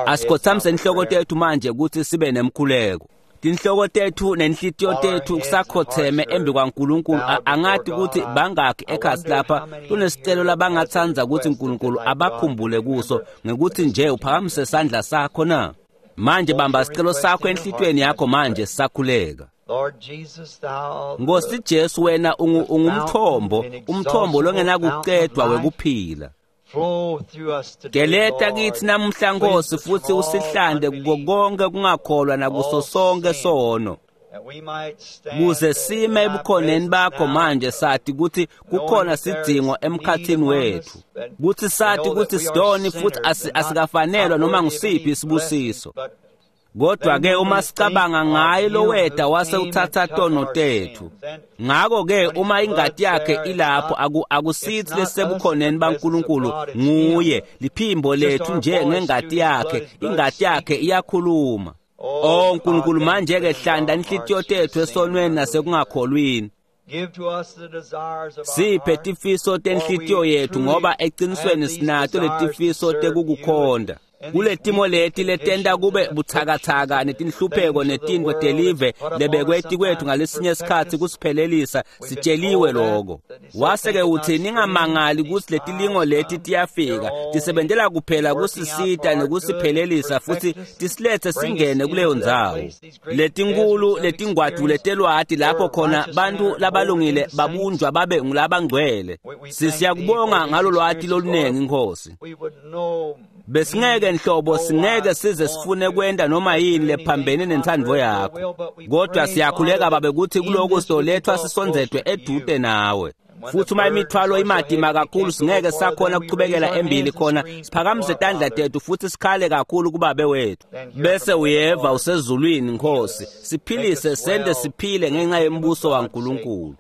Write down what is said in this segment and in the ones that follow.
Asikhothamise inhloko tethu manje ukuthi sibe nemkhuleko. Tinhloko tethu nenhlitiyo tethu kusakhotheme embi kwaNkulunkulu. Angathi ukuthi bangakhi ekhasi lapha kunesicelo labangatsandza ukuthi uNkulunkulu abakhumbule kuso ngekuthi nje uphakamise sandla sakho na. Manje bamba sicelo sakho enhlitiyweni yakho manje sakhuleka. Nkosi Jesu, wena ungumthombo, umthombo longenakucedwa wekuphila. Geleta kithi namuhla Nkosi futhi usihlande kuko konke kungakholwa nakuso sonke sono, kuze sime ebukhoneni bakho manje sathi ukuthi kukhona sidzingo emkhathini wethu, kuthi sathi ukuthi sidoni futhi asikafanelwa noma ngusiphi isibusiso. Kodwa ke uma sicabanga ngaye loweda wase uthatha tono tethu, ngakho ke uma ingati yakhe ilapho akusithi lesebukhoneni baNkulunkulu, nguye liphimbo lethu nje ngengati yakhe, ingati yakhe iyakhuluma. Oh Nkulunkulu, manje ke hlanda inhlitiyo tethu esonweni nasekungakholwini. Siphe tifiso tenhlitiyo yethu, ngoba eqinisweni sinato letifiso tekukukhonda. Kuletimo leti letenta kube buthakathaka netinhlupheko netintfo telive lebekweti kwethu ngalesinye isikhatsi kusiphelelisa, sitsheliwe lokho. Wase-ke uthi ningamangali ukuthi letilingo leti tiyafika, tisebentela kuphela kusisita nekusiphelelisa futhi tisilethe singene kuleyo ndzawo. Letinkulu letingwadule telwati lapho khona bantu labalungile babunjwa babe ngulabangcwele. Siyakubonga ngalo lwati lolunengi Nkosi. Besingeke nhlobo singeke size sifune kwenta noma yini lephambene nentsandvo yakho, kodwa siyakhuleka babe ukuthi kuloko sizolethwa sisondzedwe edude nawe. Futhi uma imithwalo imatima kakhulu singeke sakhona ukuchubekela embili khona, siphakamise tandla tethu futhi sikhale kakhulu kubabe wethu, bese uyeva usezulwini Nkosi, siphilise sente siphile ngenxa yembuso waNkulunkulu.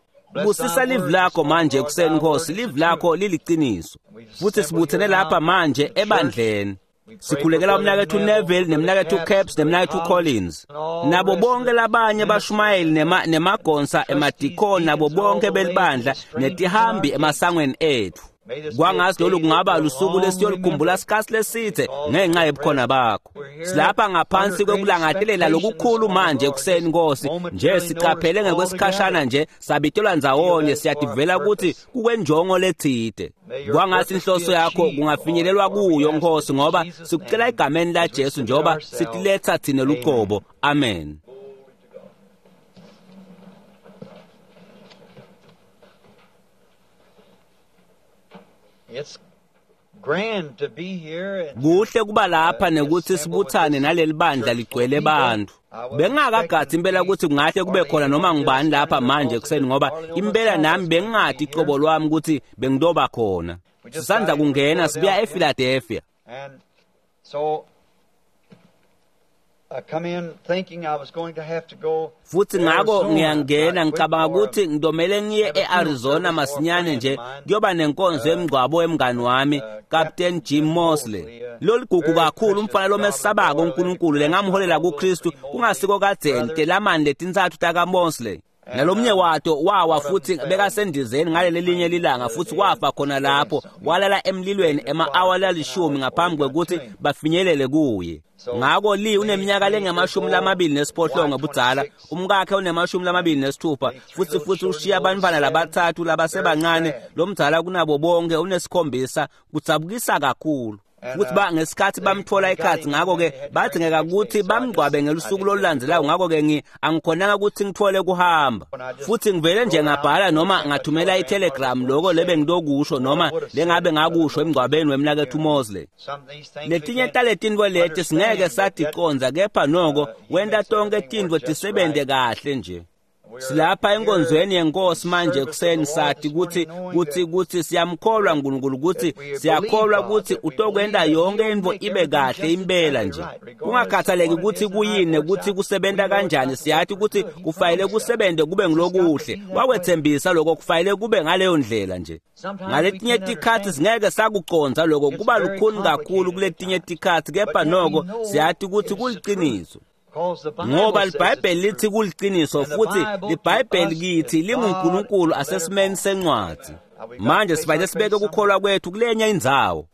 Busisa livi lakho manje ekuseni Nkosi, livi lakho liliqiniso. Futhi sibuthene lapha manje ebandleni. Sikhulekela umnakethu Neville nemnakethu Caps nemnakethu Collins nabo bonke labanye bashumayeli nemagonsa emadikoni nabo bonke belibandla netihambi emasangweni ethu. Kwangazi lolu kungaba lusuku lesiyolukhumbula sikhathi lesithe ngenxa yebukhona bakho. Silapha ngaphansi kwekulangadelela lokukhulu manje ekuseni Nkosi, nje siqaphele ngekwesikhashana nje sabitelwa ndzawonye, siyativela ukuthi kukwenjongo lethide. Kwangathi inhloso yakho kungafinyelelwa kuyo Nkosi, ngoba sikucela egameni la Jesu njengoba sitiletha thina luqobo. Amen. It's grand to be here and Kuhle kuba lapha nekuthi sibuthane naleli bandla ligcwele bantu. Bengingakagathi impela ukuthi kungahle kube khona noma ngubani lapha manje ekuseni, ngoba impela nami bengingadi icobo lwami ukuthi bengidoba khona. Sisandza kungena sibuya ePhiladelphia. And so I come in thinking I was going to have to go Futhi ngakho Arizona ngiyangena right ngicabanga quick for ukuthi ngidomele ngiye e-Arizona masinyane nje kuyoba nenkonzo yemngcwabo wemngani wami Captain Jim Mosley. Loligugu kakhulu umfana lomesabako uNkulunkulu lengamholela kuKristu kungasiko kadzeni telamani letintsatfu taka Mosley. Nalomnye wato wawa futhi bekasendizeni ngaleli linye lilanga futhi wafa khona lapho, walala emlilweni ema-awa lalishumi ngaphambi kwekuthi bafinyelele kuye. Ngakho Lee uneminyaka lengamashumi-28 budzala, umkakhe unema-26, futhi ushiya abantwana labathathu labasebancane, lomdzala kunabo bonke unesikhombisa. Kudzabukisa kakhulu. Futhi ngesikhathi bamthola ekhatsi, ngakho-ke badingeka ukuthi bamngcwabe ngelusuku lolulandelayo. Ngakho-ke angikhonanga ukuthi ngithole kuhamba, futhi ngivele nje ngabhala noma ngathumela itelegram loko lebengitokusho noma lengabe ngakusho emngcwabeni wemnakethu Mosley. Letinye taletintfo leti singeke saticonza, kepha noko wenta tonke tintfo tisebente kahle nje. Silapha enkonzweni yenkosi manje ekuseni, sathi ukuthi siyamkholwa uNkulunkulu, ukuthi siyakholwa ukuthi utokwenta yonke intfo ibe kahle impela nje, kungakhathaleki ukuthi kuyini ukuthi kusebenta kanjani. Siyathi ukuthi kufanele kusebente kube ngilokuhle, wakwethembisa lokho, kufanele kube ngaleyo ndlela nje. Ngaletinye tikhatsi singeke sakuconza lokho, kuba lukhuni kakhulu kuletinye tikhatsi, kepha noko siyathi ukuthi kuliciniso, ngoba liBhayibheli lithi kuliciniso, futhi liBhayibheli kithi linguNkulunkulu asesimeni sencwadzi. Manje sifanele sibeke ukukholwa kwethu kulenye indzawo.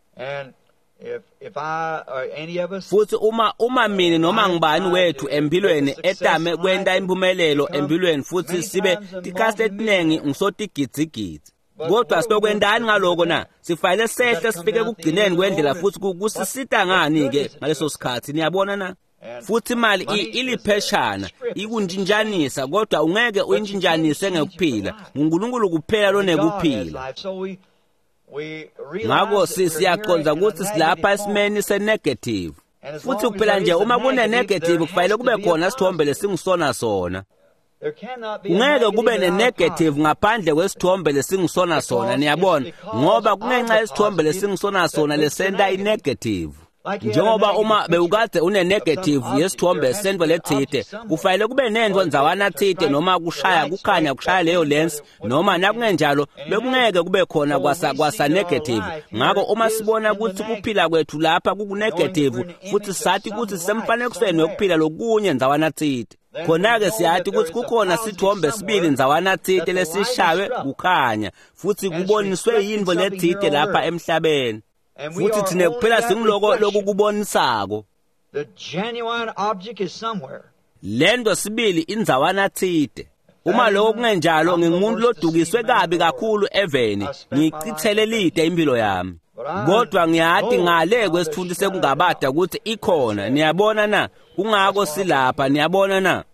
Futhi uma mina noma ngibani wethu empilweni etame kwenta impumelelo empilweni futhi sibe tikhathi letiningi ngisotigidzigidzi. Kodwa sitokwentani ngaloko na? Sifanele sehle sifike kugcineni kwendlela futhi kusisita ngani-ke ngaleso sikhathi, niyabona na? Futhi imali ilipheshana, ikuntshintshanisa, kodwa ungeke uyintshintshanise ngekuphila. NguNkulunkulu kuphela lonekuphila. Ngakho siyaqonda ukuthi silapha esimeni se-negative. Futhi kuphela nje uma kune-negative kufanele kube khona isithombe lesingisona sona. Ungeke kube ne-negative ngaphandle kwesithombe lesingisona sona, niyabona, ngoba kungenxa yesithombe lesingisona sona lesenta i-negative. Njengoba uma bewukade une-negative yesithombe sento lethite, kufanele kube nento ndzawana thite noma kushaya kukhanya kushaya leyo lens, noma nakungenjalo bekungeke kube khona kwasa negative. Ngakho uma sibona ukuthi kuphila kwethu lapha kuku-negative futhi sathi ukuthi sisemfanekisweni wekuphila lokunye ndzawana thite, khona-ke siyathi ukuthi kukhona sithombe sibili ndzawana thite lesishaywe kukhanya futhi kuboniswe yintfo lethite lapha emhlabeni. Futhi thina kuphela singiloko lokukubonisako. Lento sibili indzawana thite. Uma lokho kungenjalo ngingumuntu lodukiswe kabi kakhulu eveni, ngichithele lide impilo yami. Kodwa ngiyathi ngale kwesithunzi sekungabada ukuthi ikhona, niyabona na? Kungako silapha, niyabona na?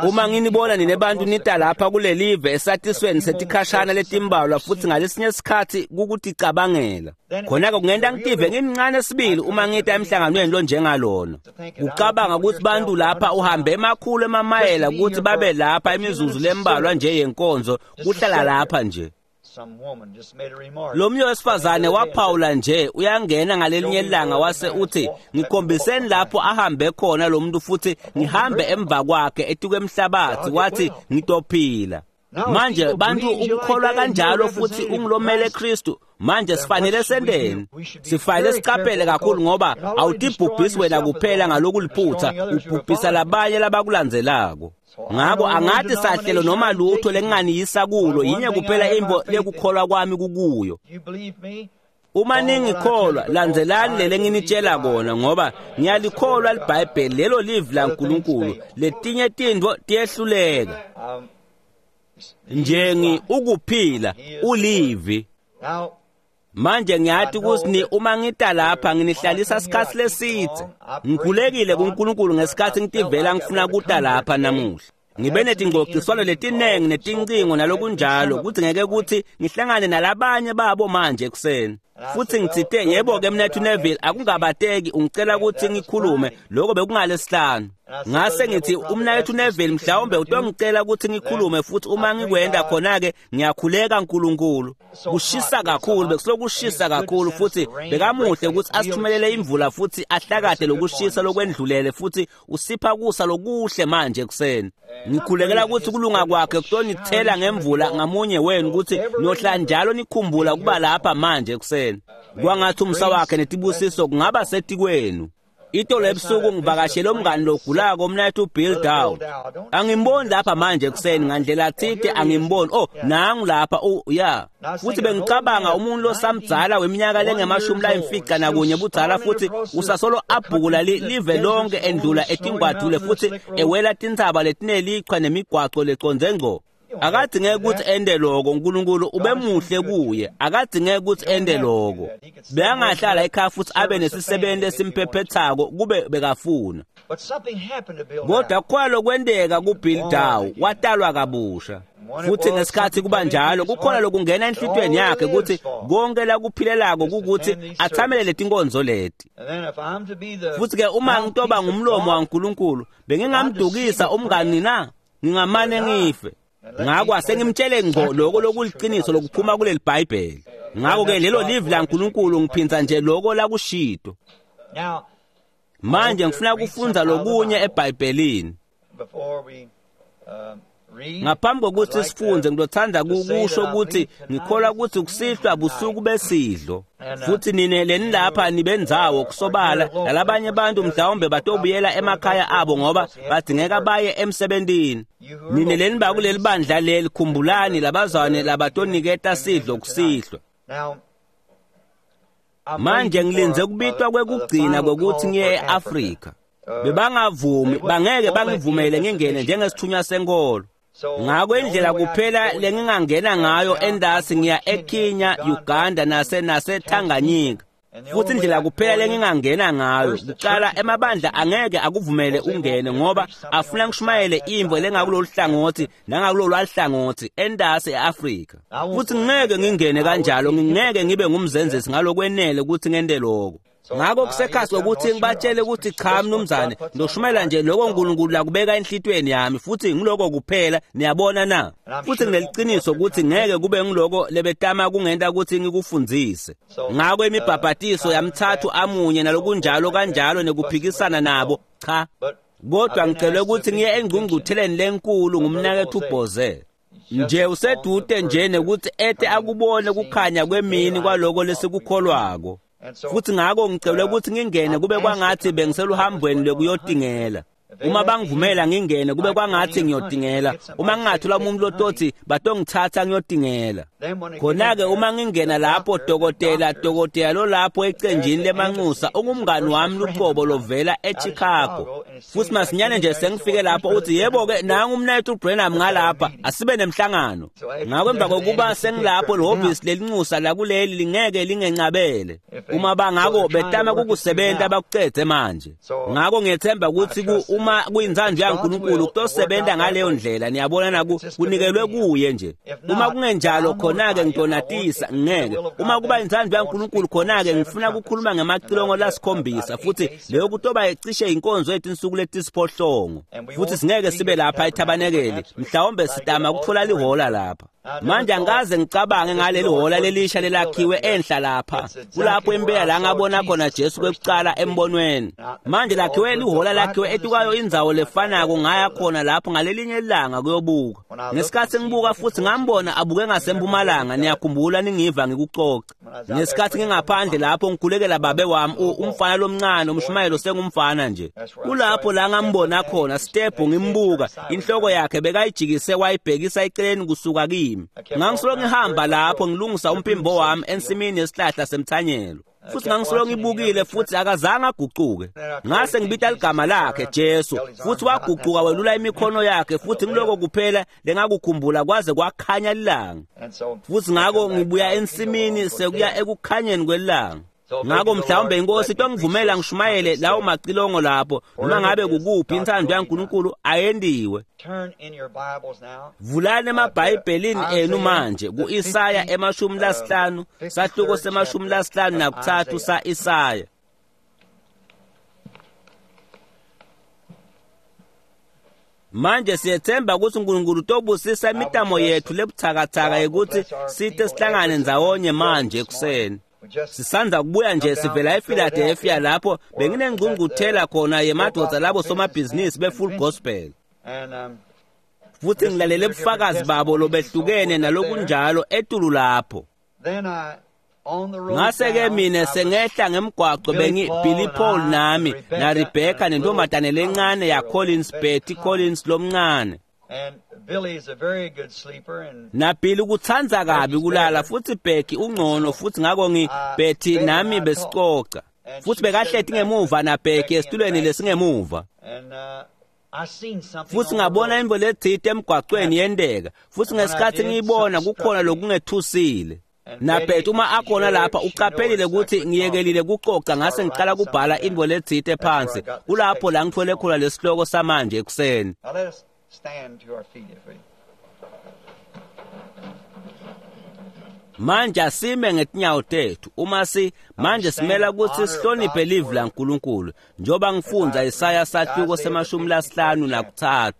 Uma nginibona nine bantu nita lapha kulelive esatisweni setikhashana letimbalwa futhi ngalesinye isikhathi kukuticabangela. Khona-ke kungenta ngitive ngimncane sibili uma ngita emhlanganweni lonjengalona. Kucabanga ukuthi bantu lapha uhambe emakhulu emamayela ukuthi babe lapha imizuzu lembalwa nje yenkonzo kuhlala lapha nje. Lo mnye wesifazane waphawula nje uyangena ngalelinye ilanga wase uthi ngikhombiseni lapho ahambe khona lo muntu futhi ngihambe emva kwakhe etukwe emhlabathi, wathi ngitophila. Manje bantu ukukholwa kanjalo futhi ungilomele Kristu. Manje sifanele sendeni, sifanele siqaphele kakhulu ngoba awutibhubhisi wena kuphela ngalokuliphutha, ubhubhisa labanye labakulandzelako. Ngakho angathi sahlelo noma lutho lenginganiyisa kulo, yinye kuphela imvo lekukholwa kwami kukuyo. Uma ningikholwa, landzelani lele nginitshela kona, ngoba ngiyalikholwa liBhayibheli, lelo livi laNkulunkulu. Letinye tintfo tiyehluleka. Njengi ukuphila ulivi. Manje ngiyathi ukuthi uma ngita lapha nginihlalisa isikhathi lesithe. Ngikhulekile kuNkulunkulu ngesikhathi ngitivela ngifuna kuta lapha namuhla. Ngibe netingxoxiswano letinengi netincingo nalokunjalo ukuthi ngeke ukuthi ngihlangane nalabanye babo manje ekuseni. Futhi ngitsite yebo-ke mnethu Neville, akungabateki ungicela ukuthi ngikhulume, lokho bekungalesihlanu. Ngase ngithi umnakethu Neville mhlawumbe utongicela ukuthi ngikhulume, futhi uma ngikwenda khona-ke ngiyakhuleka nkulunkulu. Kushisa kakhulu, bekusokushisa kakhulu, futhi bekamuhle ukuthi asithumelele imvula futhi ahlakade lokushisa lokwendlulele, futhi usipha kusa lokuhle manje ekuseni. Ngikhulekela ukuthi kulunga kwakhe kutonithela ngemvula ngamunye wenu, ukuthi niyohlala njalo nikhumbula ukuba lapha manje ekuseni. Kwangathi umsa wakhe netibusiso kungaba setikwenu. Itolo ebusuku ngivakashele umngani logulako umnayethu Bill Dow. Angimboni lapha manje ekuseni ngandlela thite, angimboni. Oh, nangu lapha, ya. Futhi bengicabanga umuntu losamdzala weminyaka lengemashumi layimfica nakunye budzala, futhi usasolo abhukula live lonke endlula etingwadule futhi ewela tintsaba letinelichwa nemigwaco lecondze ngco. Akadingeke ukuthi ende loko, uNkulunkulu ubemuhle kuye. Akadingeke ukuthi ende loko. Bekangahlala ekhaya futhi abe nesisebenzi esimphephethako kube bekafuna. Kodwa kukhona lokwenteka kuBill Dow, watalwa kabusha. Futhi ngesikhathi kuba njalo, kukhona lokungena enhlitiyweni yakhe ukuthi konke lakuphilelako kukuthi athamele letinkonzo leti. Futhi-ke uma ngitoba ngumlomo waNkulunkulu, bengingamdukisa umngani na? Ngingamane ngife. Ngakho asengimtshele ngco lokho lokuliqiniso lokuphuma kuleli Bhayibheli. Ngakho-ke lelo livi laNkulunkulu, ngiphinza nje lokho lakushito. Manje ngifuna kufundza lokunye eBhayibhelini. Ngaphambi kokuthi sifunze, ngizothanda ukusho ukuthi ngikholwa ukuthi kusihlwa busuku besidlo. Futhi nine lenilapha nibendzawo kusobala nalabanye abantu mhlawumbe batobuyela emakhaya abo ngoba badingeka baye emsebentini. Nine leniba kuleli bandla leli, khumbulani labazwane labatoniketa sidlo kusihlwa. Manje ngilinze kubitwa kwekugcina kwekuthi ngiye e-Afrika. Bebangavumi, bangeke bangivumele ngingene njengesithunywa senkolo. Ngakho indlela kuphela lengingangena ngayo endasi ngiya eKenya, Uganda naseTanganyika. Futhi indlela kuphela lengingangena ngayo kuqala emabandla angeke akuvumele ungene ngoba afuna ngishumayele imvo lengakulolu hlangothi nangakulolu hlangothi endasi e-Afrika. Futhi ngeke ngingene kanjalo, ngingeke ngibe ngumzenzisi ngalokwenele ukuthi ngente lokho. Ngakho kusekhasi ukuthi ngibatshele ukuthi cha mnumzane, ngizoshumayela nje lokho uNkulunkulu lakubeka enhlitweni yami futhi ngiloko kuphela, niyabona na? Futhi ngineliqiniso ukuthi ngeke kube ngiloko lebetama kungenta ukuthi ngikufundzise. Ngakho imibhabhatiso yamthathu amunye nalokunjalo kanjalo nekuphikisana nabo, cha. Kodwa ngicelwe ukuthi ngiye engqungqutheleni lenkulu ngumnakethu Boze. Nje usedude nje nekuthi ete akubone kukhanya kwemini kwaloko lesikukholwako. Futhi ngakho ngicelwe ukuthi ngingene kube kwangathi bengiseluhambweni lwekuyotingela. Uma bangivumela ngingene kube kwangathi ngiyotingela. Uma ngingathola umuntu lotothi batongithatha ngiyotingela. Khona-ke uma ngingena lapho dokotela lolapho ecenjini lemanxusa ungumngani wami luqobo lovela eChicago. Futhi masinyane nje sengifike lapho uthi yebo-ke nangu umnayethu uBrenham ngalapha asibe nemhlangano. Ngakho emva kokuba sengilapho lihhovisi lelinxusa lakuleli lingeke lingencabele. Uma bangako betama kukusebenta bakucedze manje. Ngakho ngiyethemba ukuthi uma kuyintsandvo yaNkulunkulu kutosebenza ngaleyo ndlela, niyabona naku kunikelwe kuye nje. Uma kungenjalo khona-ke ngitonatisa ngeke. Uma kuba intsandvo yaNkulunkulu khona-ke ngifuna ukukhuluma ngemacilongo lasikhombisa futhi leyo kutoba icishe inkonzo yetinsuku letisiphohlongo. Futhi singeke sibe lapha ethabanekeli, mhlawumbe sitama ukuthola lihola lapha. Manje angikaze ngicabange ngaleli hola lelisha lelakhiwe enhla lapha. Kulapho impela la ngabona khona Jesu kwekuqala embonweni. Manje lakhiwe lihola lakhiwe etukayo indzawo lefanako ngaya khona lapho ngalelinye ilanga kuyobuka. Ngesikhathi ngibuka futhi ngambona abuke ngasempumalanga, niyakhumbula ningiva ngikucoca. Ngesikhathi ngingaphandle lapho ngikhulekela babe wami umfana lomncane umshumayelo sengumfana nje. Kulapho la ngambona khona step ngimbuka, inhloko yakhe bekayijikise wayibhekisa eceleni kusuka kimi. Ngangisolo ngihamba lapho ngilungisa umphimbo wami ensimini yesihlahla semthanyelo. Futhi ngangisolo ngibukile futhi akazange aguquke. Ngase ngibita ligama lakhe Jesu, futhi waguquka welula imikhono yakhe futhi ngiloko kuphela lengakukhumbula kwaze kwakhanya ilanga. Futhi ngakho ngibuya ensimini sekuya ekukhanyeni kwelanga. Ngakho mhlawumbe inkosi itongivumela ngishumayele lawo macilongo lapho noma ngabe kukuphi inthando yaNkulunkulu ayendiwe. Vulani emabhayibhelini enu manje ku-Isaya 50, sahluko se-53 sa-Isaya. Manje siyethemba ukuthi uNkulunkulu utobusisa imitamo yethu lebuthakathaka yokuthi sithe sihlangane ndzawonye manje ekuseni. Sisandza kubuya nje sivela ePhiladelphia lapho benginengqungquthela khona yemadoda labo somabhizinisi be-Full Gospel. Futhi ngilalele ubufakazi babo lobehlukene nalokunjalo etulu lapho. Ngase-ke mina sengehla ngemgwaqo bengi Billy Paul nami na Rebecca nentombazane lencane ya Collins, Betty Collins lomncane. Na Billy kutsandza kabi kulala futhi Becky ungcono futhi ngakho Betty nami besicoca. Futhi bekahleti ngemuva na Becky esitulweni lesingemuva. Futhi ngabona imvo letsite emgwaqweni yenteka. Futhi ngesikhathi ngiyibona kukhona lokungethusile. Na Betty uma akhona lapha uqaphelile ukuthi ngiyekelile kucoca ngase ngiqala kubhala imvo letsite phansi. Kulapho la ngithole khona lesihloko samanje ekuseni. Manje asime ngetinyawo tethu uma si manje simela ukuthi sihloniphe livi laNkulunkulu njengoba ngifundza Isaya sahluko se-53.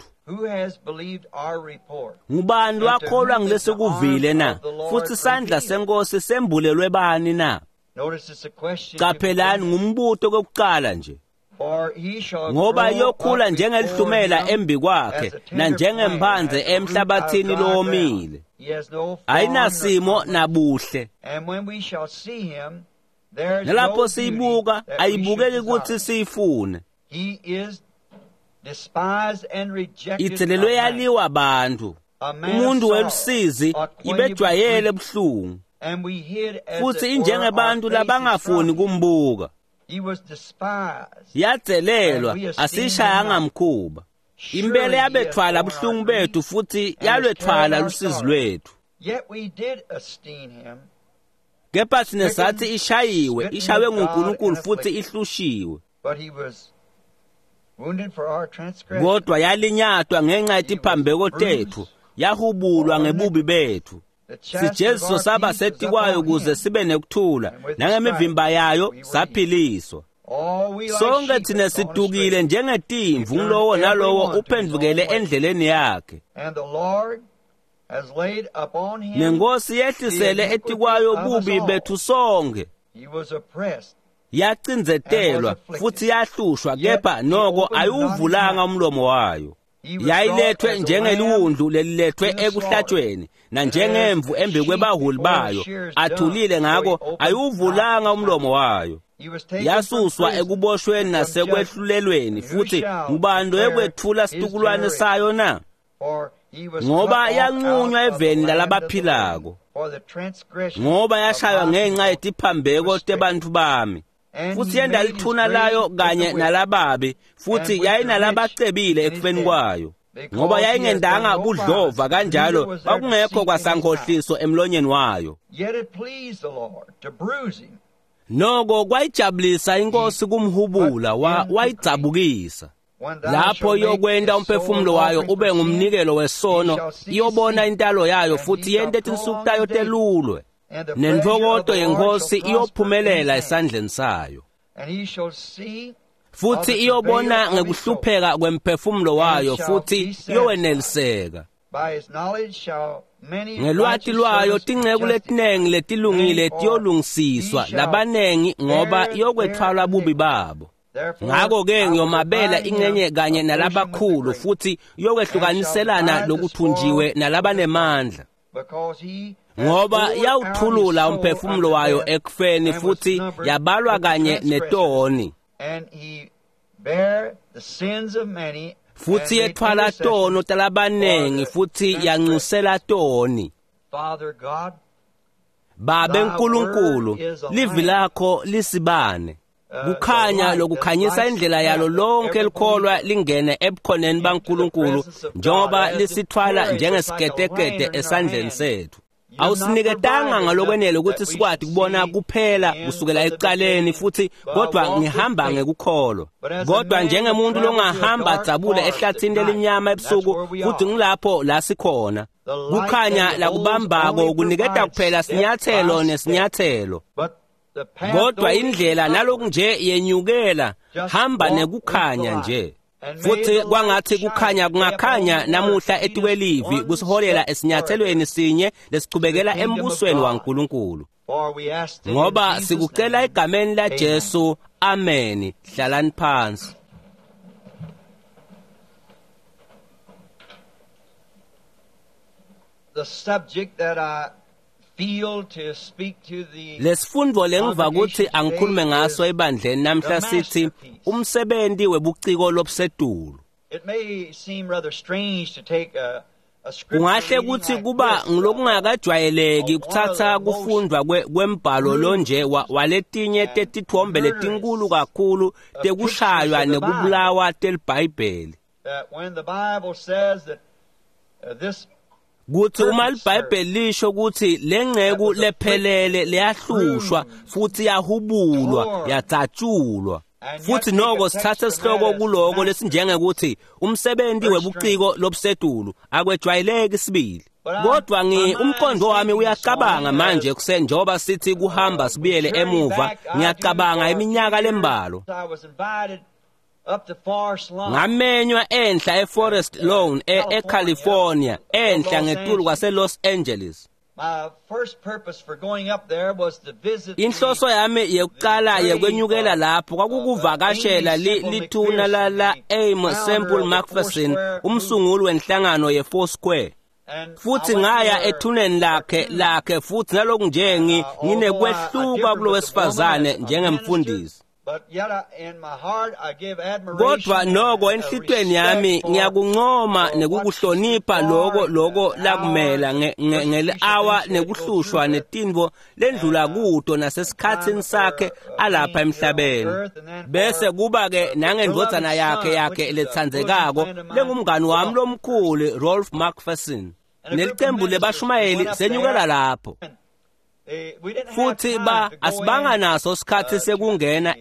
Ngubani wakholwa ngilesikuvile na? Futhi isandla senkosi sembulelwe bani na? Qaphelani ngumbuto kokuqala nje. Ngoba iyokhula njengelihlumela embi kwakhe nanjengemphanze emhlabathini lowomile. Ayinasimo nabuhle. Nalapho siyibuka ayibukeki ukuthi siyifune. Ithelelwe yaliwa abantu. Umuntu welusizi ibejwayele buhlungu. Futhi injengebantu labangafuni kumbuka. Yadzelelwa, asishayanga mkhuba. Impela yabethwala buhlungu bethu futhi yalwethwala lusizi lwethu. Kepha thina sathi ishayiwe, ishawe nguNkulunkulu futhi ihlushiwe. Kodwa yalinyatwa ngenxa yetiphambeko tethu, yahubulwa ngebubi bethu. Sijeziso saba setikwayo ukuze sibe nekuthula, nangemivimba yayo saphiliswa. Sonke thina sidukile njengetimvu, ngulowo nalowo uphendvukele endleleni yakhe. Nenkosi yehlisele etikwayo bubi bethu sonke. Yacindzetelwa futhi yahlushwa, kepha noko ayiwuvulanga umlomo wayo. Yayilethwe njengeliwundlu lelilethwe ekuhlatshweni, nanjengemvu embi kwebaholi bayo, athulile ngako ayiwuvulanga umlomo wayo. Yasuswa ekuboshweni nasekwehlulelweni, futhi ngubani loyekwetfula situkulwane sayo na? Ngoba yanqunywa eveni lalabaphilako, ngoba yashaywa ngenxa yetiphambeko tebantfu bami. Futhi yenda lithuna layo kanye nalababi, futhi yayinalabacebile ekufeni kwayo. Ngoba yayingendanga budlova kanjalo kwakungekho kwasankhohliso emlonyeni wayo. Noko kwayijabulisa inkosi kumhubula, wayidzabukisa. Lapho iyokwenta umphefumulo wayo ube ngumnikelo wesono, iyobona intalo yayo futhi yente tinsuku tayo telulwe. Nentfokoto yenkosi iyophumelela esandleni sayo. Futhi iyobona ngekuhlupheka kwemphefumulo wayo, futhi iyoweneliseka. Ngelwati lwayo tinceku letinengi letilungile tiyolungisiswa, labanengi ngoba iyokwethwalwa bubi babo. Ngakho-ke ngiyomabela ingxenye kanye nalabakhulu, futhi iyokwehlukaniselana lokuthunjiwe nalabanemandla. Ngoba yawuthulula umphefumulo wayo ekufeni, futhi yabalwa kanye netoni. Futhi yethwala tono talabanengi, futhi yanxusela toni. Babe Nkulunkulu, livi lakho lisibane. Kukhanya lokukhanyisa indlela yalo lonke likholwa lingene ebukhoneni baNkulunkulu, njengoba lisithwala njengesiketekete esandleni sethu. Awusiniketanga ngalokwenele ukuthi sikwati kubona kuphela kusukela ekuqaleni, futhi kodwa ngihamba ngekukholwa. Kodwa njengemuntu longahamba adzabule ehlathini lelimnyama ebusuku, futhi ngilapho la sikhona. Kukhanya lakubambako kuniketa kuphela sinyathelo nesinyathelo. Kodwa indlela naloku nje yenyukela, hamba nekukhanya nje. Futhi kwangathi kukhanya kungakhanya namuhla etikwelivi kusiholela esinyathelweni sinye lesichubekela embusweni waNkulunkulu. Ngoba sikucela egameni laJesu, ameni. Hlalani phansi. The subject that I feel to speak to the Lesifundvo lengiva kutsi angikhulume ngaso ebandleni namhla sithi umsebenzi webuciko lobusetulu. It may seem rather strange to take a Kungahle kutsi kuba ngilokungakajwayeleki kuthatha kufundwa kwembhalo lonje waletinye tetitfombe letinkulu kakhulu tekushaywa nekubulawa teliBhayibheli. When the Bible says that this Kutsi uma liBhayibheli lisho kutsi lenceku lephelele leyahlushwa futhi yahubulwa yadzatshulwa, futhi noko sithathe sihloko kuloko lesinjengekuthi umsebenzi webuciko lobusetulu, akwejwayeleki sibili. Kodwa umqondo wami uyacabanga manje kuseni, njengoba sithi kuhamba sibuyele emuva, ngiyacabanga iminyaka lembalwa. Ngamenywa enhla eForest Lawn eCalifornia, enhla ngetulu kwase-Los Angeles. Inhloso yami yekuqala yekwenyukela lapho kwakukuvakashela lithuna la Aim Semple McPherson, umsunguli wenhlangano ye-Foursquare. Futhi ngaya ethuneni lakhe futhi naloku nje nginekwehluka kulo wesifazane njengemfundisi. Kodwa noko enhlitweni yami ngiyakuncoma nekukuhlonipha lokho lakumela ngeli-awa nekuhlushwa netintfo lendlula kuto nasesikhatsini sakhe alapha emhlabeni. Bese kuba-ke nangendvodzana yakhe letsandzekako lengumngani wami lomkhulu Rolf McPherson. Nelicembu lebashumayeli senyukela lapho. Futhi asibanga naso sikhathi sekungena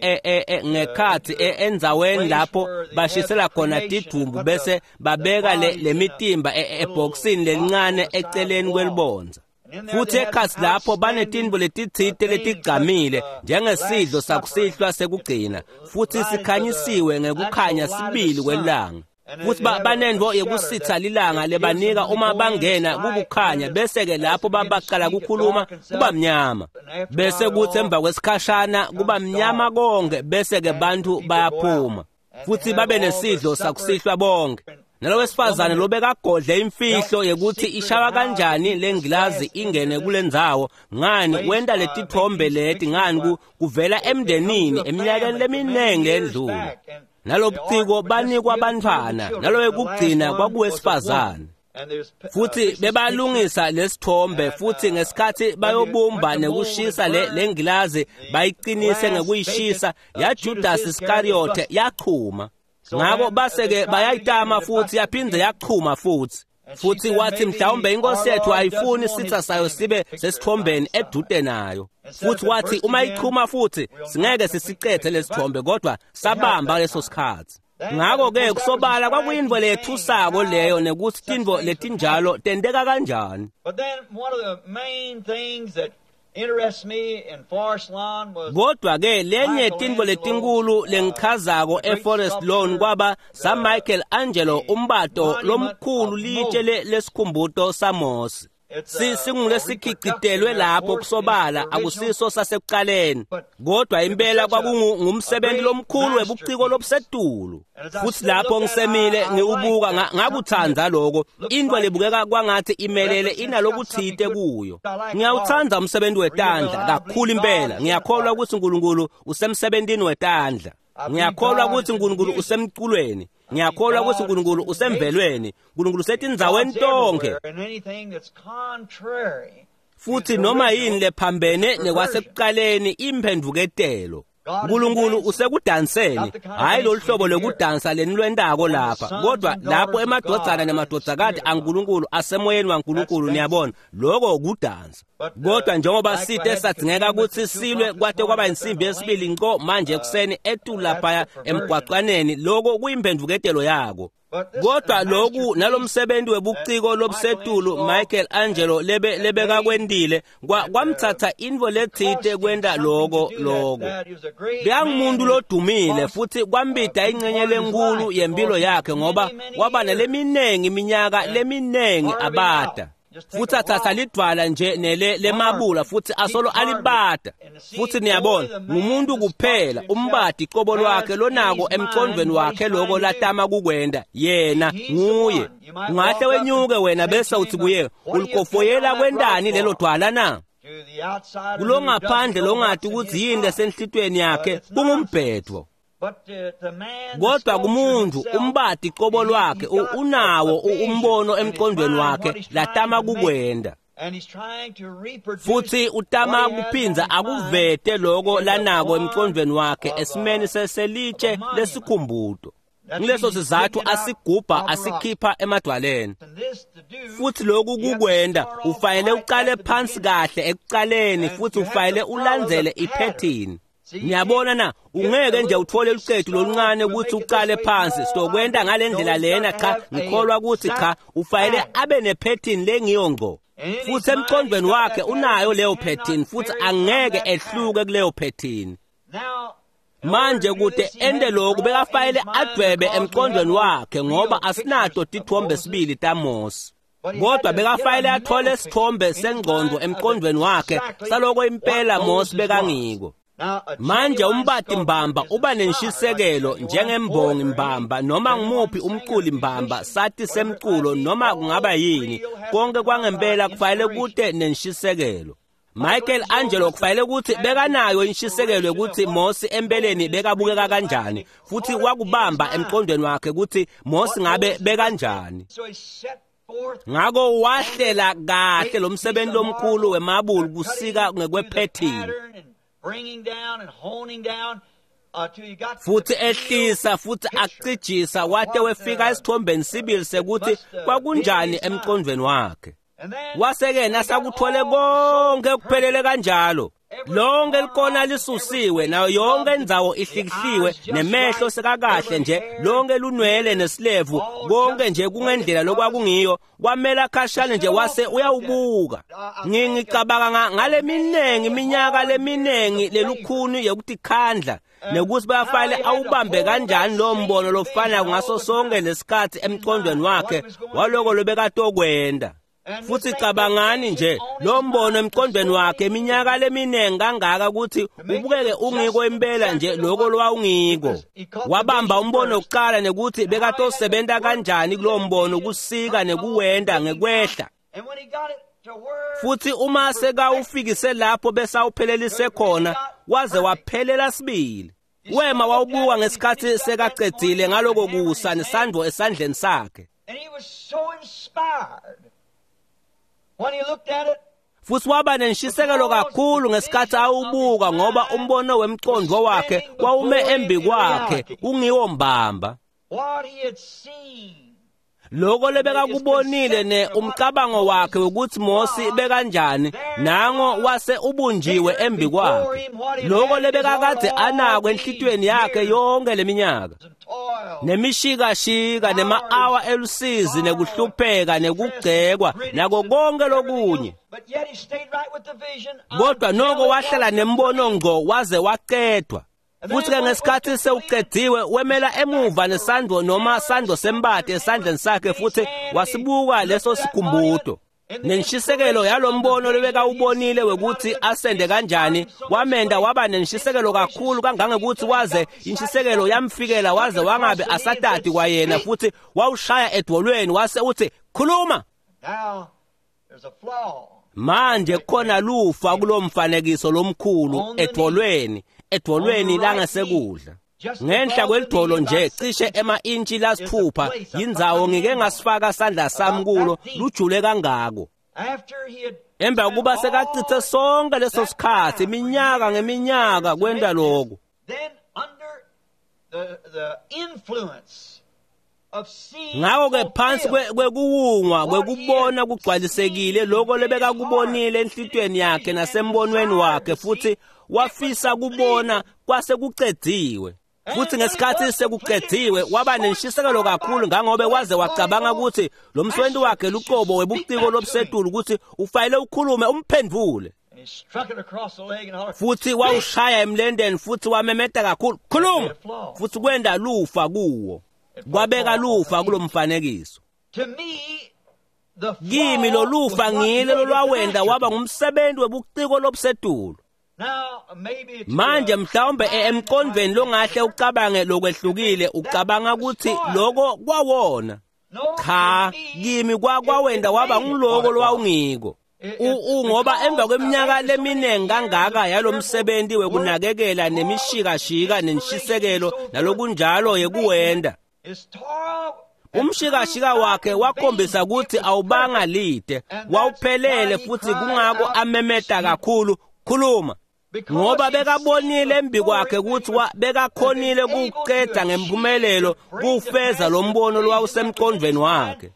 ngekhathi endzaweni lapho bashisela khona tidumbu bese babeka lemitimba ebhokisini lelincane eceleni kwelibondza. Futhi ekhathi lapho banetintfo letitsite letigcamile njengesidlo sakusihlwa sekugcina, futhi sikhanyisiwe ngekukhanya sibili kwelanga. Futhi banentfo yekusitha lilanga lebanika uma bangena kukukhanya, bese-ke lapho baqala kukhuluma kuba mnyama. Bese kuthi emva kwesikhashana kuba mnyama konke, bese-ke bantu bayaphuma. Futhi babe nesidlo sakusihlwa bonke. Nalowesifazane lobekagodle imfihlo yekuthi ishawa kanjani lengilazi ingene kulendzawo, ngani wenta letithombe leti, ngani kuvela emndenini eminyakeni leminingi lendlule. Nalobuciko banikwa bantfwana, nalowekugcina kwakuwesifazane. Futhi bebalungisa lesithombe, futhi ngesikhathi bayobumba nekushisa lengilazi bayiqinise ngekuyishisa, yaJudas Iskariote yachuma. Ngako base-ke bayayitama futhi yaphindze yachuma futhi. Futhi wathi mhlawumbe inkosi yethu ayifuni sitha sayo sibe sesithombeni edude nayo. Futhi wathi uma ichuma futhi singeke sisicethe lesithombe, kodwa sabamba leso sikhathi. Ngako-ke kusobala kwakuyintfo leyethusako leyo, nekuthi tintfo letinjalo tenteka kanjani. Kodwa-ke lenye tintfo letinkulu lengichazako eForest Lawn kwaba saMichael Angelo, umbato lomkhulu litshe lesikhumbuto saMose. Singulesikhicitelwe lapho kusobala, akusiso sasekuqaleni, kodwa impela kwakungumsebenzi lomkhulu webuciko lobusetulu. Futhi lapho ngisemile ngiwubuka, ngakuthanda lokho. Into lebukeka kwangathi imelele inalokuthite kuyo. Ngiyawuthanda umsebenzi wetandla kakhulu impela. Ngiyakholwa ukuthi uNkulunkulu usemsebentini wetandla. Ngiyakholwa ukuthi uNkulunkulu usemculweni. Ngiyakholwa ukuthi uNkulunkulu usemvelweni. uNkulunkulu usetindzaweni tonke. Futhi noma yini lephambene nekwasekuqaleni imphendvuketelo. uNkulunkulu usekudanseni, hayi lolu hlobo lokudansa lenilwentako lapha, kodwa lapho emadvodzana nemadvodzakati aNkulunkulu asemoyeni waNkulunkulu, niyabona, lokho kudansa. Kodwa njengoba site sadzingeka kutsi silwe kwate kwaba insimbi yesibili nco manje ekuseni etulu laphaya emgwacwaneni, lokho kuyimphendvuketelo yako. Kodwa loku nalomsebenzi webuciko lobusetulu Michael Angelo lebekakwentile kwamtsatsa intfo letsite kwenta loko. Bekangumuntu lodumile futhi kwambida ingcenye lenkulu yempilo yakhe, ngoba waba naleminingi iminyaka leminingi abada. Futhi athatha lidwala nje nele lemabula futhi asolo alibada. Futhi niyabona, ngumuntu kuphela umbadi qobo lwakhe lonako emcondweni wakhe lokho latama kukwenda yena nguye. Ungahle wenyuke wena bese uthi kuye, ulikofoyela kwentani lelo dwala na? Kulongaphandle longati ukuthi yini lesenhlitweni yakhe kungumbhedvo. Kodwa kumuntu umbadi qobo lwakhe unawo umbono emqondweni wakhe latama kukwenda. Futhi utama kuphinza akuvete lokho lanako emqondweni wakhe esimeni seselitshe lesikhumbuto. Ngileso sizathu asigubha asikhipha emadwaleni. Futhi lokhu kukwenda ufanele uqale phansi kahle ekuqaleni, futhi ufanele ulandzele iphethini. Niyabona na, ungeke nje uthole lucetu loluncane ukuthi uqale phansi sitokwenta ngalendlela lena, cha ngikholwa ukuthi cha, ufanele abe nephethini lengiyo ngco. Futhi emqondweni wakhe unayo leyo phethini, futhi angeke ehluke kuleyo phethini. Manje kude ende lokhu bekafanele adwebe emqondweni wakhe, ngoba asinato tithombe sibili taMose. Kodwa bekafanele athole isithombe sengqondo emqondweni wakhe saloko impela Mose bekangiko. Manje umbati mbamba uba nenshisekelo njengembongi mbamba noma ngumuphi umculi mbamba, sati semculo noma kungaba yini, konke kwangempela kufanele kute nenshisekelo. Michelangelo kufanele ukuthi bekanayo inshisekelo yokuthi Mose empeleni bekabukeka kanjani, futhi wakubamba emqondweni wakhe ukuthi Mose ngabe bekanjani. Ngako wahlela kahle lo msebenzi lomkhulu wemabulu kusika ngekwephethini, futhi ehlisa futhi acijisa wate wefika esithombeni sibili sekuthi kwakunjani emqondweni wakhe. Wase-ke nasakuthole konke kuphelele kanjalo, lonke likona lisusiwe, nayo yonke indzawo ihlikihliwe, nemehlo sekakahle nje, lonke lunwele nesilevu, konke nje kungendlela lokwakungiyo. Kwamela khashane nje wase uyawubuka. Ngicabanga ngale miningi iminyaka leminingi lelukhuni yokutikhandla nekuthi bayafanele awubambe kanjani lo mbono lofanayo ngaso sonke lesikhathi emqondweni wakhe waloko lobekatokwenda. Futhi cabangani nje lo mbono emqondweni wakhe iminyaka leminingi kangaka ukuthi ubukeke ungiko impela nje lokho lwawungiko. Wabamba umbono wokuqala nekuthi bekatosebenza kanjani kulo mbono kusika nekuwenda ngekwehla. Futhi uma sekawufikise lapho besawuphelelise khona, waze waphelela sibili. Wema wawubuka ngesikhathi sekacedzile ngaloko kusa nesandvo esandleni sakhe. Futhi waba nenshisekelo kakhulu ngesikhathi awubuka, ngoba umbono wemqondo wakhe wawume embi kwakhe ungiwo mbamba. Lokho lebekakubonile ne umcabango wakhe ukuthi Mose bekanjani, nango wase ubunjiwe embi kwakhe. Lokho lebekakade anako enhlitiyweni yakhe yonke leminyaka, nemishikashika nema-awa elusizi nekuhlupheka nekugcekwa nako konke lokunye, kodwa noko wahlala nembono ngqo waze waqedwa. Futhi-ke ngesikhathi sewuqediwe, wemela emuva nesandvo noma sandvo sembati esandleni sakhe, futhi wasibuka leso sikhumbuto. Nenshisekelo yalombono lobekawubonile wekuthi asende kanjani wamenda waba nenshisekelo kakhulu kangangekuthi waze inshisekelo yamfikela waze wangabe asatati kwayena, futhi wawushaya edvolweni wase uthi khuluma. Manje khona lufa kulomfanekiso lomkhulu edvolweni, edvolweni langasekudla. Ngenhla kwelidvolo nje cishe ema-intshi lasithupha yindzawo ngike ngasifaka sandla sami kulo lujule kangako. Emva kuba sekacithe sonke leso sikhathi iminyaka ngeminyaka kwenta lokho, ngakho-ke phansi kwekuwungwa kwekubona kugcwalisekile lokho lebekakubonile enhlitiyweni yakhe nasembonweni wakhe, futhi wafisa kubona kwase kucediwe. Futhi ngesikhathi sekucediwe waba nenshisekelo kakhulu ngangobe waze wacabanga ukuthi lo mswenti wakhe luqobo webuciko lobusetulu ukuthi ufanele ukhulume umphendvule. Futhi wawushaya emlendeni futhi wamemeta kakhulu, khuluma, futhi kwenda lufa kuwo, kwabeka lufa kulomfanekiso. Kimi lolufa ngile lolwawenda waba ngumsebenzi webuciko lobusetulu. Manje mhlawumbe emqondweni longahle ucabange lokwehlukile, ucabanga ukuthi lokho kwawona. Cha, kimi kwawenda waba ngiloko lowawungiko. Ngoba emva kweminyaka leminingi kangaka yalomsebenzi wekunakekela nemishikashika nenshisekelo nalokunjalo yekuwenda, umshikashika wakhe wakhombisa ukuthi awubanga lide, wawuphelele, futhi kungako amemeta kakhulu, khuluma, ngoba bekabonile embi kwakhe ukuthi bekakhonile kuwuqeda ngempumelelo kuwufeza lo mbono lowawusemqondweni wakhe.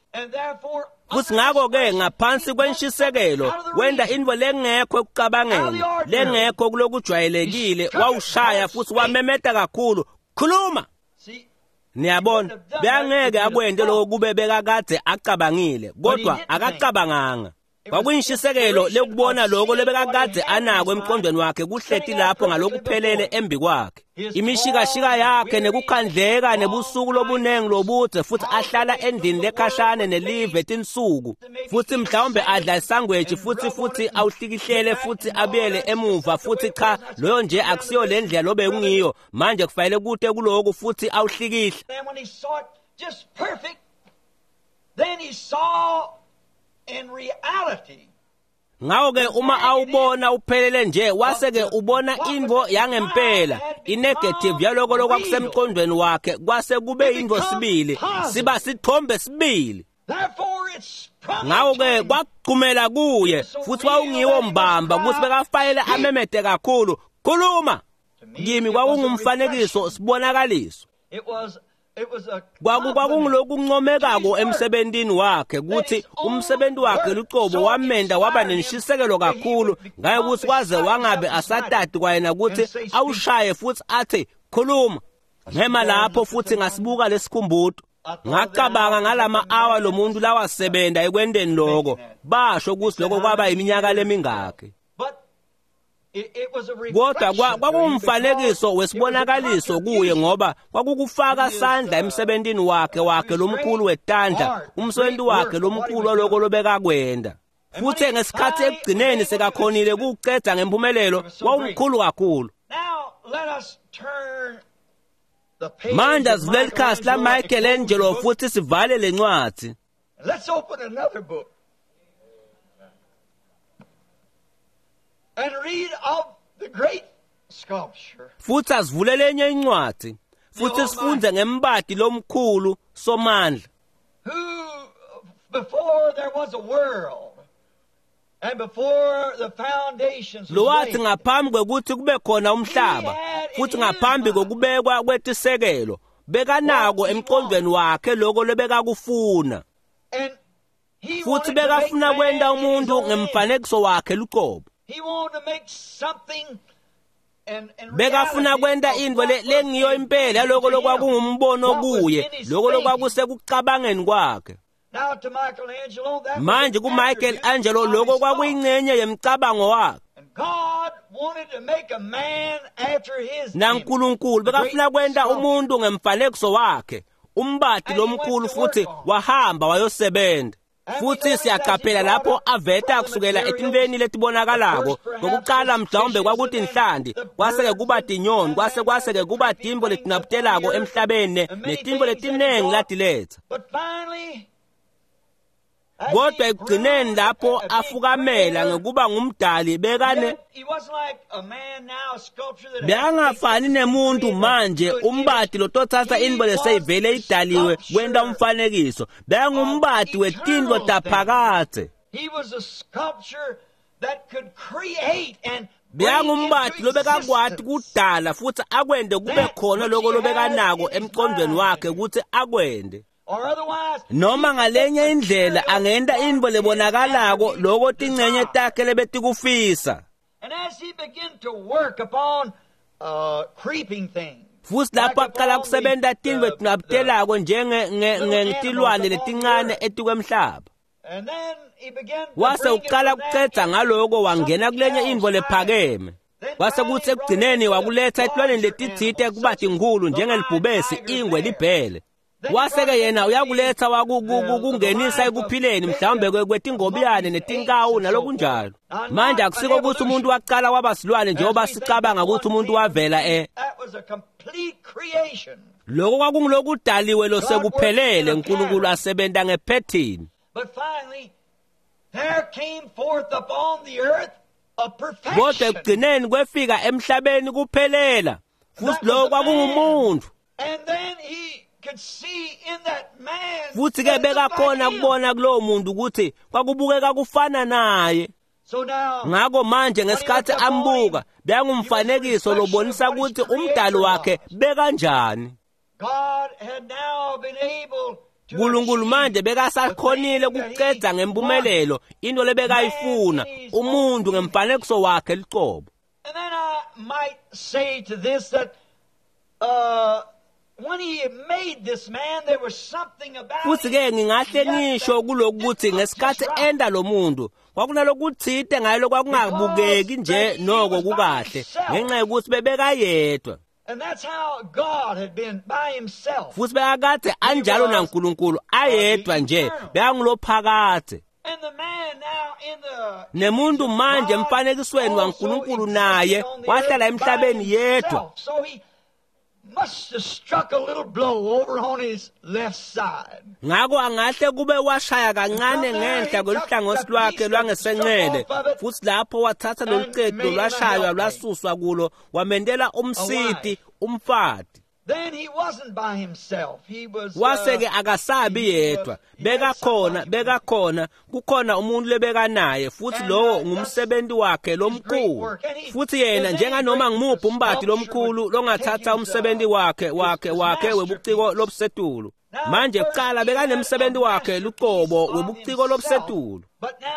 Futhi ngakho-ke ngaphansi kwenshisekelo wenda intfo lengekho ekucabangeni, lengekho kulokujwayelekile, wawushaya futhi wamemeta kakhulu, khuluma. Niyabona, bekangeke akwente lokho kube bekakade acabangile, kodwa akacabanganga. Kwakuyintshisekelo lekubona lokho lebekakade anako emqondweni wakhe kuhleti lapho ngalokuphelele embi kwakhe. Imishikashika yakhe nekukhandleka nebusuku lobunengi lobudze, futhi ahlala endlini lekhashane nelive tinsuku, futhi mhlawumbe adla isangweji futhi awuhlikihlele futhi abuyele emuva, futhi cha, loyo nje akusiyo le ndlela lobekungiyo manje, kufanele kute kuloku, futhi awuhlikihle. Then he saw in reality. Ngako-ke uma awubona uphelele nje wase-ke ubona intfo yangempela inegative yaloko lokwakusemqondweni wakhe kwase kube yintfo sibili siba sithombe sibili. Ngako-ke kwakuchumela kuye futhi wawungiwo mbamba kutsi bekafanele amemete kakhulu khuluma. Kimi kwakungumfanekiso sibonakaliso. Kwakungulokuncomekako emsebentini wakhe kutsi umsebenti wakhe lucobo wamenda waba nenshisekelo kakhulu ngaye kutsi kwaze wangabe asatati kwayena kutsi awushaye futsi athi khuluma. Ngema lapho futsi ngasibuka lesikhumbuto. Ngacabanga ngalama awa lomuntu lawasebenta ekwenteni loko basho kutsi loko kwaba iminyaka lemingakhi. Kodwa kwakungumfanekiso wesibonakaliso kuye ngoba kwakukufaka sandla emsebentini wakhe lomkhulu wetandla, umsebenzi wakhe lomkhulu waloko lobekakwenda. Futsi ngesikhatsi ekugcineni sekakhonile kuwucedza ngempumelelo wawumkhulu kakhulu. Manje asivule likhasi la Michelangelo futhi sivale lencwadzi. Let's open another book and read of the great sculpture. Futhi asivule lenye incwadzi futhi sifunde ngembati lomkhulu Somandla. Who before there was a world and before the foundations was Lowathi laid, ngaphambi kwekuthi kube khona umhlaba futhi ngaphambi kokubekwa kwetisekelo bekanako emqondweni wakhe lokho lobekakufuna. And he Futhi wanted to make bekafuna man kwenta in his umuntu own image. ngemfanekiso wakhe luqobo. He wanted to make something and Bekafuna reality kwenta of intfo what was lengiyo impela yaloko in him, lokwakungumbono what was kuye in his loko thinking. lokwakusekucabangeni kwakhe. Now to Michelangelo, that was Manje an kuMichelangelo attribute of loko his thought. kwakuyingcenye yemcabango wakhe. And God wanted to make a man after his image. NaNkulunkulu The great bekafuna kwenta sculptor. umuntu ngemfanekiso wakhe, umbati And he went lomkhulu to futhi work on it. wahamba wayosebenza. And we Futhi notice that he siyaqaphela brought lapho up aveta from the kusukela materials, etintfweni letibonakalako. first perhaps Kokuqala the mhlawumbe fishes kwakuthi and then inhlanti, the kwase-ke birds kuba and tinyoni, kwase and kwase-ke the kuba creeping tintfo things letinabitelako upon the earth, emhlabeni and many netintfo things that he letinengi brought. latiletsa. But finally, as Kodwa he ekugcineni grew lapho a big afukamela creator, ngekuba ngumdali bekane yet he wasn't like a man now, a sculpture that has to take bekangafani something to nemuntu create a manje good image. umbati lototsatsa He intfo was leseyivele the idaliwe kwenta sculpture umfanekiso of bekangumbati wetintfo eternal things. taphakadze. He was a sculpture that could create and bring Bekangumbati into lobekakwati existence kudala futhi akwente kube that khona which loko he had lobekanako in his emqondweni mind. wakhe kutsi akwente. Or otherwise, Noma he could ngalenye take indlela material angenta from intfo his lebonakalako attribute loko tincenye desire. takhe lebetikufisa. And as he began to work upon creeping things, Futhi like lapho aqala upon kusebenta tintfo the letinabitelako njenge little animals ngetilwane upon the letincane earth, etikwemhlaba. and then he began to Wase bring it uqala from that kucedza into ngaloko wangena something kulenye else intfo higher. lephakeme. Then Kwase finally kutsi he brought it ekugcineni to the wakuletsa etilwaneni larger letitsite animals, kuba such as tinkhulu the lion, njengelibhubesi, tiger, ingwe, bear. libhele. Then he Wase brought ke it yena into uyakuletsa the kungenisa life of ekuphileni maybe mhlawumbe the kwetingobiyane monkeys, apes, netinkawu and so forth. nalokunjalo. Now, Manje not an akusiko kutsi umuntu evolution, waqala waba silwane as njengoba we think that sicabanga one kutsi umuntu came from wavela the e That was a complete creation. Loko kwakungulokudaliwe God worked in losekuphelele a uNkulunkulu pattern. asebenta ngephethini. But finally, there came forth upon the earth a Kodwa perfection. ekugcineni kwefika emhlabeni kuphelela. That Futhi was lokho the man. kwakungumuntu. And then he could see in that man Futhi ke that it looked like bekakhona him. kubona kulowo muntu ukuthi kwakubukeka kufana naye. So now, Ngako manje when he ngesikhathi looked upon him, ambuka he was a bekangumfanekiso reflection of lobonisa what his ukuthi umdali creator wakhe was. bekanjani. God had now been able to uNkulunkulu achieve manje the bekasakhonile thing that ukucedza he wanted. ngempumelelo into Man lebekayifuna in his own umuntu image. ngemfanekiso wakhe luqobo. And then I might say to this that when he made this man, there was something about Futhi him ke ngingahle yet ngisho that kulokhu didn't ukuthi look just ngesikhathi right. enda lo muntu kwakunalokuthite ngaye Because lokwakungabukeki nje that he noko was by kukahle himself. ngenxa yokuthi bebekayedwa. And that's how God had been by himself. Futhi bekakade He anjalo was naNkulunkulu the ayedwa nje eternal. bekangulophakadze. And the man now in the image Nemuntu of manje God emfanekisweni also waNkulunkulu existed naye on the wahlala earth by emhlabeni yedwa. himself. So he must have struck a little blow over on his left side. Ngako angahle kube washaya kancane ngenhla kweluhlangothi lwakhe lwangesenxele, futhi lapho wathatha lolucetu lwashaywa lwasuswa kulo wamendela umsiti umfati. Then he wasn't by himself. He was Wase-ke akasabi yedwa, bekakhona kukhona umuntu lebekanaye, futhi lowo ngumsebenzi wakhe lomkhulu. Futhi yena njenganoma ngimuphi umbati lomkhulu longathatha umsebenzi wakhe webuciko lobusetulu. Manje kuqala bekanemsebenzi wakhe luqobo webuciko lobusetulu,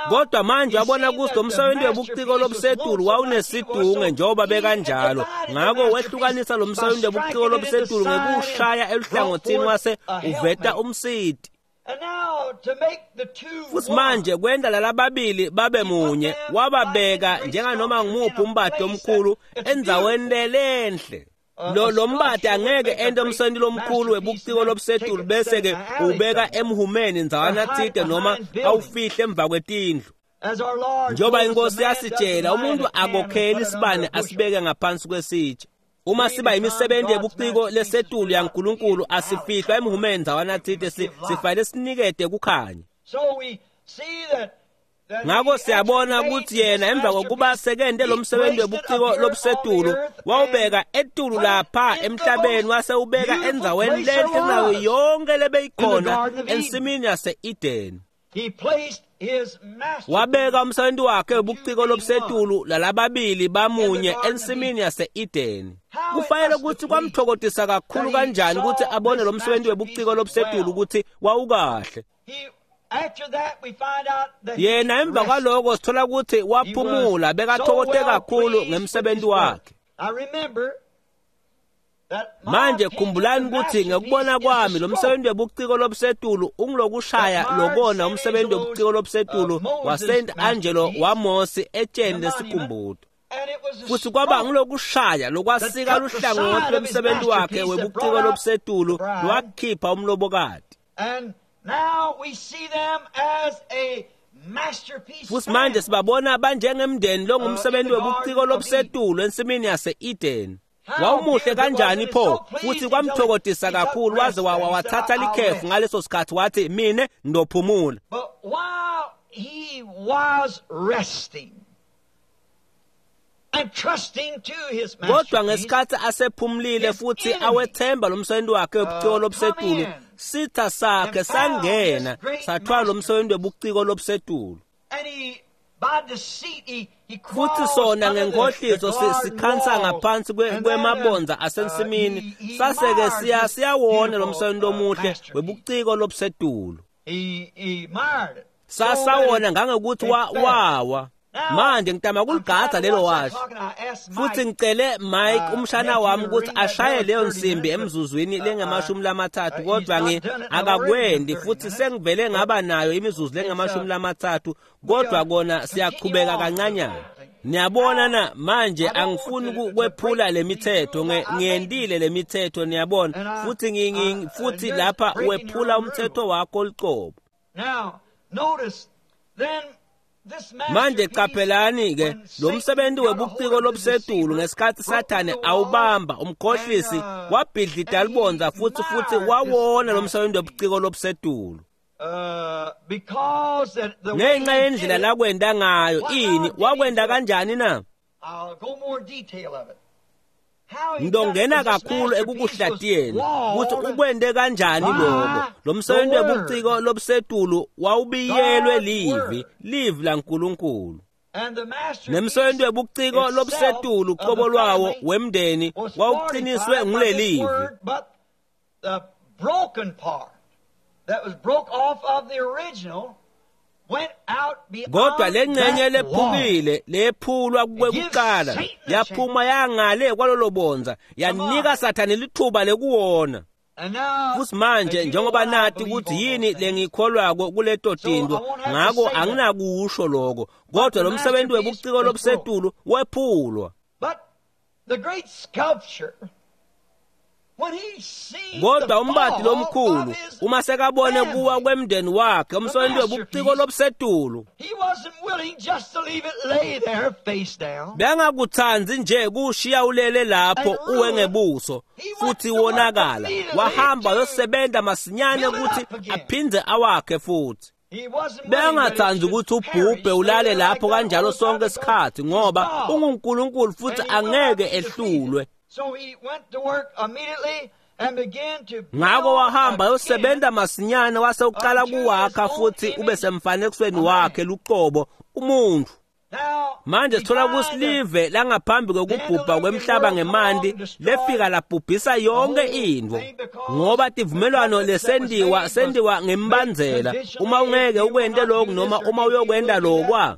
kodwa manje wabona ukuthi lo msebenzi webuciko lobusetulu wawunesidunge njengoba bekanjalo. Ngako wehlukanisa lo msebenzi webuciko lobusetulu ngekuwushaya eluhlangothini wase uveta umsiti. Futhi manje kwenda lalababili babe munye, wababeka njenganoma ngimuphi umbati omkhulu endzaweni lelenhle. Lo mbati angeke ente umsebenzi lomkhulu webuciko lobusetulu bese-ke ubeka emhumeni ndzawana tsite noma awufihle emva kwetindlu. Njengoba inkosi yasitshela, umuntu akokheli isibane asibeke ngaphansi kwesitsha. Uma siba imisebenzi yebuciko lesetulu yaNkulunkulu asifihlwa emhumeni ndzawana tsite, sifanele sinikete kukhanya. Ngako siyabona ukuthi yena emva kokuba sekente lo msebenzi webuciko lobusetulu wawubeka etulu lapha emhlabeni, wase ubeka endzaweni lenhle kunayo yonke lebeyikhona ensimini yase-Edeni. Wabeka umsebenzi wakhe webuciko lobusetulu lalababili bamunye ensimini yase-Edeni. Kufanele ukuthi kwamthokozisa kakhulu kanjani ukuthi abone lo msebenzi webuciko lobusetulu ukuthi wawukahle. Yena emva kwaloko sithola ukuthi waphumula, bekathokote kakhulu ngemsebenzi wakhe. Manje khumbulani ukuthi ngekubona kwami lo msebenzi webuciko lobusetulu ungulokushaya lokona umsebenzi webuciko lobusetulu waSt Angelo waMosi etsheni lesikhumbuto. Futhi kwaba ngulokushaya lokwasika luhlangothi lwemsebenzi wakhe webuciko lobusetulu lwakhipha umlobokati. Futhi manje sibabona banjengemndeni longumsebenzi webuciko lobusetulu ensimini yase-Eden. Wawumuhle kanjani pho, futhi kwamthokozisa kakhulu waze wathatha likhefu ngaleso sikhathi, wathi mina ndophumula. But while he was resting and trusting to his Kodwa ngesikhathi asephumulile futhi awethemba lo msebenzi wakhe webuciko lobusetulu, sitha sakhe sangena sathwala lo msebenzi webuciko lobusetulu. Futhi sona ngenkohliso sikhansa ngaphansi kwemabonza asensimini, saseke siyawona lo msebenzi omuhle webuciko lobusetulu. Sasawona ngangokuthi wawa. Manje ngitama kuligadza lelo washi. Futhi ngicele Mike umshana wami ukuthi ashaye leyo nsimbi emzuzwini lengamashumi-30, kodwa akakwendi, futhi sengivele ngaba nayo imizuzu lengamashumi-30, kodwa kona siyaqhubeka kancanyana. Niyabona na, manje angifuni kwephula lemithetho, ngiyendile lemithetho, niyabona, futhi futhi lapha wephula umthetho wakho luqobo. Now notice then Manje qaphelani ke lo msebenzi webuciko lobusetulu ngesikhathi Sathane awubamba umkhohlisi wabhidlida libonza futhi wawona lo msebenzi webuciko lobusetulu. Ngenxa yendlela lakwenda ngayo, ini wakwenda kanjani na? Ngidongena kakhulu ekukuhlatiyeni ukuthi ukwende kanjani lokho. Lo msebenzi webuciko lobusetulu wawubiyelwe livi laNkulunkulu. Nemsebenzi webuciko lobusetulu qobo lwawo wemndeni wawuqiniswe ngulelivi. Kodwa lengxenye lephukile lephulwa kwekuqala yaphuma yangale kwalolo bonza, yanika Sathane lithuba lekuwona. Futhi manje njengoba nathi ukuthi yini lengikholwako kuleto tinto, ngako anginakusho lokho, kodwa lo msebenzi webuciko lobusetulu wephulwa. But the great sculpture Kodwa umbati lomkhulu uma sekabone kuwa kwemndeni wakhe umsebenzi webuciko lobusetulu bengakutsandzi nje kushiya ulele lapho uwe ngebuso futhi wonakala. Wahamba yosebenza masinyane ukuthi aphindze awakhe futhi. Bengatsandzi ukuthi ubhubhe ulale lapho kanjalo sonke isikhathi ngoba unguNkulunkulu futhi angeke ehlulwe. Ngakho wahamba yosebenza masinyane wase uqala kuwakha futhi ube semfanekisweni wakhe luqobo umuntu. Manje sithola ukuthi live langaphambi kokubhubha kwemhlaba ngemanti lefika labhubhisa yonke intfo ngoba tivumelwano lesendiwa sendiwa ngembandzela. Uma ungeke ukwente lokhu noma uma uyokwenta lokwa.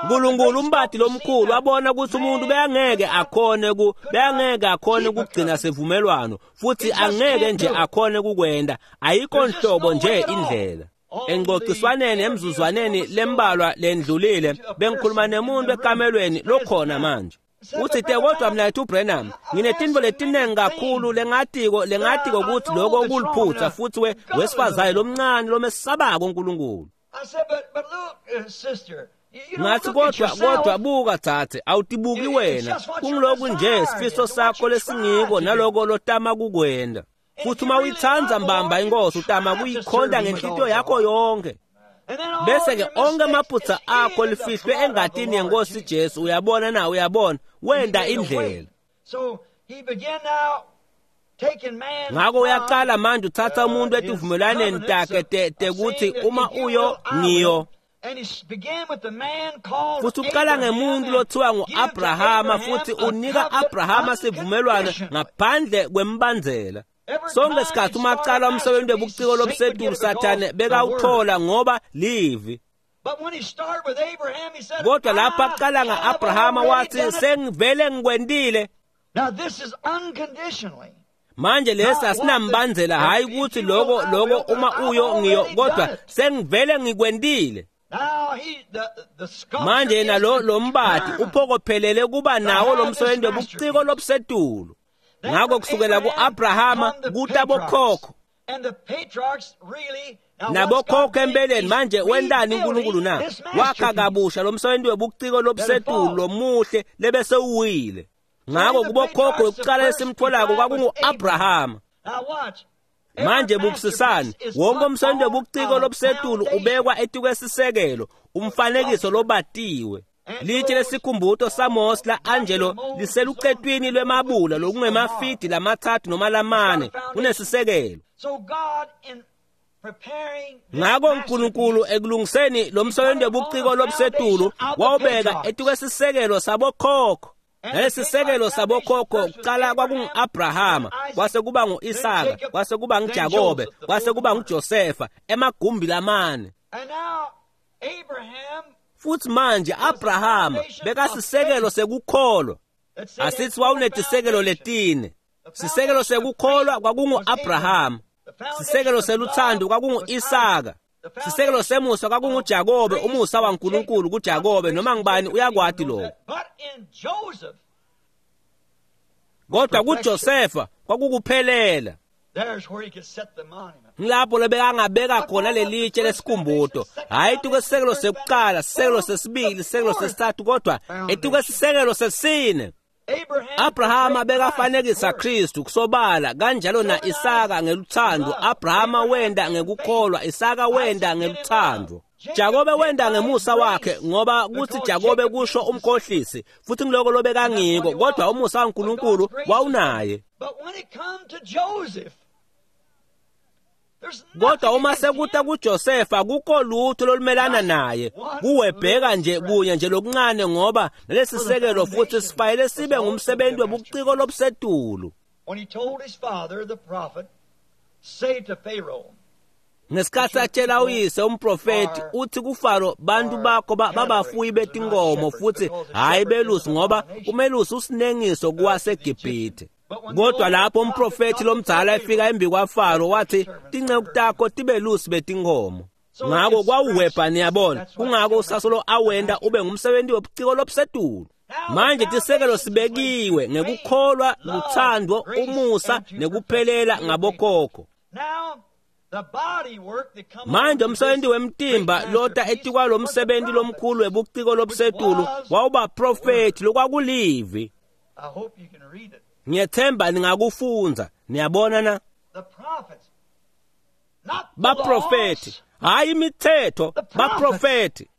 Nkulunkulu umbati lomkhulu wabona ukuthi umuntu beyangeke akhone ku beyangeke akhone ukugcina sivumelwano futhi angeke nje akhone kukwenda. Ayikho nhlobo nje indlela. Engxoxiswaneni emzuzwaneni lembalwa lendlulile bengikhuluma nemuntu ekamelweni lokhona manje. Uthi te kodwa mnayethu Branham nginetintfo letinengi kakhulu lengatiko ukuthi lokho kuliphutha futhi wesifazane lomncane lomesabako uNkulunkulu. Ngathi kodwa buka thathe awutibuki wena kungilokhu nje sifiso sakho lesingiko naloko lotama kukwenda. Futhi uma uyithanda mbamba inkosi utama kuyikhonda ngenhlitiyo yakho yonke. Bese ke onke amaphutha akho lifihlwe engatini yenkosi Jesu. Uyabona na? Uyabona wenda indlela. Ngakho uyaqala manje uthatha umuntu etivumelwaneni takhe tekuthi uma uyo ngiyo. Futhi uqala ngemuntu lothiwa ngu-Abrahama futhi unika Abrahama sivumelwano ngaphandle kwembandzela. Sonke isikhathi uma aqala umsebenzi webuciko lobusetulu Sathane bekawuthola ngoba livi. Kodwa lapha aqala nga-Abrahama wathi sengivele ngikwendile. Manje lesi asinambandzela hayi ukuthi lokho uma uyo ngiyo kodwa sengivele ngikwendile. Manje yena lo mbati uphokophelele kuba nawo lo msebenzi webuciko lobusetulu. Ngakho kusukela ku-Abrahama kuta bokhokho nabokhokho empeleni. Manje wentani uNkulunkulu na? Wakha kabusha lo msebenzi webuciko lobusetulu lomuhle lebese uwile. Ngakho kubokhokho yokuqala esimtholako kwakungu-Abrahama. Manje bukisisani wonke umsebenzi webuciko lobusetulu ubekwa etikwesisekelo umfanekiso lobatiwe. Litshe lesikhumbuto saMose la-Angelo liselucetwini lwemabula lokungemafidi lamathathu noma lamane kunesisekelo. Ngakho uNkulunkulu ekulungiseni lo msebenzi webuciko lobusetulu wawubeka etikwesisekelo sabokhokho. Nalesisekelo sabokhokho kuqala kwakungu-Abrahama, kwase kuba ngu-Isaka, kwase kuba nguJakobe, kwase kuba nguJosefa emagumbi lamane. Futhi manje Abrahama bekasisekelo sekukholwa. Asithi wawunetisekelo letine. Sisekelo sekukholwa kwakungu-Abrahama, sisekelo seluthando kwakungu-Isaka, sisekelo semusa kwakunguJakobe, umusa waNkulunkulu kuJakobe noma ngibani uyakwati lokho. Kodwa kuJosefa kwakukuphelela. Ngilapho lebekangabeka khona lelitshe lesikhumbuto, hayi etukwesisekelo sekuqala, sisekelo sesibili, sisekelo sesithathu, kodwa etukwesisekelo sesine. Abrahama bekafanekisa Kristu kusobala kanjalo na Isaka ngeluthando. Abrahama wenda ngekukholwa, Isaka wenda ngeluthando. Jakobe wenda ngemusa wakhe ngoba kuthi Jakobe kusho umkhohlisi futhi ngiloko lobekangiko, kodwa umusa waNkulunkulu wawunaye. Kodwa uma sekuta kuJosefa kukho lutho lolumelana naye, kuwebheka nje kunye nje lokuncane ngoba nalesisekelo futhi sifanele sibe ngumsebenzi webuciko lobusetulu. Ngesikhathi atshela uyise umprofeti uthi kuFaro bantu bakho babafuyi betinkomo futhi hayi belusi ngoba umelusi usinengiso kuwaseGibhithe. Kodwa lapho umprofeti lomdzala efika embi kwaFaro wathi tinceku takho tibelusi betinkomo. Ngakho kwawuwebha niyabona, kungako usasolo awenda ube ngumsebenzi webuciko lobusetulu. Manje tisekelo sibekiwe ngekukholwa, luthando, umusa nekuphelela ngabokhokho. Manje umsebenzi wemtimba lota etikwalo msebenzi lomkhulu webuciko lobusetulu wawubaprofethi lokwakulivi. Ngiyethemba ningakufundza. Niyabona na? Baprofethi, hayi imithetho, baprofethi.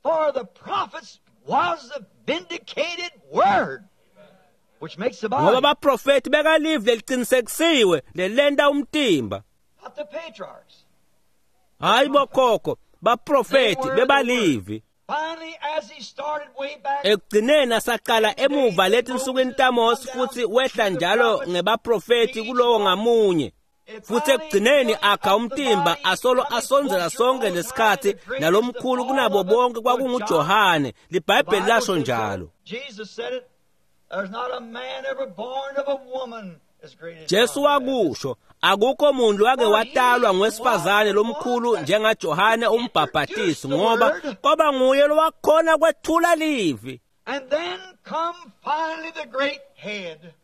Ngoba baprofethi bekalivi leliqinisekisiwe lelenta umtimba. Hayi bokhokho, baprofethi bebalivi. Ekugcineni asaqala emuva lethi nsukwini taMose futhi wehla njalo ngebaprofethi kulowo ngamunye. Futhi ekugcineni akha umtimba asolo asondzela sonke lesikhathi nalomkhulu kunabo bonke kwakunguJohane. LiBhayibheli lasho njalo. Jesu wakusho, akukho muntu wake watalwa ngwesifazane lomkhulu njengaJohane umbhabhatisi, ngoba kwaba nguye lowakhona kwethula livi.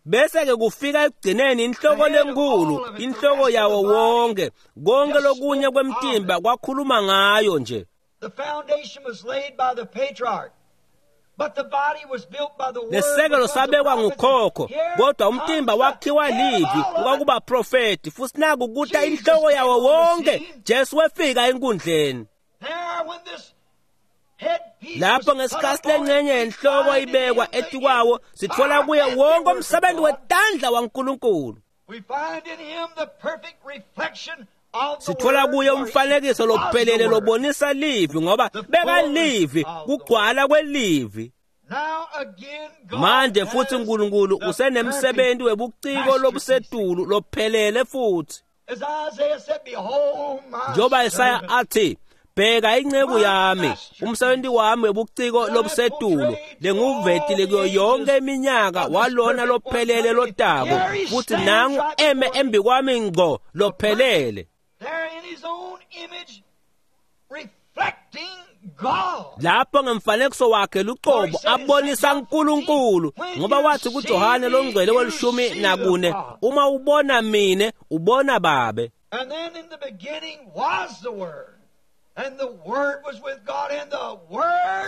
Bese ke kufika ekugcineni inhloko lenkulu, inhloko yawo wonke, konke lokunye kwemtimba kwakhuluma ngayo nje. Lesekelo sabekwa ngukhokho, kodwa umtimba wakhiwa livi kwakubaprofethi. Futhi naku kuta inhloko yawo wonke, Jesu wefika enkundleni. Lapho ngesikhathi lengxenye yenhloko ibekwa etikwawo, sitfola kuye wonke umsebenzi wetandla waNkulunkulu. Sitfola kuye umfanekiso lophelele lobonisa livi, ngoba bekalivi, kugcwala kwelivi. Manje futhi uNkulunkulu usenemsebenzi webuciko lobusetulu lophelele futhi. Njengoba Isaya athi, bheka inceku yami, umsebenzi wami webuciko lobusetulu lenguvetile kuyo yonke iminyaka walona lophelele lotako, futhi nangu eme embi kwami ngqo lophelele. Lapho ngemfanekiso wakhe luqobo abonisa uNkulunkulu, ngoba wathi kuJohane longcwele we-14, uma ubona mine ubona Babe.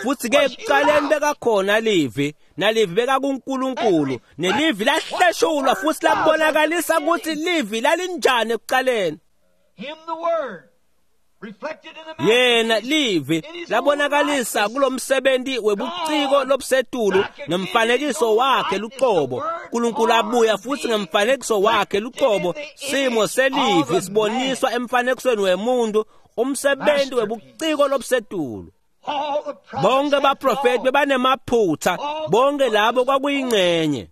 Futhi ke ekuqaleni bekakhona livi, nalivi bekakuNkulunkulu, nelivi lahleshulwa futhi labonakalisa ukuthi livi lalinjani ekuqaleni. Yena livi labonakalisa kulomsebenzi webuciko lobusetulu ngemfanekiso wakhe luqobo. uNkulunkulu abuya futhi ngemfanekiso wakhe luqobo, simo selivi siboniswa emfanekisweni wemuntu, umsebenzi webuciko lobusetulu. Bonke baprofethi bebanemaphutha, bonke labo kwakuyingxenye.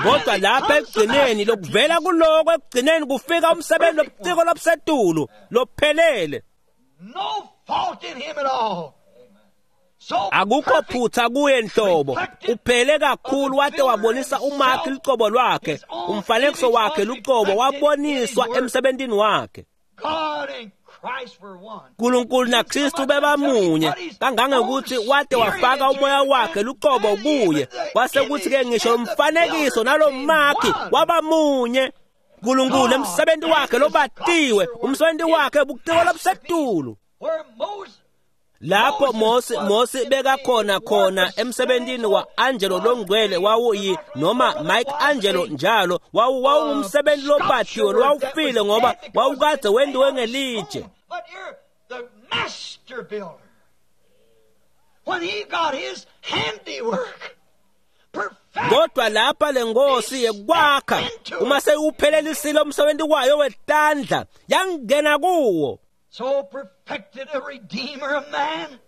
Kodwa lapha ekugcineni lokuvela kuloko ekugcineni kufika umsebenzi lobuciko lobusetulu lophelele. Akukho phutha kuye nhlobo, uphele kakhulu wade wabonisa umakhi lucobo lwakhe, umfanekiso wakhe lucobo waboniswa emsebentini wakhe. uNkulunkulu naKristu bebamunye kangangekuthi wade wafaka umoya wakhe lucobo kuye, kwase kuthi ke ngisho umfanekiso nalomakhi wabamunye. uNkulunkulu emsebenzi wakhe lobatiwe, umsebenzi wakhe buciko lobusetulu. Lapho Mose bekakhona khona emsebentini wa-Angelo longcwele wawuyi noma Mike Angelo njalo wawungumsebenzi lobatiwe lowawufile ngoba wawukade wendiwe ngelitshe. Kodwa lapha lenkosi yekwakha uma seyuphelelisile umsebenzi wayo wetandla yangena kuwo. So perfected a redeemer of man.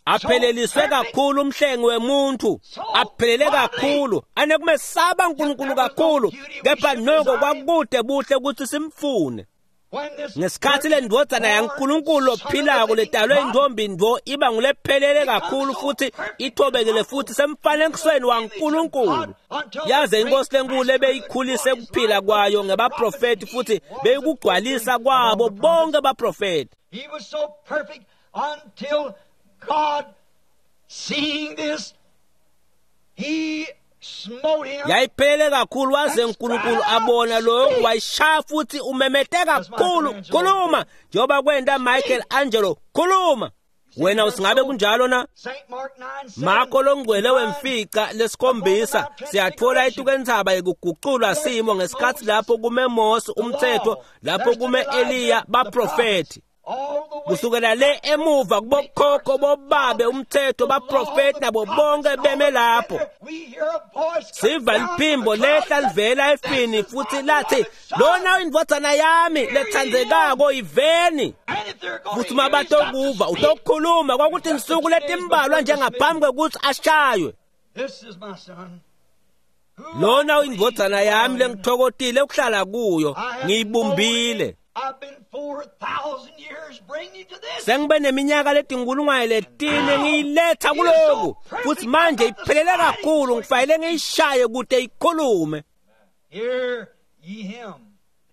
Apheleliswe kakhulu umhlengi wemuntu, aphelele kakhulu, anekumesaba uNkulunkulu kakhulu, kepha noko kwakude buhle ukuthi simfune. Ngesikhathi lendvodzana yaNkulunkulu lophilako letalwe intombi ndo iba ngulephelele kakhulu futhi ithobekile futhi semfanekisweni waNkulunkulu. Yaze inkosi lenkulu ebeyikhulise kuphila kwayo ngebaprofethi futhi beyikugcwalisa kwabo bonke baprofethi. He was so perfect until God, seeing this, he smote him. Yayiphele kakhulu waze uNkulunkulu abona lokhu wayishaya futhi umemete kakhulu, khuluma, njengoba kwenta Michelangelo, khuluma. Wena usingabe kunjalo na? St. Mark 9, Marko longcwele wemfica lesikhombisa siyathola etukentsaba yekuguculwa simo ngesikhatsi lapho kume Mose umthetho, lapho kume Eliya baprofethi. all the way Kusukela le emuva kubokhokho bobabe umthetho baprofethi nabo bonke beme lapho. We hear a voice come Siva down liphimbo from the lehla cloud. livela efini futhi lathi lona indvodzana yami letsandzekako iveni. And if they're going Futhi to uma hear, he's got to batokuva speak. utokukhuluma kwakuthi insuku letimbalwa njengaphambi kwekutsi ashaywe. This is my son. who Lona I indvodzana yami please. lengitfokotile ukuhlala kuyo I have ngiyibumbile. I've been 4,000 years bringing you to this. Sengibe neminyaka letinkulungwane letine ngiyiletha kuloku futhi manje iphelele kakhulu ngifanele ngiyishaye kute ikhulume. Hear ye him.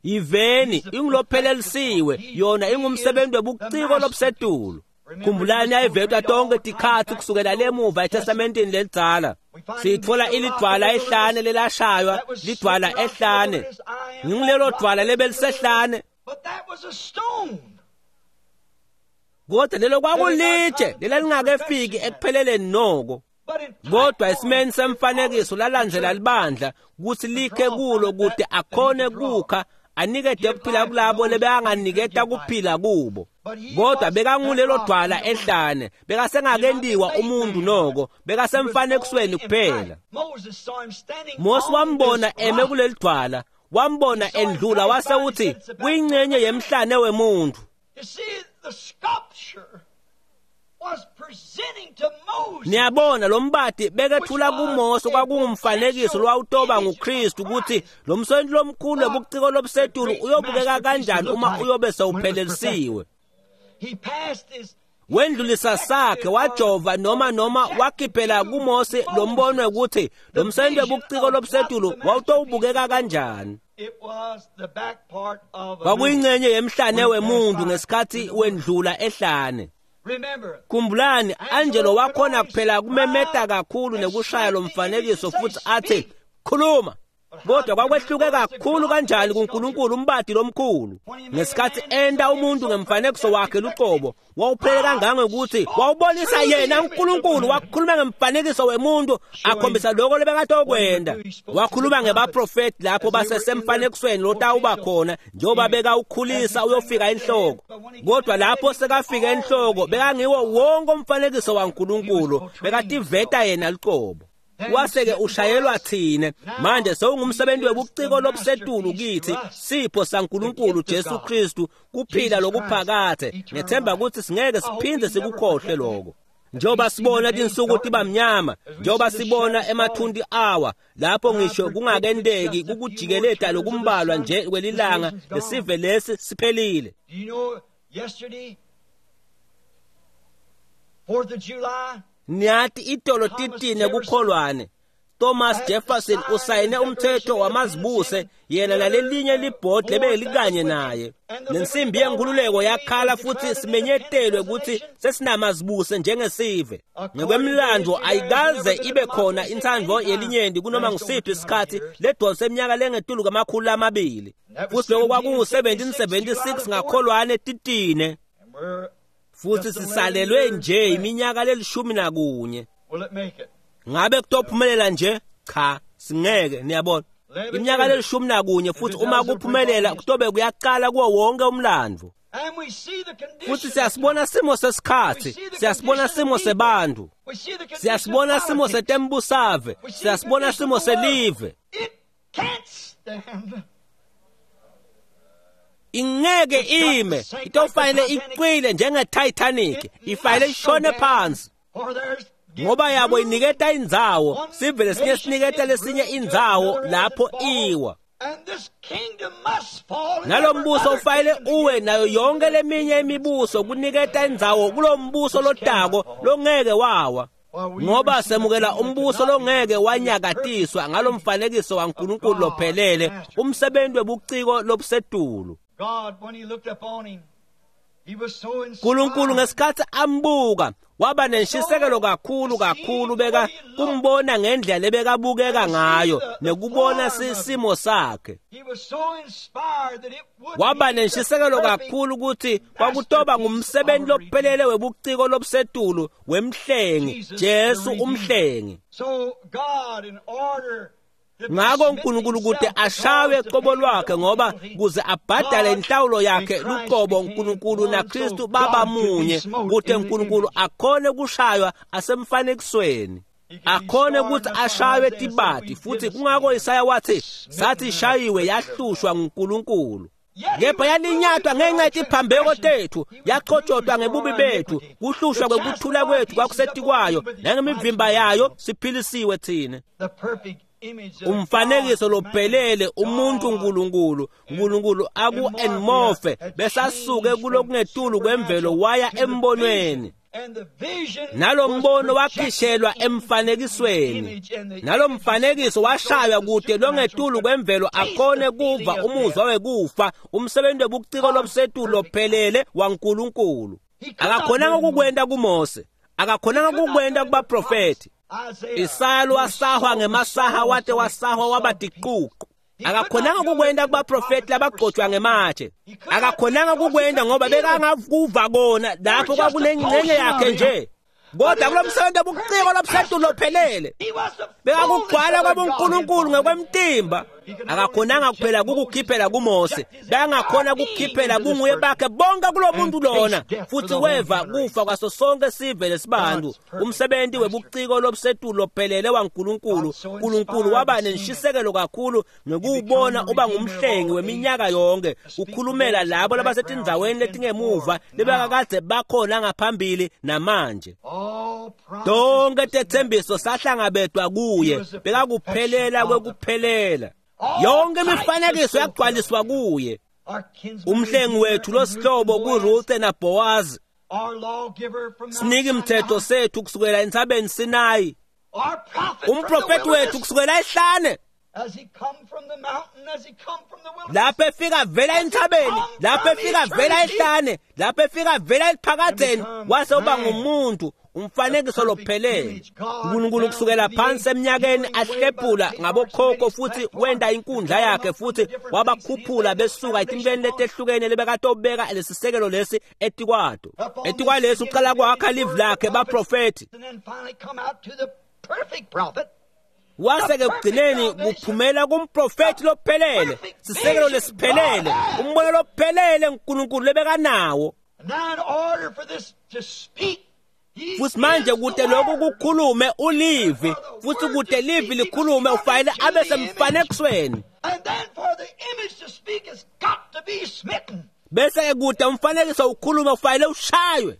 Iveni ingulophelelisiwe yona ingumsebenzi webuciko lobusetulu. Khumbulani ayivetwa tonke tikhatsi kusukela lemuva eTestamenteni lelidzala. Sitfola ilidvwala ehlane lelashaywa, lidvwala ehlane. Ngingulelo dvwala lebelisehlane. But that was a stone. Kodwa lelo kwakulitshe lelalingakefiki ekupheleleni noko. But in type Kodwa form, esimeni semfanekiso lalandzela libandla kutsi likhe kulo kute akhone kukha anikete kuphila kulabo lebekanganiketa kuphila kubo. Kodwa bekangulelo dvwala ehlane, bekasengakentiwa umuntu noko, bekasemfanekisweni kuphela. Moses saw him standing Mose on wambona this eme rock. kuleli dvwala, wambona endlula wase uthi kuyingcenye yemhlane wemuntu. You see, the sculpture was presenting to Moses Niyabona lo mbati bekethula kuMose kwakungumfanekiso lwawutoba nguKristu ukuthi lo msonto lomkhulu webuciko lobusetulu uyobukeka kanjani uma uyobe sewuphelelisiwe. He passed his Wendlulisa sakhe wajova noma wakhiphela kuMose lo mbono ukuthi lo msonto webuciko lobusetulu wawutowubukeka kanjani. it was the back part of a man. Kwakuyingcenye yemhlane wemuntu ngesikhathi wendlula ehlane. Remember, Khumbulani Angelo wakhona kuphela kumemeta kakhulu nekushaya lo mfanekiso futhi athi khuluma. Kodwa kwakwehluke kakhulu kanjani kuNkulunkulu umbati lomkhulu ngesikhathi enta umuntu ngemfanekiso wakhe luqobo wawuphele kangangokuthi wawubonisa yena uNkulunkulu wakhuluma ngemfanekiso wemuntu akhombisa lokho lebekatokwenda. Wakhuluma ngebaprofeti lapho basesemfanekisweni lotawuba khona njengoba bekawukhulisa uyofika enhloko. Kodwa lapho sekafika enhloko bekangiwo wonke umfanekiso waNkulunkulu bekativeta yena luqobo. Wase-ke ushayelwa thine manje sewungumsebenzi webuciko lobusetulu kithi sipho saNkulunkulu Jesu Kristu kuphila lokuphakathe. Ngethemba ukuthi singeke siphinde sikukhohle lokho. Njengoba sibona tinsuku tiba mnyama, njengoba sibona emathunti awa lapho ngisho kungakenteki kukujikeleta lokumbalwa nje kwelilanga lesive lesi siphelile. do you know yesterday, 4th of July, Niyati itolo titine kukholwane. Thomas Jefferson usayine umthetho wamazibuse yena nalelinye libhodi lebelikanye naye. Nensimbi yenkululeko yakhala futhi simenyetelwe ukuthi sesinamazibuse njengesive. Ngekwemlando ayikaze ibe khona intsandvo yelinyenti kunoma ngisiphi isikhathi ledonse eminyaka lengetulu kwama-200. Futhi lokho kwakungu-1776 ngakholwane titine. and we're Futhi sisalelwe nje iminyaka leli-11. will it make it? Ngabe kutophumelela nje? Cha, singeke, niyabona. Iminyaka leli-11 futhi uma kuphumelela kutobe kuyaqala kuwo wonke umlando. And we see the condition. Futhi siyasibona simo sesikhathi, siyasibona simo sebantu, We see the condition siyasibona of simo politics. setembusave, We see the siyasibona condition simo of the world. selive. It can't stand. Ingeke ime, itofanele iqwile njenge-Titanic, ifanele ishone phansi. For there's Ngoba yabo iniketa indzawo, sive lesinye siniketa lesinye indzawo lapho iwa. And this kingdom must fall. and Nalo every mbuso other ufanele kingdom uwe nayo yonke leminye imibuso kuniketa indzawo kulo mbuso lotako longeke wawa. Ngoba semukela umbuso longeke wanyakatiswa ngalomfanekiso waNkulunkulu lophelele, umsebenzi webuciko lobusetulu. God, when he looked upon him, Nkulunkulu ngesikhatsi ambuka waba nenshisekelo kakhulu kakhulu beka kumbona ngendlela lebekabukeka ngayo nekubona simo sakhe. Waba nenshisekelo kakhulu ukuthi kwakutoba ngumsebenzi lophelele webuciko lobusetulu wemhlengi, Jesu umhlengi. Ngako uNkulunkulu kude ashawe qobo lwakhe ngoba kuze abhadale inhlawulo yakhe luqobo uNkulunkulu naKristu baba munye kude uNkulunkulu akhone kushaywa asemfanekisweni akhone ukuthi ashaywe tibati futhi kungako Isaya wathi sathi shayiwe yahlushwa nguNkulunkulu kepha yalinyatwa ngenxa yetiphambeko tethu yachotshotwa ngebubi bethu kuhlushwa kwekuthula kwethu kwakusetikwayo nangemivimba yayo siphilisiwe thina. Umfanekiso lophelele umuntu uNkulunkulu uNkulunkulu aku-enmorphe besasuke kulokungetulu kwemvelo waya embonweni nalo mbono wakhishelwa emfanekisweni nalo mfanekiso washaywa kude longetulu kwemvelo akhone kuva umuzwa wekufa umsebenzi webuciko lobusetulu lophelele waNkulunkulu. Akakhonanga ukukwenta kuMose, akakhonanga ukukwenta kubaprofethi. Isaya wasahwa ngemasaha wate wasahwa waba tiququ. Akakhonanga ukukwenta kubaprofethi labagcotshwa ngematshe. Akakhonanga ukukwenta ngoba bekangakuva kona lapho kwakunengxenye yakhe nje. Kodwa kulo msebenzi wobuciko lobusetulu lophelele bekakugcwala kwabuNkulunkulu ngokwemtimba. Akakhonanga kuphela kukukhiphela kuMose, bekangakhona kukhiphela bunguye bakhe bonke kulo muntu lona futhi weva kufa kwaso sonke sive lesibantu. Umsebenzi webuciko lobusetulu lophelele waNkulunkulu. uNkulunkulu waba nenshisekelo kakhulu ngekuwubona uba ngumhlengi weminyaka yonke ukhulumela labo labasetindzaweni letingemuva lebekakade bakhona ngaphambili namanje. Tonke tetsembiso sahlangabetwa kuye, bekakuphelela kwekuphelela. Yonke imifanekiso yagcwaliswa kuye. Umhlengi wethu losihlobo kuRuthe naBhowazi, sinike imthetho sethu kusukela entsabeni Sinayi, umprofethi wethu kusukela ehlane lapho efika vela entsabeni, lapho efika vela ehlane, lapho efika vela eliphakadzeni, wase uba ngumuntu umfanekiso lophelele. uNkulunkulu kusukela phansi eminyakeni ahlephula ngabokhokho futhi wenta inkundla yakhe futhi wabakhuphula besuka etintweni letehlukene lebekatobeka lesisekelo lesi etikwato. Etikwalesi uqala kwakha live lakhe baprofethi. Wase-ke kugcineni kuphumela kumprofethi lophelele, sisekelo lesiphelele, umbono lophelele uNkulunkulu lebekanawo. Futhi manje kude lokhu kukhulume ulivi, futhi kude livi likhulume ufanele abe semfanekisweni. Bese-ke kude umfanekiso ukhulume ufanele ushaywe.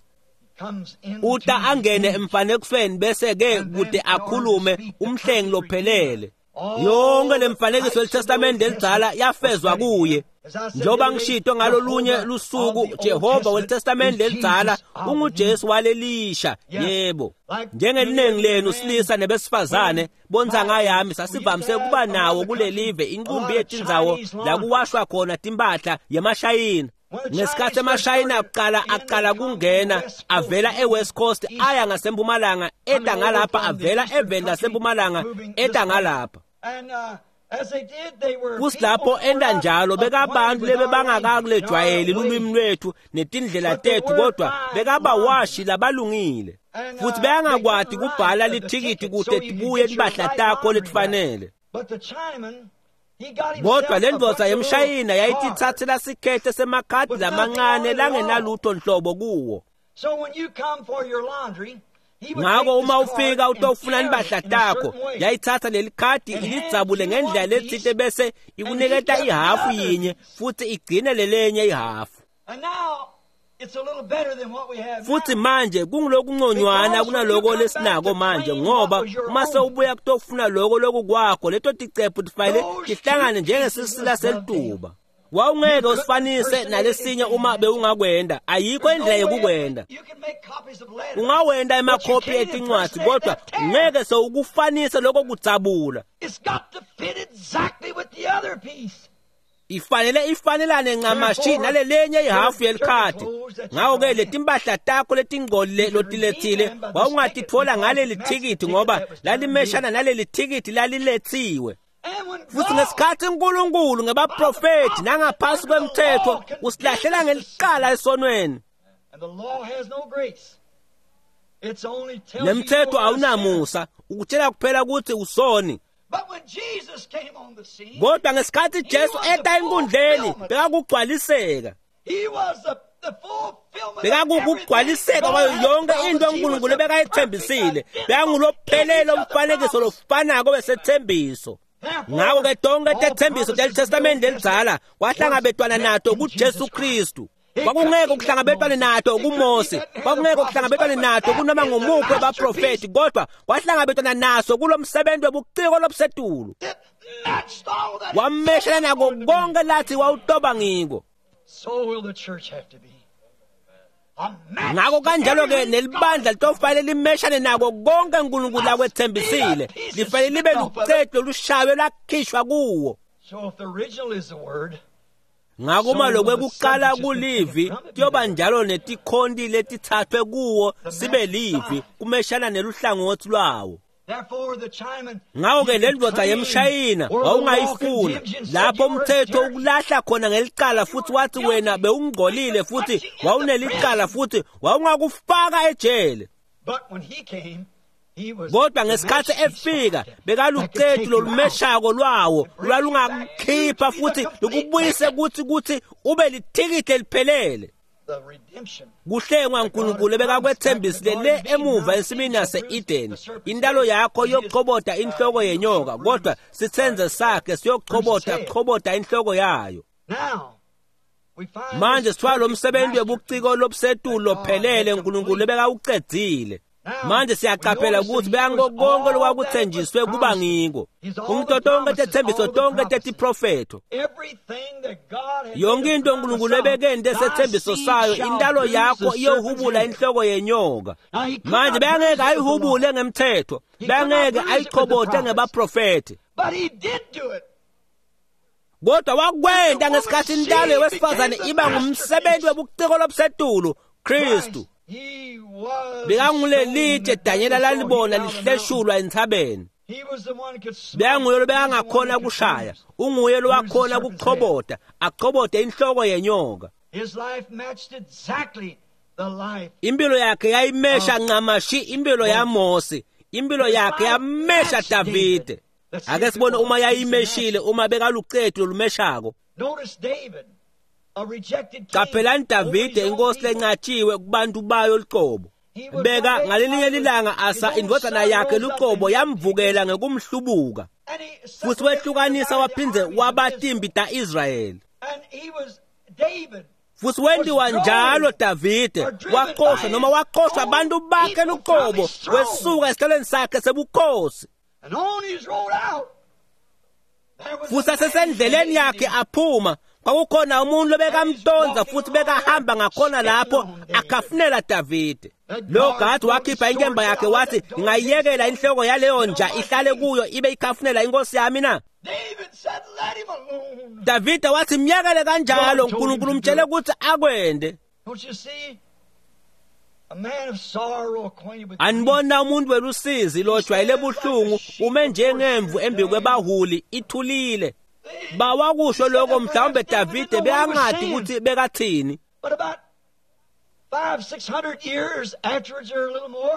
Uta angene emfanekisweni bese-ke kude akhulume umhlengi lophelele. Yonke lemfanekiso yeTestamente elidzala yafezwa kuye. Njengoba ngishito ngalolunye lusuku, Jehova weTestamente elidzala unguJesu walelisha. Yebo, njengelinengi lenu silisa nebesifazane bontsanga yami sasivamise kuba nawo kulelive inqumbi yetindzawo la kuwashwa khona timpahla yemashayina. Ngesikhathi emashayina akuqala aqala kungena avela eWest Coast aya ngasempumalanga eta ngalapha, avela eveni lasempumalanga eta ngalapha. Kusilapho enda njalo bekabantu lebebangakakulejwayeli lulwimi lwethu netindlela tethu, kodwa bekabawashi labalungile futhi bekangakwati kubhala lithikithi kude tibuye timpahla takho letifanele. Kodwa le ndvodza yemshayina yayititsatsela sikhehle semakhadi lamancane langenalutho nhlobo kuwo. Ngako uma ufika utofuna impahla takho, yayithatha leli khadi ilidzabule ngendlela letsite bese ikuniketa ihafu yinye futhi igcine lelenye ihafu. Futhi manje kungulokunconywana kunaloko lesinako manje, ngoba uma sewubuya kutofuna loko lokukwakho, leto ticephu tifanele tihlangane njengesisila selituba. Wawungeke usifanise nalesinye uma bewungakwenda, ayikho indlela yokukwenda. Ungawenda emakhophi etincwadzi, kodwa ngeke sewukufanise lokho kudzabula. Ifanele ifanelane ncamashi nalelenye ihafu yelikhadi. Ngako-ke letimpahla takho letingcolile lotiletsile wawungatitfola ngaleli thikithi ngoba lalimeshana naleli thikithi laliletsiwe. Futhi ngesikhathi uNkulunkulu ngebaprofethi nangaphasi kwemthetho usilahlela ngelicala esonweni. Nemthetho awunamusa, ukutshela kuphela ukuthi usoni. Kodwa ngesikhathi Jesu eta enkundleni bekakugcwaliseka. Bekakugcwaliseka kwayo yonke into uNkulunkulu ebekayithembisile. Bekangulophelele umfanekiso lofanako wesethembiso. Ngako-ke tonke tethembiso telitestamende elidzala kwahlangabetwana nato kuJesu Kristu. Kwakungeke kuhlangabetwane nato kuMose, kwakungeke kuhlangabetwane nato kunoma ngumuphi webaprofethi, kodwa kwahlangabetwana naso kulomsebenzi webuciko lobusetulu. Wameshela nako konke lathi wawutoba ngiko. Ngako kanjalo-ke nelibandla litofanele limeshane nako konke uNkulunkulu akwethembisile, lifanele libe lucetu lolushaywe lwakhishwa kuwo. Ngako uma lokwekuqala kulivi kuyoba njalo netikhonti letithathwe kuwo sibe livi kumeshana neluhlangothi lwawo. Ngako-ke le ndvodza yemshayina wawungayifuna lapho umthetho ukulahla khona ngelicala futhi wathi wena bewungcolile futhi wawunelicala futhi wawungakufaka ejele. Kodwa ngesikhathi efika bekalucetu lolumeshako lwawo lwalungakukhipha futhi lukubuyise ukuthi ube lithikithi eliphelele. Kuhlengwa uNkulunkulu ebekakwethembisile le emuva ensimini yase-Eden. Intalo yakho iyochobota inhloko yenyoka, kodwa sitsenze sakhe siyochobota chobota inhloko yayo. Manje sithola lo msebenzi webuciko lobusetulu lophelele uNkulunkulu ebekawucedzile. Manje siyaqaphela ukuthi beyango konke lokwakuthenjiswe kuba ngiko. Umntu tonke tethembiso tonke tetiprofetho. Yonke into uNkulunkulu ebekente sethembiso sayo, intalo yakho iyohubula inhloko yenyoka. Manje beyangeke ayihubule ngemthetho, beyangeke ayichobote ngebaprofethi. Kodwa wakwenta ngesikhathi intalo wesifazane iba ngumsebenzi webuciko lobusetulu, Kristu. Bekangulelitshe Danyela lalibona lihleshulwa entsabeni. Bekanguye lobekangakhona kushaya, unguye lowakhona kuchobota, achobote inhloko yenyoka. Impilo yakhe yayimesha ncamashi impilo yaMose, impilo yakhe yamesha Davide. Ake sibone uma yayimeshile, uma bekalucetu lolumeshako. Qaphelani Davide inkosi lenqatshiwe kubantu bayo luqobo. Beka ngalelinye lilanga asa indvodzana yakhe luqobo yamvukela ngekumhlubuka. Futhi wehlukanisa waphindze wabatimbi ta-Israyeli. Futhi wentiwa njalo Davide waqoshwa noma waqoshwa abantu bakhe luqobo, wesuka esihlalweni sakhe sebukhosi. Futhi asesendleleni yakhe aphuma, kwakukhona umuntu lobekamtonza futhi bekahamba ngakhona lapho akhafunela Davide. Lo gadi wakhipha inkemba yakhe wathi, ngingayiyekela inhloko yaleyo nja ihlale kuyo ibe ikhafunela inkosi yami na? Davide wathi myekele kanjalo, uNkulunkulu umtshele ukuthi akwende. Anibona umuntu welusizi lojwayele buhlungu ume njengemvu embi kwebahuli ithulile. Bawakusho lokho mhlawumbe Davide bekangadi ukuthi bekathini.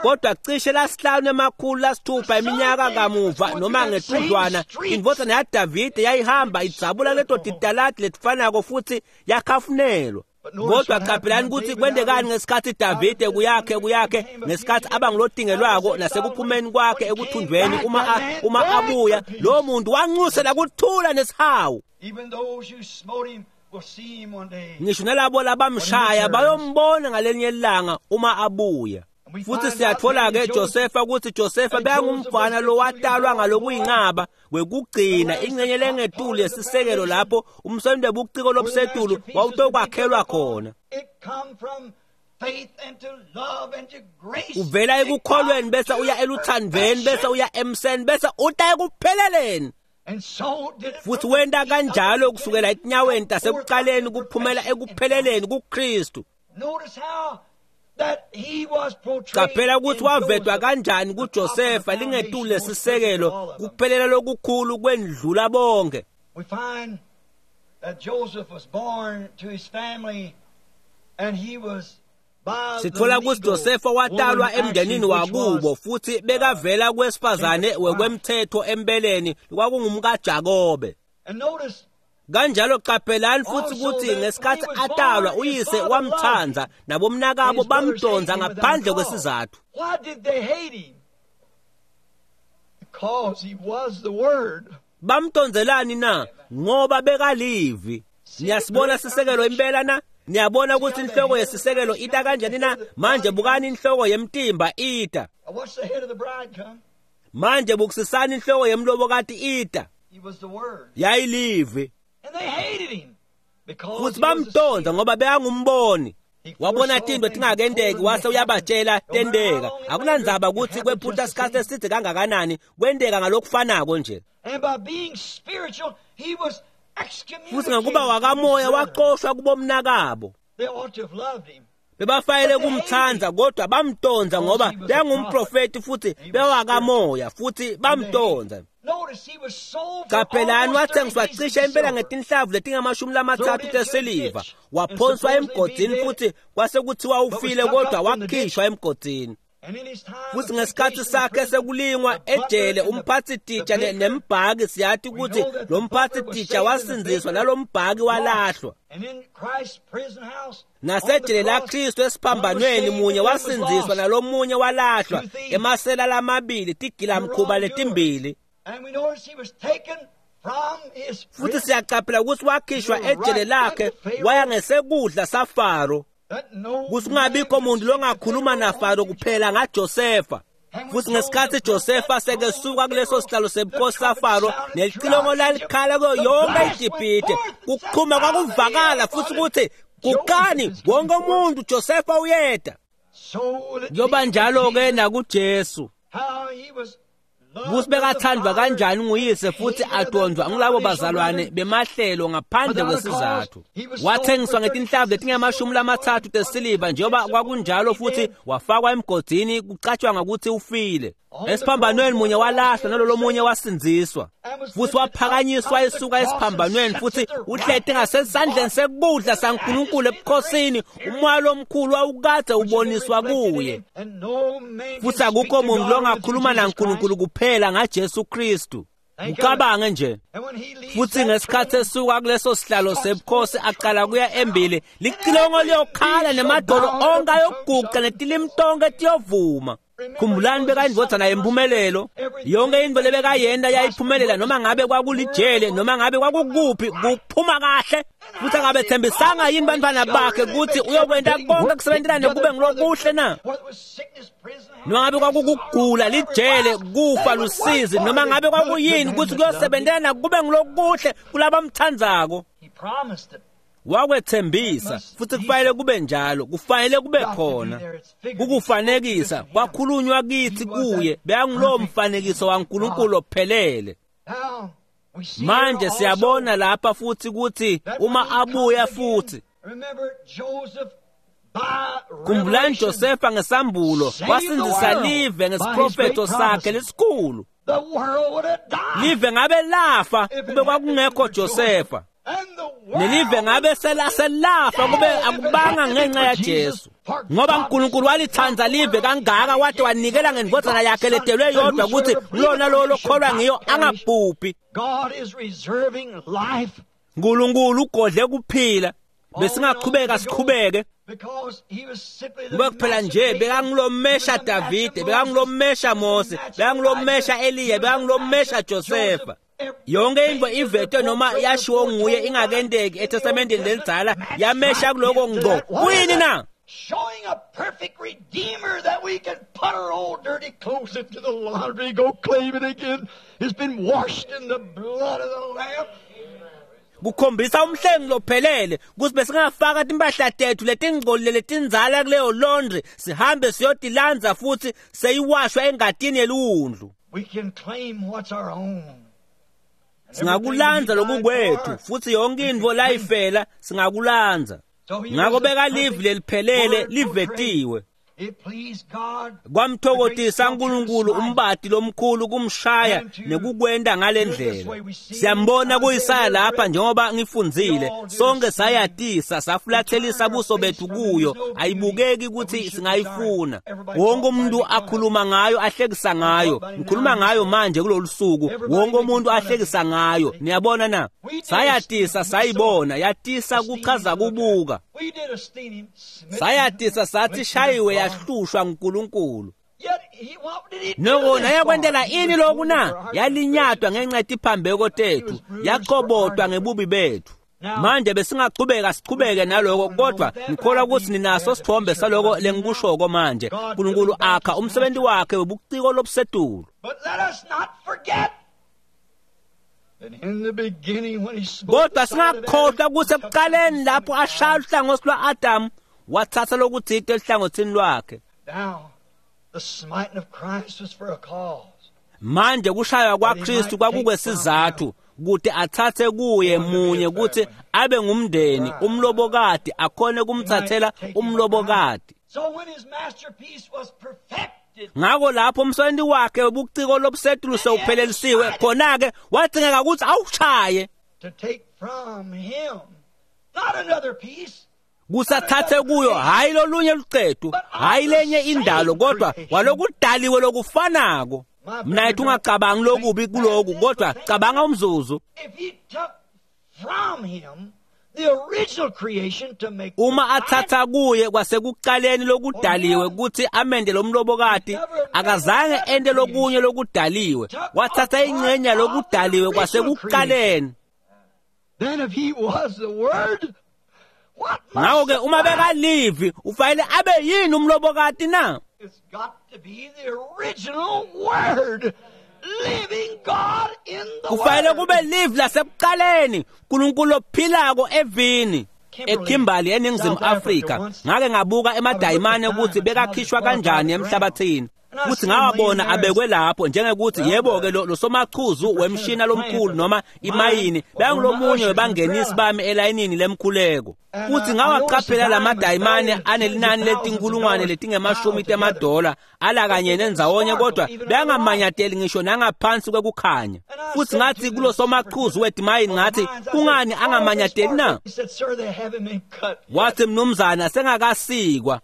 Kodwa cishe lasihlanu 600 iminyaka kamuva noma ngetudlwana, indvodzana yaDavide yayihamba idzabula leto titaladi letifanako futhi yakhafunelwa. Kodwa qaphelani ukuthi kwendekani ngesikhathi Davide kuyakhe ngesikhathi abangulotingelwako nasekuphumeni kwakhe ekuthunjweni, uma abuya lo muntu wanxusela kuthula nesihawu. Ngisho nalabo labamshaya bayombona ngalenye ilanga uma abuya. Futhi siyathola-ke Josefa ukuthi Josefa bekangumfana lowatalwa ngalokuyinqaba wekugcina ingxenye lengetulu yesisekelo lapho umsebenzi webuciko lobusetulu wawutokwakhelwa khona. Uvela ekukholweni bese uya eluthandweni bese uya emseni bese uta ekupheleleni. Futhi wenta kanjalo kusukela etinyaweni tasekuqaleni kuphumela ekupheleleni kuKristu. Qaphela ukuthi wavetwa kanjani kuJosefa lingetulu lesisekelo kuphelela lokukhulu kwendlula bonke. We find that Joseph was born to his family and he was Sithola ukuthi Josefa watalwa emndenini wakubo futhi bekavela kwesifazane wekwemthetho empeleni kwakungumkaJakobe. Kanjalo qaphelani futhi ukuthi ngesikhathi atalwa uyise wamthanza nabomnakabo bamdonza ngaphandle kwesizathu. Why did they hate him? Because he was the word. Bamdonzelani na? Ngoba bekalivi. Niyasibona sisekelo impela na? Niyabona ukuthi inhloko yesisekelo ita kanjani na? Manje bukani inhloko yemtimba ita. Watch the head of the bride come. Manje bukusisani inhloko yemlobokati ita. He was the word. Yayilivi. And they hated him because Futhi bamdonza ngoba bekangumboni. Wabona tintfo tingakenteki wase uyabatshela tenteka. Akunandzaba ukuthi kwephutha isikhathi eside kangakanani kwenteka ngalokufanako nje. And by being spiritual, he was Futhi ngakuba wakamoya waxoshwa kubomnakabo. They ought to have loved him. Bebafayele kumthanza kodwa bamtonza ngoba bengumprofeti futhi bewakamoya futhi bamtonza. Notice he was sold for Qaphelani almost wathengiswa 30 cishe pieces of impela silver. ngetinhlavu letingamashumi lamatsatfu tesiliva waphonswa emgodini futhi kwase kuthiwa ufile kodwa wakhishwa emgodini. And in his time Futhi of ngesikhathi temptation sakhe in prison, sekulingwa the butler ejele and the- umphathi-titsha the baker, nembhaki siyathi ukuthi lo mphathi-titsha wasindziswa nalo mbhaki walahlwa. And in Christ's prison house, on the Nasejele cross, laKristu esiphambanweni munye wasindziswa nalomunye walahlwa emasela lamabili tigilamkhuba letimbili. And we notice he was taken from his Futhi prison siyaqaphela ukuthi wakhishwa ejele lakhe waya ngesekudla saFaro. that no Kuthi kungabikho muntu longakhuluma naFaro kuphela ngaJosefa. Futhi ngesikhathi Josefa sekesuka kuleso sihlalo sebukhosi saFaro nelicilongo lalikhala kuyo yonke iGibhithe kuqhuma kwakuvakala futhi ukuthi guqani wonke umuntu Josefa uyeda. So will it Kuyoba be njalo with ke Jesus, nakuJesu. how he was loved Kuthi of the bekathandwa Father, kanjani nguyise futhi hated of the adonzwa ngulabo bazalwane denominational bemahlelo ngaphandle kwesizathu. Wathengiswa ngetinhlavu letingamashumi lamatsatfu tesiliva njengoba kwakunjalo futhi wafakwa emgodini kucatshangwa ukuthi ufile. Esiphambanweni munye walahlwa nalolo munye wasindziswa. Futhi waphakanyiswa esuka esiphambanweni futhi uhleti ngasesandleni sekudla saNkulunkulu ebukhosini umoya lomkhulu wawukade uboniswa kuye. And no man Futhi can speak akukho to muntu God longakhuluma through Jesus naNkulunkulu Christ. kuphela ngaJesu Kristu. Ucabange nje. And when he leaves Futhi that ngesikhathi throne, esuka kuleso sihlalo sebukhosi aqala kuya embili licilongo liyokhala nemadolo onke ayoguqa netilimi tonke tiyovuma. Khumbulani bekayindvodzana yempumelelo. Yonke intfo lebekayenta yayiphumelela noma ngabe kwakulijele noma ngabe kwakukuphi kuphuma kahle. Futhi akabetsembisanga yini bantfwana bakhe ukuthi uyokwenta konke kusebentelane kube ngulokuhle na? whether it was sickness, prison, Noma ngabe kwakukugula lijele kufa lusizi noma ngabe kwakuyini ukuthi kuyosebentelana kube ngulokuhle kulabamthandzako. he promised it. Wakwethembisa futhi kufanele kube njalo kufanele kube khona kukufanekisa kwakhulunywa kithi kuye bekangulowo mfanekiso waNkulunkulu ophelele. Now, we see Manje here also siyabona lapha futhi ukuthi that when uma he comes abuya again, futhi remember Joseph by khumbulani revelation, Josefa ngesambulo wasindzisa live ngesiprofetho sakhe lesikhulu. the world would have died. Live ngabe lafa kube kwakungekho Josefa. And the world Nelive ngabe selafa kube akubanga ngenxa yaJesu. Ngoba uNkulunkulu walithanda live kangaka wathi wanikela ngendvodzana yakhe letelwe yodwa ukuthi lona lo lokholwa ngiyo angabhubhi. God is reserving life uNkulunkulu ugodle kuphila. Besingaqhubeka siqhubeke because he was simply the ngoba kuphela nje bekangulomesha Davide, bekangulomesha Mose, bekangulomesha Eliya, bekangulomesha Josefa. Yonke into ivetwe noma yashiwo nguye ingakenteki eTestamenteni lelidzala yamesha kuloko ngqo. Kuyini na? Showing a perfect redeemer that we can put our old dirty clothes into the laundry, go claim it again. It's been washed in the blood of the Lamb. Kukhombisa umhlengi lophelele ukuthi besingafaka timpahla tethu letingcolile letindzala kuleyo laundry sihambe siyotilandza futhi seyiwashwa engatini yeliwundlu. We can claim what's our own. Singakulandza lokukwethu, futhi yonke intfo layifela singakulandza. Ngako beka livi leliphelele livetiwe. Kwamthokozisa uNkulunkulu umbati lomkhulu kumshaya nekukwenta ngalendlela. Siyambona kuIsaya lapha njengoba ngifundzile, sonke sayatisa safulathelisa buso bethu kuyo, ayibukeki ukuthi singayifuna. Wonke umuntu akhuluma ngayo, ahlekisa ngayo. Ngikhuluma ngayo manje kulolu suku, wonke umuntu ahlekisa ngayo. Niyabona na? Sayatisa sayibona, yatisa kuchaza kubuka. Sayatisa sathi shayiwe yahlushwa nguNkulunkulu. Noko nayakwentela ini lokhu na? Yalinyatwa ngenxa yetiphambeko tethu, yachobotwa ngebubi bethu. Manje besingachubeka sichubeke naloko, kodwa ngikholwa ukuthi ninaso sithombe saloko lengikushoko manje. uNkulunkulu akha umsebenzi wakhe webuciko lobusetulu. Kodwa singakhohlwa ukuthi ekuqaleni lapho ashaya uhlangothi lwa-Adamu, wathatha lokuthile ehlangothini lwakhe. Manje kushaywa kwaKristu kwakukwesizathu kuti athathe kuye munye ukuthi abe ngumndeni, umlobokati, akhone kumthathela umlobokati. Ngako lapho umsebenzi wakhe webuciko lobusetulu sewuphelelisiwe, khona-ke wadzingeka ukuthi awushaye kusathathe kuyo, hayi lolunye lucetu, hayi lenye indalo, kodwa walokudaliwe lokufanako. Mna yethu ungacabangi lokubi kuloku, kodwa cabanga umzuzu. Uma athatha kuye kwasekuqaleni lokudaliwe ukuthi amende lomlobokati, akazange ente lokunye lokudaliwe, wathatha ingxenye lokudaliwe kwasekuqaleni. Ngako-ke uma bekalivi ufanele abe yini umlobokati na? Kufanele kube livi lasekuqaleni, uNkulunkulu ophilako evini. eKimberley eNingizimu Afrika ngake ngabuka emadayimane ukuthi bekakhishwa kanjani emhlabathini, futhi ngawabona abekwe lapho njengekuthi yebo-ke lo somachuzu wemshina lomkhulu noma imayini bekangulomunye webangenisi bami elayinini lemkhuleko. Futhi ngawaqaphela lamadayimane anelinani letinkulungwane letingemashumi temadola alakanye nendzawonye, kodwa bekangamanyateli ngisho nangaphansi kwekukhanya. Futhi ngathi kulo somachuzu wedimayini, ngathi kungani angamanyateli na? Wathi mnumzana sengakasikwa,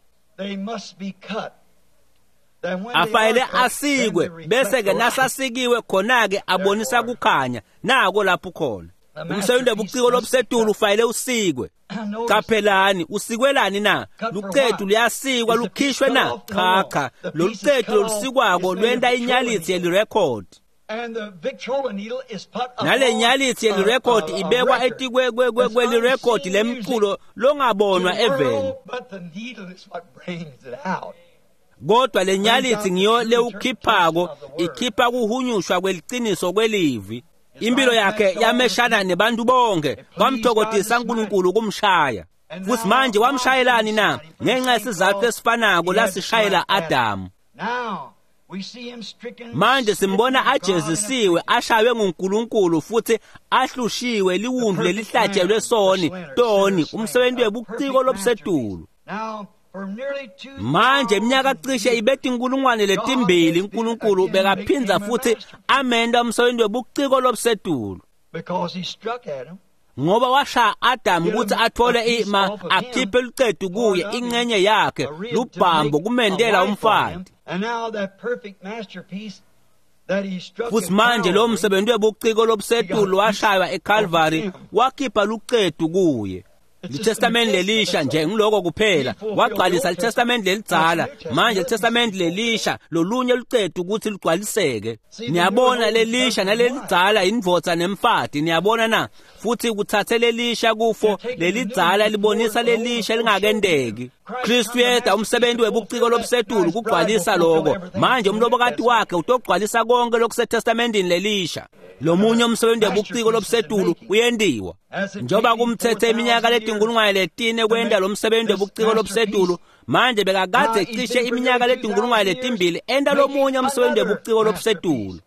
afanele asikwe, bese-ke nasasikiwe khona-ke abonisa kukhanya. Nako lapho khona umsebenzi webuciko lobusetulu ufanele usikwe. Qaphelani, usikwelani na? Lucetu luyasikwa lukhishwe na? Cha cha, lolucetu lolusikwako lwenta inyalitsi yelirekhodi, nale nyalitsi yelirekhodi ibekwa etikwelirekhodi lemculo longabonwa eveni. Kodwa le nyalitsi ngiyo lewukhiphako, ikhipha kuhunyushwa kweliciniso kwelivi. Impilo yakhe yameshana nebantu bonke, kwamthokozisa uNkulunkulu kumshaya. Futhi manje wamshayelani na? Ngenxa yesizathu esifanako lasishayela Adamu. Manje simbona ajezisiwe, ashaywe nguNkulunkulu futhi ahlushiwe liwundlu lelihlatshelwe soni, toni, umsebenzi webuciko lobusetulu. Manje iminyaka cishe ibe 2000 uNkulunkulu bekaphinza futhi amenda umsebenzi webuciko lobusetulu, ngoba washaya Adamu ukuthi athole ima akhiphe lucetu kuye ingxenye yakhe lubhambo kumendela umfati. Futhi manje lo msebenzi webuciko lobusetulu washaywa eCalvary wakhipha lucetu kuye. Litestamenti lelisha nje ngiloko kuphela, wagcwalisa litestamenti lelidzala. Manje litestamenti lelisha lolunye lucetu ukuthi lugcwaliseke. Niyabona, lelisha nalelidzala indvodza nemfati, niyabona na? Futhi kuthathe lelisha kufo lelidzala libonisa lelisha lingakendeki. Kristu yeda umsebenzi webuciko lobusetulu kugcwalisa lokho. Manje umlobokati wakhe utogcwalisa konke lokusetestamentini lelisha. Lomunye umsebenzi webuciko lobusetulu uyendiwa. Njengoba kumthethe iminyaka 4000 kwenda lo msebenzi webuciko lobusetulu, manje bekakade cishe iminyaka 2000 enda lomunye umsebenzi webuciko lobusetulu.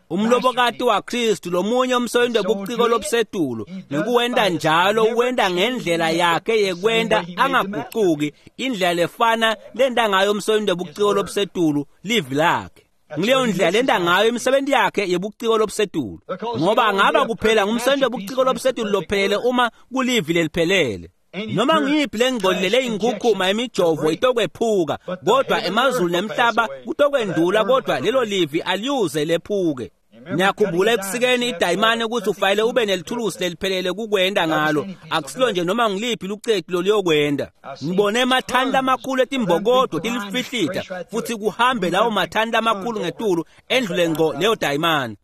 Umlobokati waKristu lomunye umsebenzi webuciko lobusetulu ngekuwenta njalo uwenta ngendlela yakhe yekwenta angagucuki, indlela lefana lenta ngayo umsebenzi webuciko lobusetulu livi lakhe. Ngileyo ndlela lenta ngayo imisebenzi yakhe yebuciko lobusetulu, ngoba angaba kuphela ngumsebenzi webuciko lobusetulu lophelele uma kulivi leliphelele. Noma ngiyiphi lengcolile leyinkukhuma imijovo itokwephuka, kodwa emazulu nemhlaba kutokwendlula, kodwa lelo livi aliyuze lephuke. Niyakhumbula ekusikeni idayimane ukuthi ufanele ube nelithulusi leliphelele kukwenda ngalo, akusilo nje noma ngiliphi lucetu loluyokwenda. Ngibone emathani lamakhulu etimbokodo tilifihlita futhi kuhambe lawo mathani lamakhulu ngetulu endlule ngco leyo dayimane.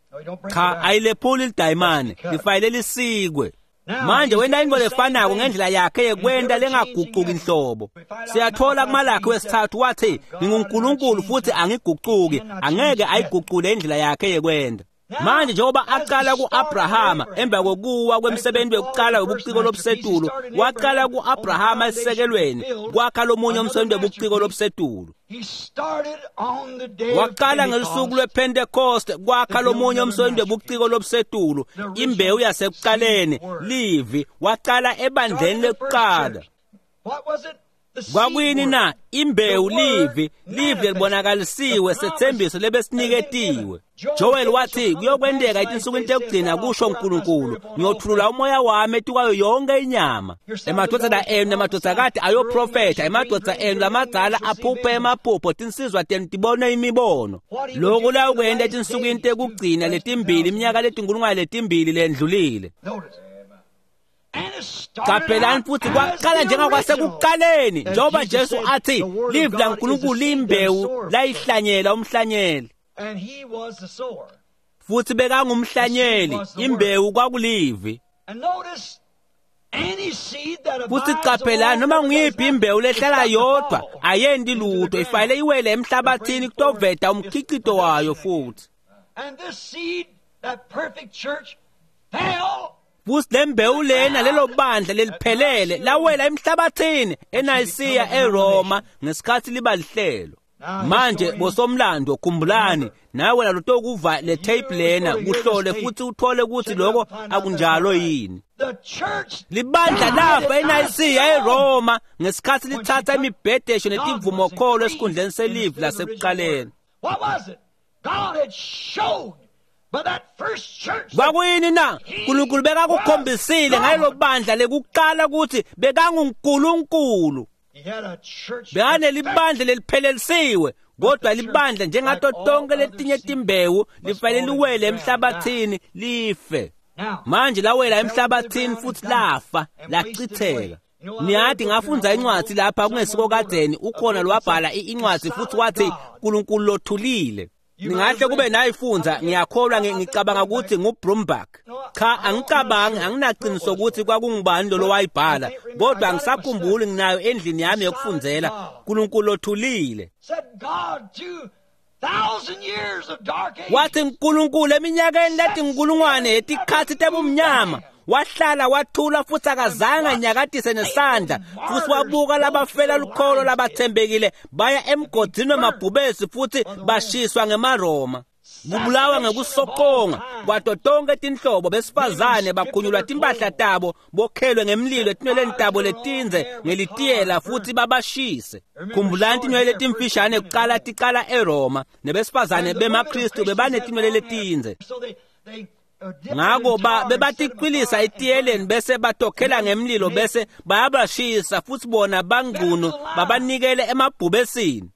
Cha, ayilephuli lidayimane, lifanele lisikwe. Manje wenta into lefanako ngendlela yakhe yekwenta lengagucuki inhlobo. Siyathola kuMalakhi wesithathu wathi, nginguNkulunkulu futhi angigucuki, angeke ayigucule indlela yakhe yekwenta. Manje njengoba aqala ku-Abrahama emva kokuwa kwemsebenzi wekuqala webuciko lobusetulu, waqala ku-Abrahama esisekelweni kwakha lomunye umsebenzi webuciko lobusetulu. Waqala ngelusuku lwePentecost kwakha lomunye umsebenzi webuciko lobusetulu, imbewu yasekuqaleni, livi, waqala ebandleni lekuqala. Kwakuyini na? Imbewu, livi, livi lelibonakalisiwe, sethembiso lebesiniketiwe. Joel wathi kuyokwenteka etinsukwini tekugcina, kusho uNkulunkulu, ngiyothulula umoya wami etikwayo yonke inyama. Emadvodzana enu nemadvodzakati ayoprofetha, emadvodza enu lamadzala aphuphe emaphupho, tinsizwa tenu tibone imibono. Loku lawukwenta etinsukwini tekugcina letimbili, iminyaka letinkulungwane letimbili lendlulile. Qaphelani futhi kwaqala njengakwasekuqaleni, njengoba Jesu athi livi laNkulunkulu limbewu layihlanyela umhlanyeli, futhi bekangumhlanyeli, imbewu kwakulivi. Futhi qaphelani, noma nguyiphi imbewu lehlala yodwa ayendi lutho, ifanele iwele emhlabathini kutoveta umkhicito wayo futhi. Futhi lembewu lena lelo bandla leliphelele lawela emhlabathini eNayisiya eRoma ngesikhathi liba lihlelo. Manje bosomlando khumbulani, nawe lalotokuva le tape lena kuhlole futhi uthole ukuthi lokho akunjalo yini. Libandla lafa eNayisiya eRoma ngesikhathi lithatha imibhedesho netivumokholo esikhundleni selivi lasekuqaleni. Kwakuyini na? uNkulunkulu bekakukhombisile ngalelo bandla lekuqala ukuthi bekanguNkulunkulu. Bekanelibandla leliphelelisiwe, kodwa libandla njengato tonke letinye timbewu lifanele liwele emhlabathini life. Manje lawela emhlabathini futhi lafa, lachitheka. Niyathi ngafundza incwadi lapha kungesiko kadzeni, ukhona lwabhala incwadi futhi wathi uNkulunkulu lothulile. Ningahle kube nayifunza, ngiyakholwa ngicabanga ukuthi nguBrumback. Cha, angicabangi, anginaqiniso ukuthi kwakungubani lo wayibhala, kodwa angisakhumbuli, nginayo endlini yami yokufundzela. uNkulunkulu othulile. Wathi uNkulunkulu eminyakeni letinkulungwane yetikhatsi tebumnyama wahlala wathula futhi akazange anyakatise nesandla, futhi wabuka labafela lukholo labathembekile baya emgodini wemabhubesi futhi bashiswa ngemaRoma. Kubulawa ngekusoqonga kwato tonke tinhlobo, besifazane bakhunyulwa timpahla tabo, bokhelwe ngemlilo etinweleni tabo letindze ngelitiyela futhi babashise. Khumbulani tinwele letimfishane kuqala ticala eRoma, nebesifazane bemaKristu bebanetinwele letindze. Ngako bebatiqwilisa etiyeleni bese batokhela ngemlilo bese bayabashisa futhi bona bangcuno babanikele emabhubesini.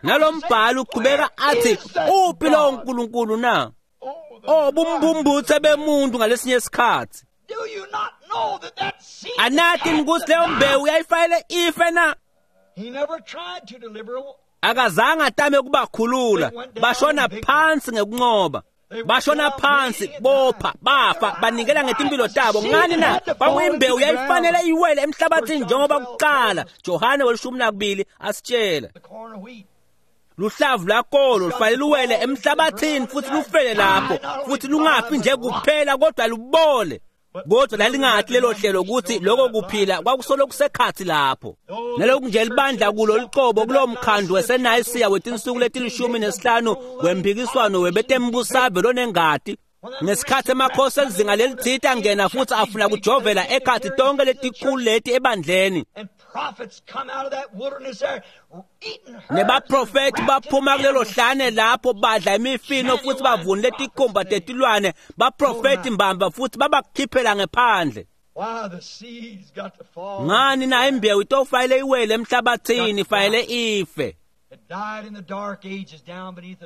Nalombhalo uqhubeka athi uphi lowo nkulunkulu na? Oh, bumbumbutse bemuntu ngalesinye isikhathi. Anathi ukuthi leyo mbewu yayifanele ife na? Akazange atame ukubakhulula, bashona phansi ngekunqoba. Bashona phansi, bopha, bafa, banikela ngetimpilo tabo. Ngani na? Kwakuyimbewu yayifanele iwele emhlabathini njengoba kuqala Johane 12 asitshela. Luhlavu lwakolo lufanele luwele emhlabathini futhi lufele lapho, futhi lungafi nje kuphela kodwa lubole. Kodwa lalingathi lelo hlelo ukuthi lokho kuphila kwakusolo kusekhathi lapho. Naloku nje libandla kulo liqobo kulowo mkhandlu weseNayisiya wetinsuku leti-15 wemphikiswano webetembusave lonengati. Ngesikhathi emakhosi elizinga lelithite angena futhi afuna kujovela ekhathi tonke letikhulu leti ebandleni. Nebaprofethi baphuma kulelo hlane lapho badla imifino futhi bavunule tikhumba tetilwane, baprofethi mbamba futhi babakhiphela ngephandle. Ngani na imbewu itofayele iwele emhlabathini, ifayele ife.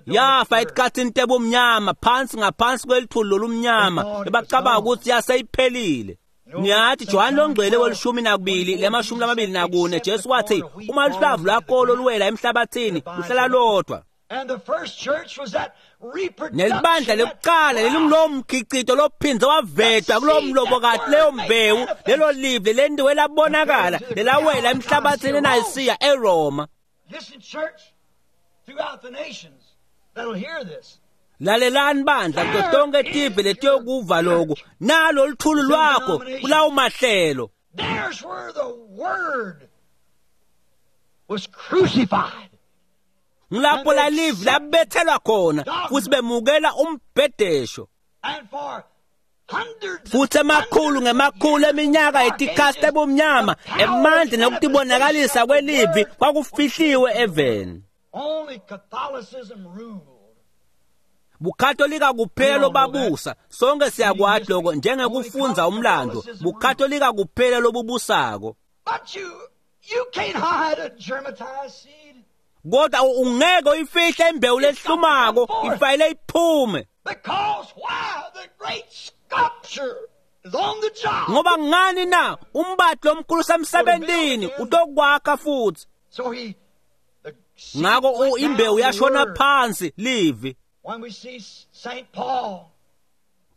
Yafa etikhathini tebumnyama, phansi ngaphansi kwelithuli lolumnyama, bebacabanga ukuthi yaseyiphelile. Niyathi Johane longcwele we-12 lema-24 Jesu wathi uma luhlavu lwakolo luwela emhlabathini luhlala lodwa. Nelibandla lekuqala lelingulowo mkhicito lophindze wavetwa kulowo mlobokati leyo mbewu lelo live lelentiwe labonakala lelawela emhlabathini eNayisiya eRoma. Lalelani bandla kuto tonke tive letiyokuva loku nalo luthulu lwakho kulawo mahlelo. There's where the word was crucified. Ngilapho la live labethelwa khona futhi bemukela umbhedesho. Futhi emakhulu ngemakhulu eminyaka etikhathi ebumnyama emandla nokutibonakalisa kwelivi kwakufihliwe eveni. Only Catholicism ruled. Bukatolika kuphela lobabusa, sonke siyakwati lokho njengekufunza umlando. Bukatolika kuphela lobubusako. But you can't hide a germatized seed. Kodwa ungeke uyifihle imbewu lehlumako, ifayile iphume. Because why? The great sculpture is on the job. Ngoba ngani na umbati lomkhulu semsebentini utokwakha futhi. So he ngako imbewu yashona phansi livi. When we see St. Paul,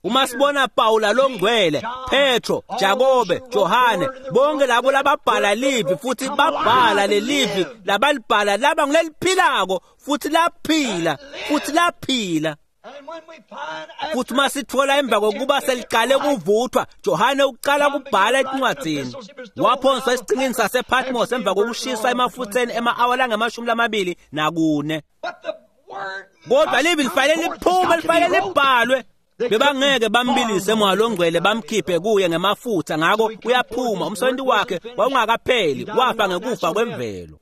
uma sibona Pawula longcwele, Petro, Jakobe, Johane, bonke labo lababhala livi futhi babhala lelivi labalibhala laba nguleliphilako futhi laphila futhi laphila. Futhi masithola emva kokuba seliqale kuvuthwa, Johane uqala kubhala encwadini. Waphonswa esiqhingini sasePatmos emva kokushiswa emafutheni ema-awa lange-24. Kodwa livi lifanele liphume, lifanele libhalwe. Bebangeke bambilise moya longcwele bamkhiphe kuye ngemafutha, ngako uyaphuma. Umsebenzi wakhe wawungakapheli, wafa ngekufa kwemvelo.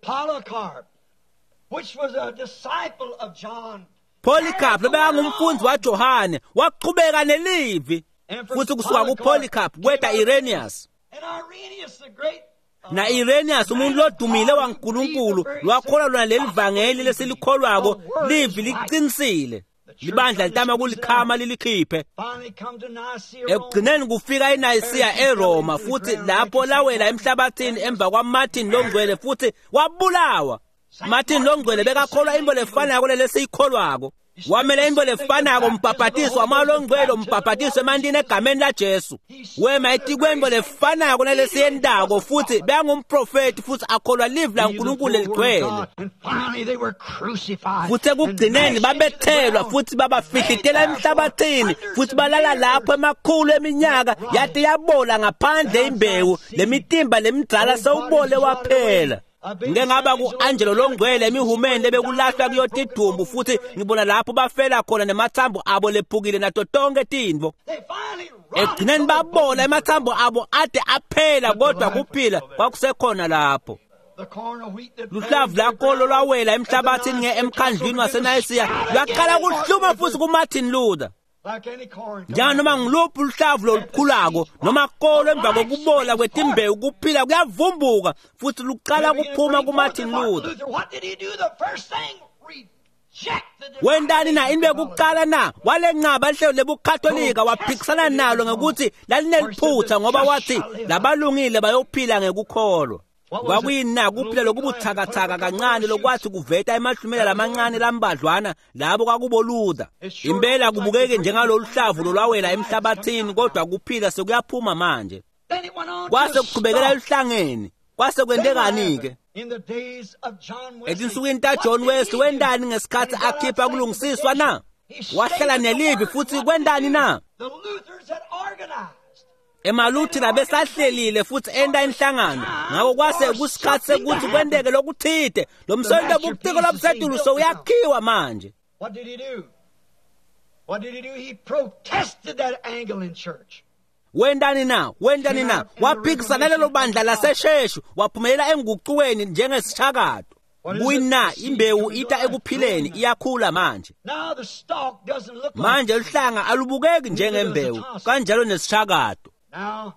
Polycarp lobekangumfundzi waJohane waqhubeka nelivi, futhi kusuka kuPolycarp kweta Irenaeus. Na Irenaeus umuntu lodumile waNkulunkulu lwakholwa lona leli vangeli lesilikholwako, livi liqinisile. Libandla litama kulikhama lilikhiphe. Ekugcineni kufika eNayisiya eRoma, futhi lapho lawela emhlabathini emva kwaMartin longcwele futhi wabulawa. Martin longcwele bekakholwa into lefanako lelesiyikholwako. Wamela into lefanako umbhabhatiso wamoya longcwele, umbhabhatiso emantini egameni laJesu. Wema etikwento lefanako nalesiyentako futhi bekangumprofeti futhi akholwa livi laNkulunkulu leligcwele. Futhi ekugcineni babethelwa futhi babafihlitela emhlabathini futhi balala lapho emakhulu eminyaka yate yabola ngaphandle imbewu lemitimba lemidala sewubole waphela. Ngike ngaba ku-Angelo longcwele emihumeni lebekulahlwa kuyotidumbu futhi ngibona lapho bafela khona nemathambo abo lephukile nato tonke tintfo. Ekugcineni babola emathambo abo ade aphela, kodwa kuphila kwakusekhona lapho. Luhlavu lakolo lwawela emhlabathini emkhandlwini waseNayisiya lwaqala kuhluma futhi kuMartin Luther. Njenganoma ngiluphi luhlavu lolukhulako noma kolo emva kokubola kwetimbewu kuphila kuyavumbuka futhi luqala kuphuma kuMartin Luther. Wentani na into yokuqala na walenqaba lihlelo lebuKatolika, waphikisana nalo ngekuthi lalineliphutha ngoba wathi labalungile bayophila ngekukholwa. Kwakuyini na kuphila lokubuthakathaka kancane lokwathi kuveta emahlumela lamancane lambadlwana labo kwakubo Luther. Impela kubukeke njengalolu hlavu lolwawela emhlabathini, kodwa kuphila sekuyaphuma manje. Kwase kuqhubekela eluhlangeni. Kwase kwentekani-ke? Etinsukwini taJohn Wesley wentani ngesikhathi akhipha kulungisiswa na? Wahlala nelivi futhi kwentani na? Emaluthela besahlelile futhi enta inhlangano, ngako kwase kusikhatsi sekuthi kwenteke lokuthite. Lo msebenti webuciko lobusetulu sewuyakhiwa manje. What did he do? What did he do? He protested that Anglican church. Wentani na? Wentani na? Waphikisa nalelo bandla lasesheshu, waphumelela engucukweni njengesishakato. Kuyina imbewu ita ekuphileni, iyakhula manje. Now the stalk doesn't look like Manje luhlanga alubukeki njengembewu, kanjalo nesishakato. Now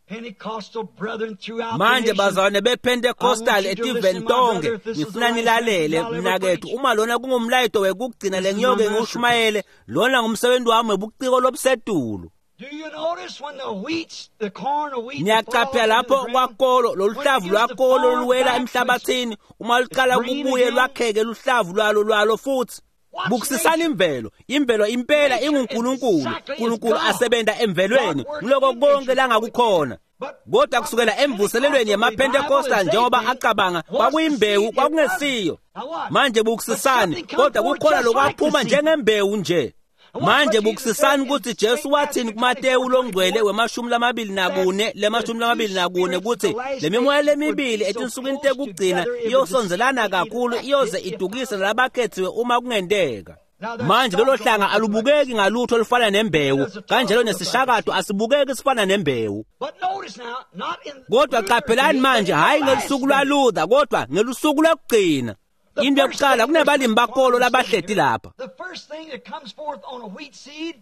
Pentecostal brethren throughout the Manje nation, bazalwane bePentecostal etiveni tonke, ngifuna nilalele mnakethu. Uma lona kungumlayito wekugcina lengiyoke ngiwushumayele, lona ngumsebenzi wami webuciko lobusetulu. Do you notice when the wheats, the corn of wheat Niyaqaphela lapho kwakolo loluhlavu lwakolo luwela emhlabathini, uma luqala kubuye lwakheke luhlavu lwalo futhi. Bukisisani imvelo, imvelo impela inguNkulunkulu, uNkulunkulu asebenza emvelweni, ngiloko konke langakukhona. Kodwa kusukela emvuselelweni yemaPentecostal, njengoba acabanga kwakuyimbewu, kwakungesiyo. Manje bukisisani, kodwa kukhona lokwaphuma njengembewu nje. Manje bukisisani ukuthi Jesu wathini kuMateyu longcwele wema-24 lema-24 ukuthi le mimoya lemibili etinsukwini tekugcina iyosondelana kakhulu, iyoze idukise nalabakhethiwe uma kungenteka. Manje lolo hlanga alubukeki ngalutho olufana nembewu, kanjalo nesishakato asibukeki sifana nembewu. But notice now, not in Kodwa qaphelani manje, hhayi ngelusuku lwaLuther, kodwa ngelusuku lwekugcina. Into yokuqala, kunabalimi bakolo labahleti lapha. The first thing that comes forth on a wheat seed,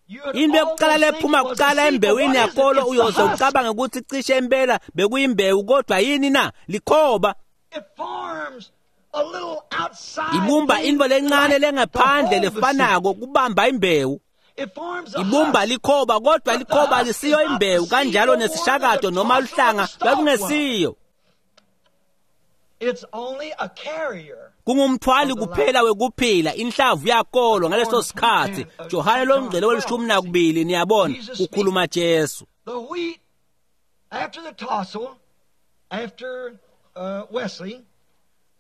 you would Into yokuqala almost think lephuma it was a kuqala seed, but embewini what is it? yakolo, It's the uyoze husk. ucabange ukuthi cishe impela bekuyimbewu, kodwa yini na? Likhoba. It forms a little outside Ibumba thing into lencane like lengaphandle to hold the seed. lefanako kubamba imbewu. It forms a Ibumba husk. likhoba, kodwa likhoba lisiyo imbewu, kanjalo nesishakato noma luhlanga lwakungesiyo. It's only a carrier. Kungumthwali kuphela wekuphila, inhlavu yakolo ngaleso sikhathi. Johane longcwele weli-12, niyabona, kukhuluma Jesu. The wheat, after the tassel, after Wesley,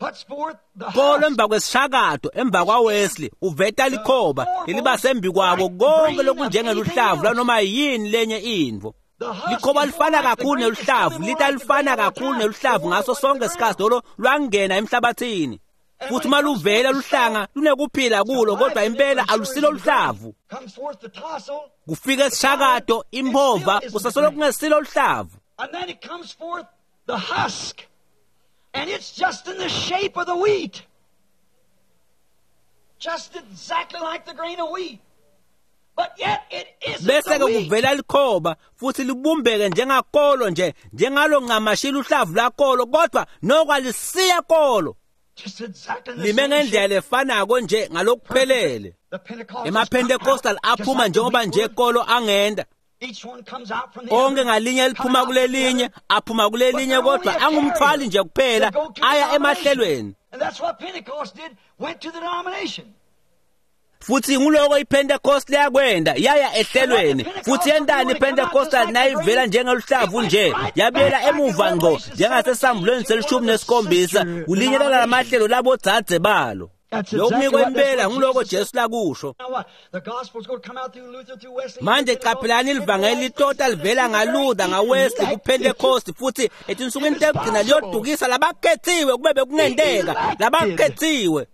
puts forth the Kolo husk. emva kwesishakato, emva kwaWesley, uveta likhoba leliba sembi kwako konke lokunjengeluhlavu lwanoma yini lenye intfo. The husk Likhoba is lifana more like the kakhulu grain, it's neluhlavu, coming more lita like the lifana grain all the kakhulu time. neluhlavu The one ngaso that went sonke to the isikhathi ground. lolo lwangena emhlabathini. And Futhi when uma it comes luvela forth the luhlanga stalk, lunekuphila kulo, the kodwa life in it, impela I'm sure, alusilo is in the grain. luhlavu. Comes forth the tassel, Kufika esishakato, imphova, kusasolo kungesilo luhlavu. and then it comes forth the husk. And it's just in the shape of the wheat. Just exactly like the grain of wheat. But yet it isn't Bese the ke wheat. kuvela likhoba futhi libumbeke njengakolo nje, njengalo ncamashila uhlavu lwakolo, kodwa noko alisiya kolo. Just exactly in the Lime same ngendlela shape. lefanako nje ngalokuphelele. The Pentecostals EmaPentecostal come out just aphuma like the njengoba wheat nje would. kolo angenda. Each one comes out from the Onke other, ngalinye coming liphuma out from the kulelinye, other. aphuma But kulelinye, they're only kodwa a angumthwali carrier nje kuphela, to go to the aya denomination. emahlelweni. And that's what Pentecost did, went to the denomination. Futhi nguloko iPentecost liyakwenda, yaya ehlelweni. Futhi yentani iPentecostal nayivela njengeluhlavu nje, yabuyela emuva ngqo njengasesambulweni seli-17, kulinye lalamahlelo labodzadze balo. That's Lokhu exactly what, that's impela what nguloko Jesus said. Jesu lakusho. Now what? The gospel's going to come out through Luther, through Wesley, Manje through Pentecost. qaphelani livangeli litota livela ngaLuther, ngaWesley, kuPentecost, futhi etinsukwini tekugcina liyodukisa labakhethiwe, kube bekungenteka labakhethiwe.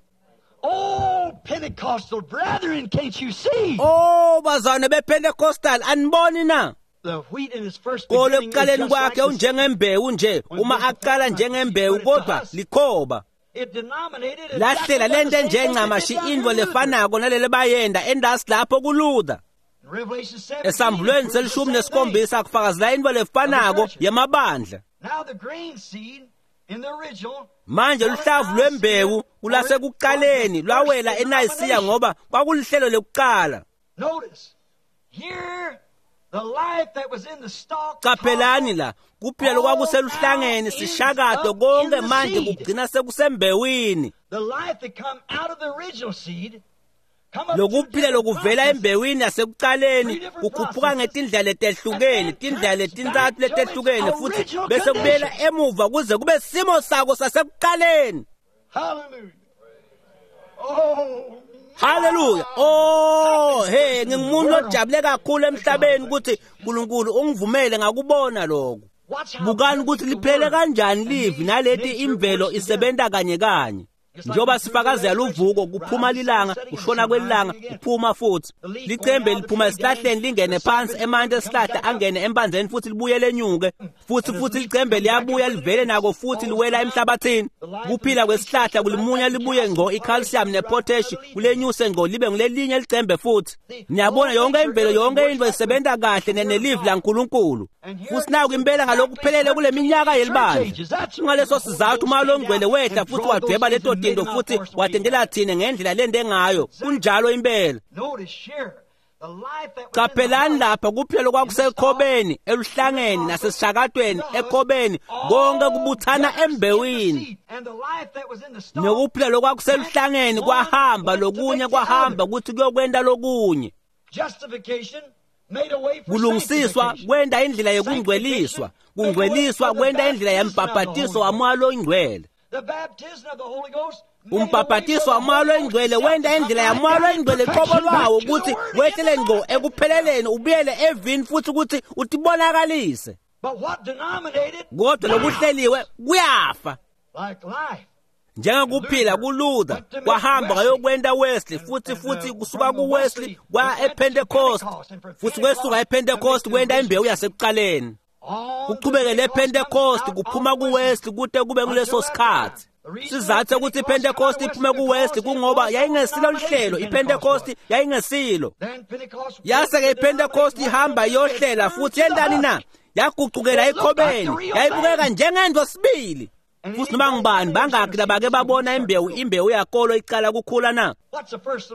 Oh, Pentecostal brethren, can't you see? Oh bazalwane bePentecostal, aniboni na? The wheat in its first Kolo beginning is ekuqaleni just like kwakhe the unjengembewu nje, uma aqala njengembewu, kodwa likhoba. It denominated exactly Lahlela what the lento same thing they did njencamashi down into here in Luther. lefanako nalele bayenda endasi lapho kuLuther. In Revelation 17, Esambulweni it proves the selishumi same thing. nesikhombisa kufakazela into lefanako yemabandla. Now the grain seed in the original Manje luhlavu lwembewu kulasekuqaleni lwawela eNayisiya ngoba kwakulihlelo lekuqala. Notice here the life that was in the stalk Qaphelani la, kuphila lokwakuseluhlangeni sishakato konke manje kugcina sekusembewini. The life that come out of the original seed come up Lokuphila through different lokuvela processes. embewini yasekuqaleni kukhuphuka ngetindlela letehlukene, tindlela letintsatfu letehlukene, futhi bese kubuyela emuva kuze kube simo sako sasekuqaleni. Hallelujah. Oh Haleluya! Oh, hey, ngingumuntu lojabule kakhulu emhlabeni ukuthi uNkulunkulu ungivumele ngakubona lokho. Bukani ukuthi liphele kanjani livi naleti imvelo isebenza kanye kanye. Njengoba sifakazela uvuko, kuphuma lilanga, kushona kwelilanga, kuphuma futhi. Licembe liphuma esihlahleni lingene phansi, emanti esihlahla angene empanzeni futhi libuye lenyuke. Futhi licembe liyabuya livele nako futhi liwela emhlabathini. Kuphila kwesihlahla kulimunya libuye ngqo i-calcium ne-potash kulenyuse ngqo libe ngulelinye licembe futhi. Niyabona yonke imvelo, yonke into isebenza kahle nelivi laNkulunkulu. Futhi naku impela ngalokuphelele kule minyaka yelibandla. Kungaleso sizathu uma longcwele wehla futhi wadweba leto tinto futhi watendela thina ngendlela lente ngayo. Kunjalo impela. Qaphelani lapha kuphela kwakusekhobeni, eluhlangeni nasesishakatweni, ekhobeni, konke kubuthana embewini. Nokuphila lokwakuseluhlangeni kwahamba, lokunye kwahamba ukuthi kuyokwenta lokunye. Kulungisiswa kwenta indlela yekungcweliswa, kungcweliswa kwenta indlela yembhabhatiso waMoya loNgcwele. Umbhabhatiso waMoya loNgcwele wenta indlela yaMoya loNgcwele qobo lwawo ukuthi wehlele ngqo ekupheleleni ubuyele evini futhi ukuthi utibonakalise. Kodwa lokuhleliwe kuyafa. Njengokuphila kuLuther kwahamba kwayokwenta Wesley, futhi kusuka kuWesley kwaya ePentecost, futhi kwesuka ePentecost kwenta imbewu yasekuqaleni. Kuchubeke lePentecost kuphuma kuWesley kute kube kuleso sikhathi. Sizathu ukuthi iPentecost iphume kuWesley kungoba yayingesilo lihlelo, iPentecost yayingesilo. Yase-ke iPentecost ihamba iyohlela futhi yentani na? Yagucukela ekhobeni, yayibukeka njengento sibili. Futhi noma ngubani bangaki labake babona imbewu yakolo icala kukhula na?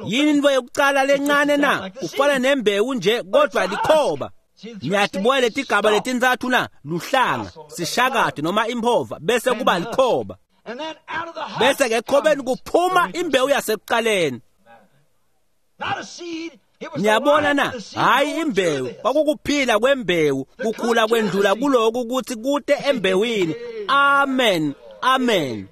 Yini into yokucala lencane na? Kufana nembewu nje kodwa likhoba. Niyatibona letigaba letintsatfu na? Luhlanga, sishakade noma imphova, bese kuba likhoba. Bese ke ekhobeni kuphuma imbewu yasekuqaleni. Niyabona na? Hayi imbewu, kwakukuphila kwembewu, kukhula kwendlula kuloku ukuthi kute embewini. Amen, amen.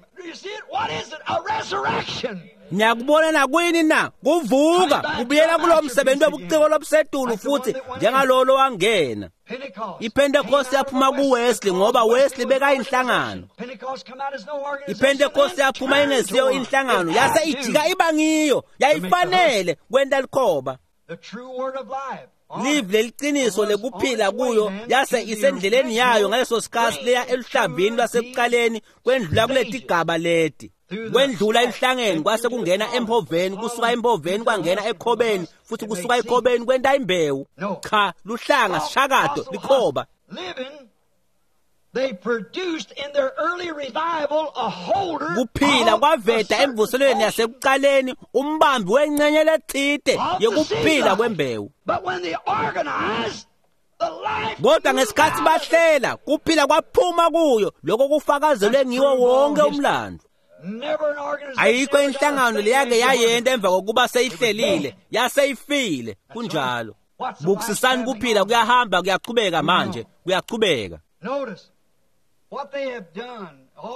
Niyakubona na kuyini na? Kuvuka, kubuyela kulo msebenzi wobuciko lobusetulu futhi njengalolo wangena. IPentecost yaphuma kuWesley ngoba Wesley bekayinhlangano. IPentecost yaphuma ingesiyo inhlangano, yase ijika iba ngiyo, yayifanele kwenta likhoba. Live leliciniso lekuphila kuyo yase isendleleni yayo ngaleso sikhathi leya eluhlavini lwasekuqaleni kwendlula kuletigaba leti. Kwendlula eluhlangeni kwase kungena emphoveni, kusuka emphoveni kwangena ekhobeni, futhi kusuka ekhobeni kwenta imbewu. Cha, luhlanga, sishakato, likhoba. Kuphila kwaveta emvuselweni yasekuqaleni umbambi wencenye letsite yekuphila kwembewu. Kodwa ngesikhathi bahlela, kuphila kwaphuma kuyo, lokho kufakazelwe ngiwo wonke umlando. Ayikho inhlangano leyake yayenta emva kokuba seyihlelile, yaseyifile. Kunjalo. Bukusisani kuphila kuyahamba kuyachubeka manje, kuyachubeka.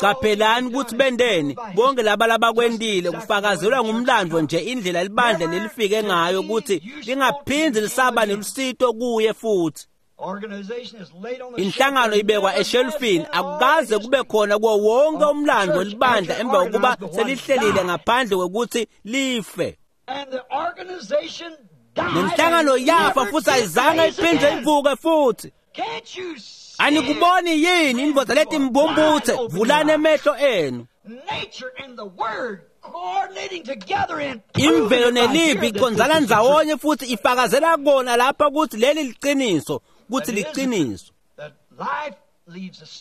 Qaphelani ukuthi bendeni bonke laba labakwentile kufakazelwa ngumlando nje indlela libandla lelifike ngayo ukuthi lingaphindzi lisaba nelusito kuye futhi. Inhlangano ibekwa eshelfini, akukaze kube khona kuwo wonke umlando libandla emva kokuba selihlelile ngaphandle kokuthi life. Nenhlangano yafa futhi ayizange iphinde ivuke futhi. Anikuboni yini indvodza leti mbumbuthe? Vulani emehlo enu. Imvelo nelivi icondzana ndzawonye futhi ifakazela kona lapha ukuthi leli liciniso, ukuthi liciniso.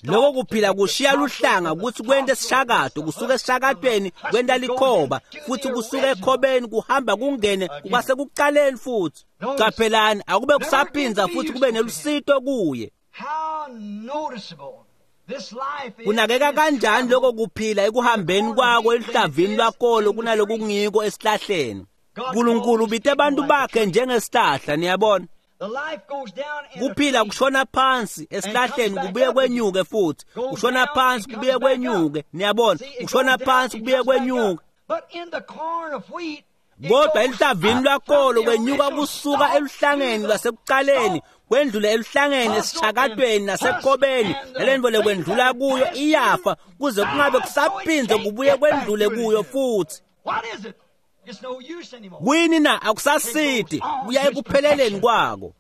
Lokho kuphila kushiya luhlanga ukuthi kwente sishakato, kusuka esishakatweni kwenta likhoba, futhi kusuka ekhobeni kuhamba kungene kwasekuqaleni futhi. Qaphelani, akube kusaphindza futhi kube nelusito kuye. Kunakeka kanjani lokho kuphila ekuhambeni kwako eluhlavini lwakolo kunaloku kungiko esihlahleni. uNkulunkulu ubite abantu bakhe njengesihlahla, niyabona. Kuphila kushona phansi esihlahleni kubuye kwenyuke futhi, kushona phansi kubuye kwenyuke, niyabona, kushona phansi kubuye kwenyuke. Kodwa eluhlavini lwakolo kwenyuka kusuka eluhlangeni lwasekuqaleni kwendlule eluhlangeni esishakatweni nasekobeni nalento lekwendlula kuyo iyafa kuze kungabe kusaphindze kubuye kwendlule kuyo futhi. Kuyini na? Akusasidi, kuya ekupheleleni kwako.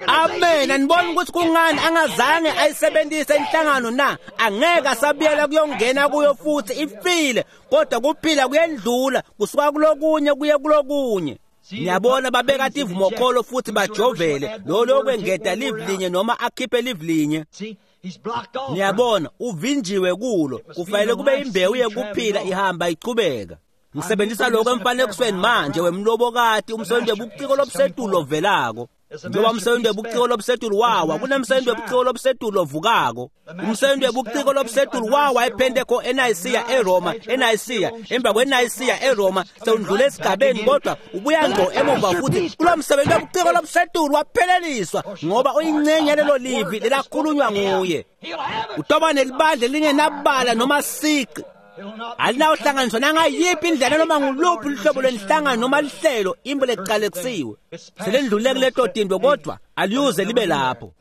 Amen. Aniboni ukuthi kungani angazange ayisebenzise inhlangano na? Angeke asabuyela kuyongena kuyo futhi, ifile. Kodwa kuphila kuyendlula kusuka kulokunye kuye kulokunye. Niyabona babeka tivumokholo futhi bajovele lo lokwengeta live linye noma akhiphe live linye. Niyabona uvinjiwe kulo, kufanele kube imbewu yekuphila ihamba ichubeka. Ngisebenzisa lokho emfanekisweni manje wemlobokati umsebenzi webuciko lobusetulu ovelako. Njengoba umsebenzi webuciko lobusetulu wawa, kunemsebenzi webuciko lobusetulu ovukako. Umsebenzi webuciko lobusetulu wawa ePenteko eNayisiya eRoma, eNayisiya, emva kweNayisiya eRoma sewundlula esigabeni, kodwa ubuya ngqo emuva futhi kulo msebenzi webuciko lobusetulu wapheleliswa ngoba uyincenye lelo livi lelakhulunywa nguye. Utoba nelibandla lingenabala noma sici. Alinawuhlanganiswa nangayiphi indlela noma nguluphi luhlobo lwenhlangano noma lihlelo imbo leqalekisiwe. Selendlule kuleto tinto kodwa aliyuze libe lapho.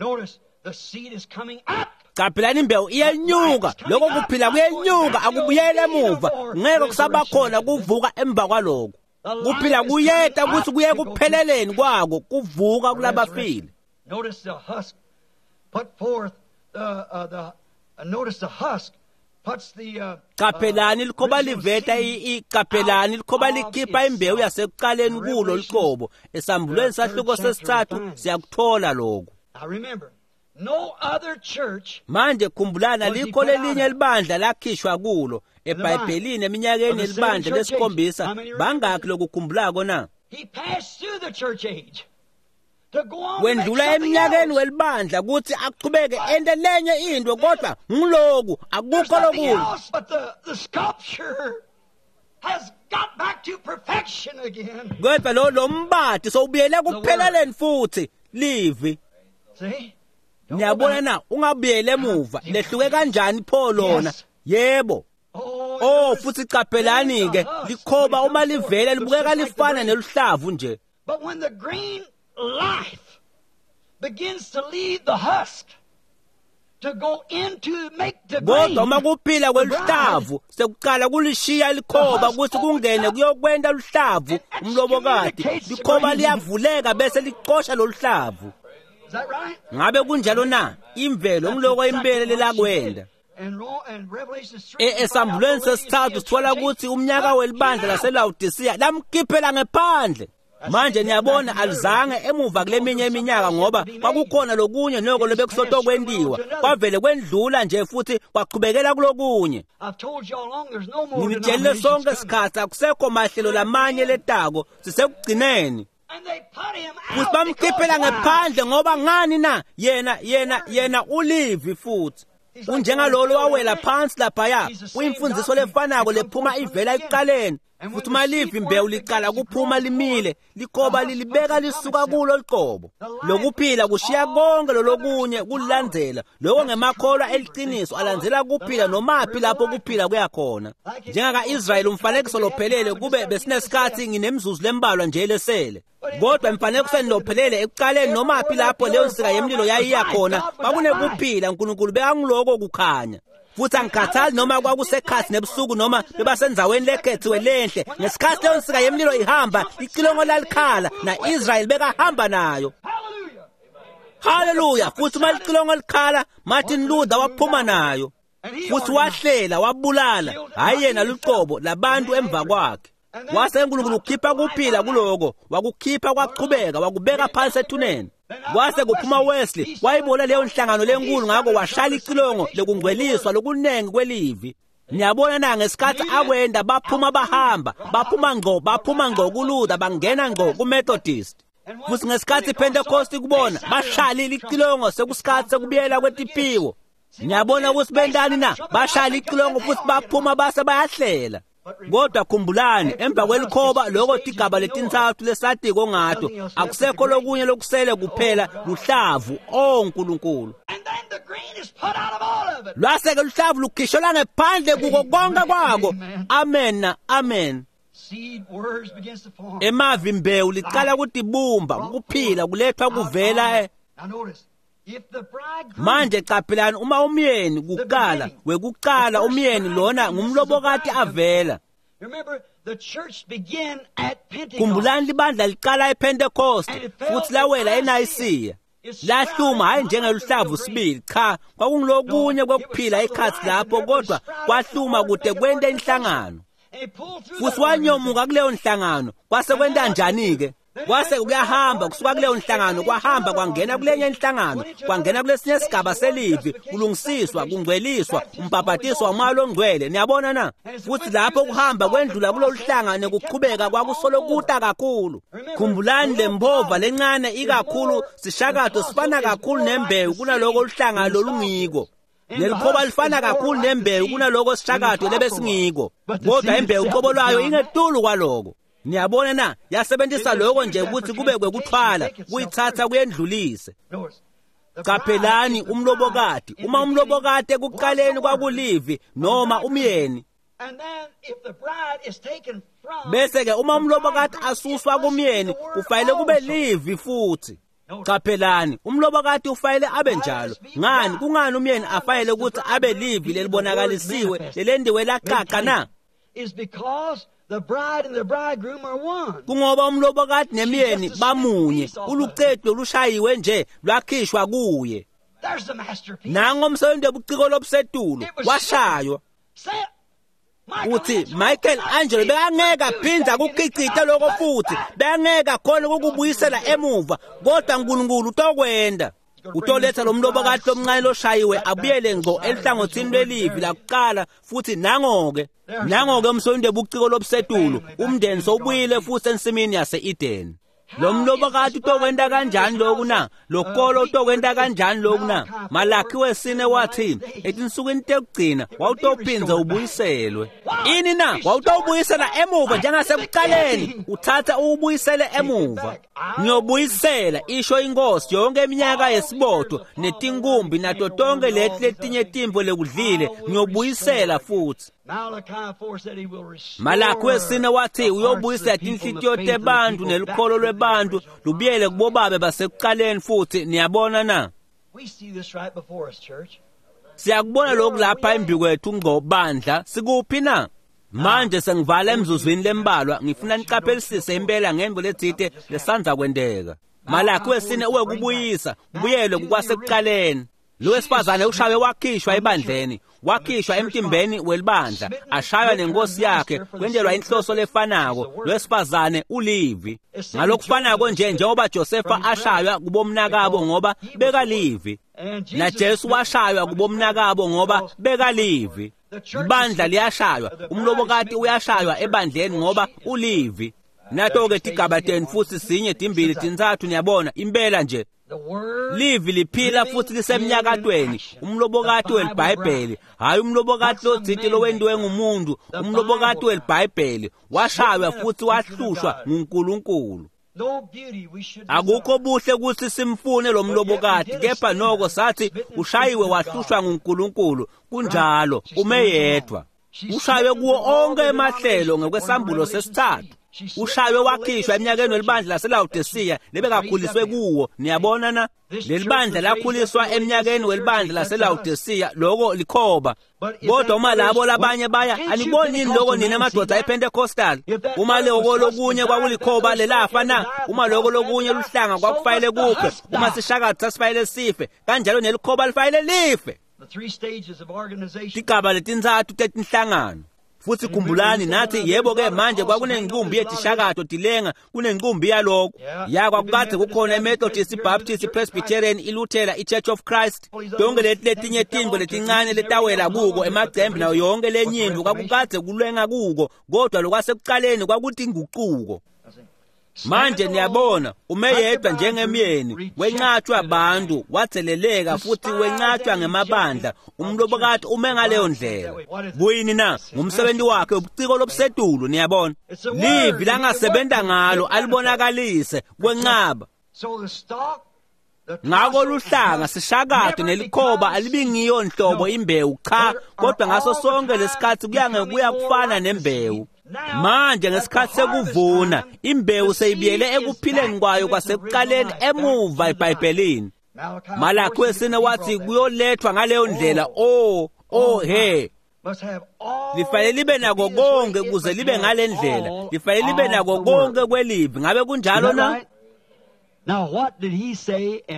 Qaphelani, imbewu iyenyuka, lokho kuphila kuyenyuka, akubuyele emuva, ngeke kusabakhona kuvuka emva kwaloko. Kuphila kuyeta ukuthi kuye kupheleleni kwako kuvuka kulabafile. Notice the husk put forth notice the husk. Qaphelani likhoba liveta iqaphelani likhoba likhipha imbewu yasekuqaleni kulo liqobo. Esambulweni sahluko sesithathu siyakuthola lokho. Manje khumbulana, likho lelinye libandla lakhishwa kulo eBhayibhelini eminyakeni yelibandla lesikhombisa. Bangakhi lokukhumbulako na? Wendlula eminyakeni welibandla ukuthi aqhubeke ente lenye into, kodwa ngiloku akukho lokunye. Kodwa lo mbati sowubuyele kupheleleni futhi livi. Niyabona na, ungabuyele emuva. Lehluke kanjani pho lona? Yebo. Oh, futhi qaphelani ke, likhoba uma livela libukeka lifana neluhlavu nje. But when the green life begins to leave the husk to go into make the grain, kodwa uma kuphila kweluhlavu sekuqala kulishiya likhoba ukuthi kungene kuyokwenta luhlavu umlobokati, likhoba liyavuleka bese licosha loluhlavu. Ngabe kunjalo na? Imvelo ngiloko impela lelakwenda. Esambulweni sesithathu sithola ukuthi umnyaka welibandla laseLaodicea lamkhiphela ngephandle. Manje niyabona alizange emuva kuleminye iminyaka ngoba kwakukhona lokunye noko lobekusotokwentiwa, kwavele kwendlula nje futhi kwachubekela kulokunye. Nginitshelile sonke sikhathi akusekho mahlelo lamanye letako, sisekugcineni. Futhi bamkhiphela ngephandle ngoba ngani na? Yena ulivi futhi. Unjengalolo wawela phansi laphaya, kuyimfundiso lefanako lephuma ivela ekuqaleni. Futhi uma livi imbewu liqala kuphuma limile, likhoba lilibeka lisuka kulo liqobo. Lokuphila kushiya konke lolokunye kulilandzela. Lokho ngemakholwa eliqiniso alandzela kuphila nomaphi lapho kuphila kuyakhona. Njengaka-Israyeli umfanekiso lophelele, kube besinesikhathi nginemzuzu lembalwa nje lesele. Kodwa emfanekisweni lophelele ekuqaleni nomaphi lapho leyo nsika yemlilo yayiya khona, kwakunekuphila, uNkulunkulu bekanguloko kukhanya. Futhi angikhathali noma kwakusekhathi nebusuku noma bebasendzaweni lekhethiwe lenhle, ngesikhathi leyo nsika yemlilo ihamba, icilongo lalikhala na-Israyeli bekahamba nayo. Haleluya! Futhi uma licilongo likhala, Martin Luther waphuma nayo futhi wahlela wabulala, hhayi yena luqobo, labantu emva kwakhe. Wase uNkulunkulu ukhipha kuphila kuloko, wakukhipha kwachubeka, wakubeka phansi ethuneni. Kwase kuphuma Wesley, wayibona leyo nhlangano lenkulu, ngakho washala icilongo lokungcweliswa lokunengi kwelivi. Niyabona na, ngesikhathi akwenda baphuma bahamba, baphuma ngqo kuLuther, bangena ngqo kuMethodist. Futhi ngesikhathi iPentecost kubona, bashala icilongo sekusikhathi sekubuyela kwetiphiwo. Niyabona ukuthi bentani na? Bashala icilongo futhi baphuma base bayahlela. Kodwa khumbulani, emva kwelikhoba lokho tigaba letintsatfu lesatiko ngato, akusekho lokunye lokusele kuphela luhlavu. Oh Nkulunkulu. Lwase-ke luhlavu lukhishelwa ngephandle kuko konke kwako. Amen, amen. Emavi mbewu licala kutibumba, kuphila kulethwa kuvela. Manje qaphelani, uma umyeni kuqala, wekuqala umyeni lona ngumlobokati avela. Khumbulani libandla liqala ePentecost futhi lawela eNayisiya. Lahluma hayi njengeluhlavu sibili, cha, kwakungulokunye kwekuphila ekhatsi lapho, kodwa kwahluma kude kwente inhlangano. Futhi wanyomuka kuleyo nhlangano, kwase kwenta njani-ke? Kwase kuyahamba kusuka kuleyo nhlangano, kwahamba kwangena kulenye inhlangano, kwangena kulesinye sigaba selivi, kulungisiswa, kungcweliswa, umbhabhatiso wamoya longcwele. Niyabona na? Futhi lapho kuhamba kwendlula kulolu hlanga nekuqhubeka kwakusolo kuta kakhulu. Khumbulani lembova lencane ikakhulu sishakato sifana kakhulu nembewu kunaloko oluhlanga lolungiko. Nelikhoba lifana kakhulu nembewu kunaloko sishakato lebesingiko, kodwa imbewu uqobo lwayo ingetulu kwaloko. Niyabona na? Yasebenzisa lokho nje ukuthi kube kwekuthwala, kuyithatha kuyendlulise. Qaphelani umlobokati, uma umlobokati ekuqaleni kwakulivi noma umyeni, bese-ke uma umlobokati asuswa kumyeni kufanele kube livi futhi. Qaphelani umlobokati ufanele abe njalo. Ngani? Kungani umyeni afanele ukuthi abe livi lelibonakalisiwe lelendiwe laqaqa na? Kungoba umlobokati nemyeni bamunye, ulucetu olushayiwe nje lwakhishwa kuye. Nango umsebenzi wobuciko lobusetulu washaywa. Uthi Michael Angelo bekangeke aphinda akukhicite lokho futhi, bekangeke akhona ukukubuyisela emuva, kodwa uNkulunkulu utokwenda. Utoletha lo mlobokati lomncane loshayiwe abuyele ngqo elihlangothini lwelivi lakuqala futhi. Nango-ke, nango-ke umsebenzi wobuciko lobusetulu, umndeni sowubuyile futhi ensimini yase-Eden. Lo mlobokati utokwenta kanjani lokhu na? Lo kolo utokwenta kanjani lokhu na? Malakhi wesine wathi etinsukwini tekugcina wawutophinza ubuyiselwe. Ini na? Wawutowubuyisela emuva njengasekuqaleni, uthatha uwubuyisele emuva. Ngiyobuyisela, isho inkosi, yonke iminyaka yesibodo netinkumbi nato tonke leti letinye timvo lekudlile, ngiyobuyisela futhi. Malakhi wesine wathi uyobuyisela tinhlitiyo tebantu nelukholo lwebantu lubuyele kubobabe basekuqaleni futhi. Niyabona na? Siyakubona lokhu lapha embi kwethu ngobandla. Sikuphi na? Manje sengivala emzuzwini lembalwa, ngifuna niqaphelisise impela ngemvo letsite lesanza kwenteka. Malakhi wesine uwekubuyisa kubuyelwe kukwasekuqaleni. Lo wesifazane ushawe wakhishwa ebandleni, wakhishwa emtimbeni welibandla, ashaywa nenkosi yakhe, kwentelwa inhloso lefanako. Lo wesifazane ulivi. Ngalokufanako nje njengoba Josefa ashaywa kubomnakabo ngoba bekalivi, naJesu washaywa kubomnakabo ngoba bekalivi. Ibandla liyashaywa, umlobokati uyashaywa ebandleni ngoba ulivi. Nato-ke tigaba tenu futhi, sinye, timbili, tintsatfu, niyabona, impela nje. Livi liphila futhi lisemnyakatweni, umlobokati welibhayibheli, hhayi umlobokati lotsite lowentiwe ngumuntu, umlobokati welibhayibheli washaywa futhi wahlushwa nguNkulunkulu. Akukho buhle ukuthi simfune lo mlobokati, kepha noko sathi ushayiwe wahlushwa nguNkulunkulu. Kunjalo, ume yedwa. Ushaywe kuwo onke emahlelo ngokwesambulo sesithathu. Ushaywe wakhishwa eminyakeni welibandla laseLawodisiya lebekakhuliswe kuwo. Niyabona na? Leli bandla lakhuliswa eminyakeni welibandla laseLawodisiya, loko likhoba. Kodwa uma labo labanye baya, aniboni yini loko nina madoda ePentecostal? Uma loko lokunye kwakulikhoba lelafa na? Uma loko lokunye luhlanga kwakufanele kufe, uma sishakato sasifanele sife, kanjalo nelikhoba lifanele life. Tigaba letintsatfu tetinhlangano. Futhi khumbulani nathi, yebo-ke manje kwakunenqumbi yetishakato tilenga, kunenqumbi yalokho. Ya, kwakukade kukhona iMethodist, iBaptist, iPresbyterian, iLuthela, iChurch of Christ, tonke leti letinye tintfo letincane letawela kuko, emacembe nayo yonke lenye intfo kwakukade kulenga kuko, kodwa lokwasekuqaleni kwakutingucuko. Manje niyabona, ume yedwa njengemyeni, wenqatshwa abantu, watheleleka futhi wenqatshwa ngemabandla. Umlobokati ume ngaleyo ndlela. Kuyini na? Ngumsebenzi wakhe ubuciko lobusetulu, niyabona. Livi langasebenta ngalo alibonakalise kwenqaba. Ngako luhlanga sishakato nelikhoba alibingiyo nhlobo imbewu, cha, kodwa ngaso sonke lesikhathi kuya ngekuya kufana nembewu. Manje ngesikhathi sekuvuna imbewu seyibuyele ekuphileni kwayo kwasekuqaleni emuva eBhayibhelini. Malakhi wesine wathi kuyolethwa ngaleyo ndlela. Oh he, lifanele libe nako konke kuze libe ngale ndlela, lifanele libe nako konke kwelivi. Ngabe kunjalo na?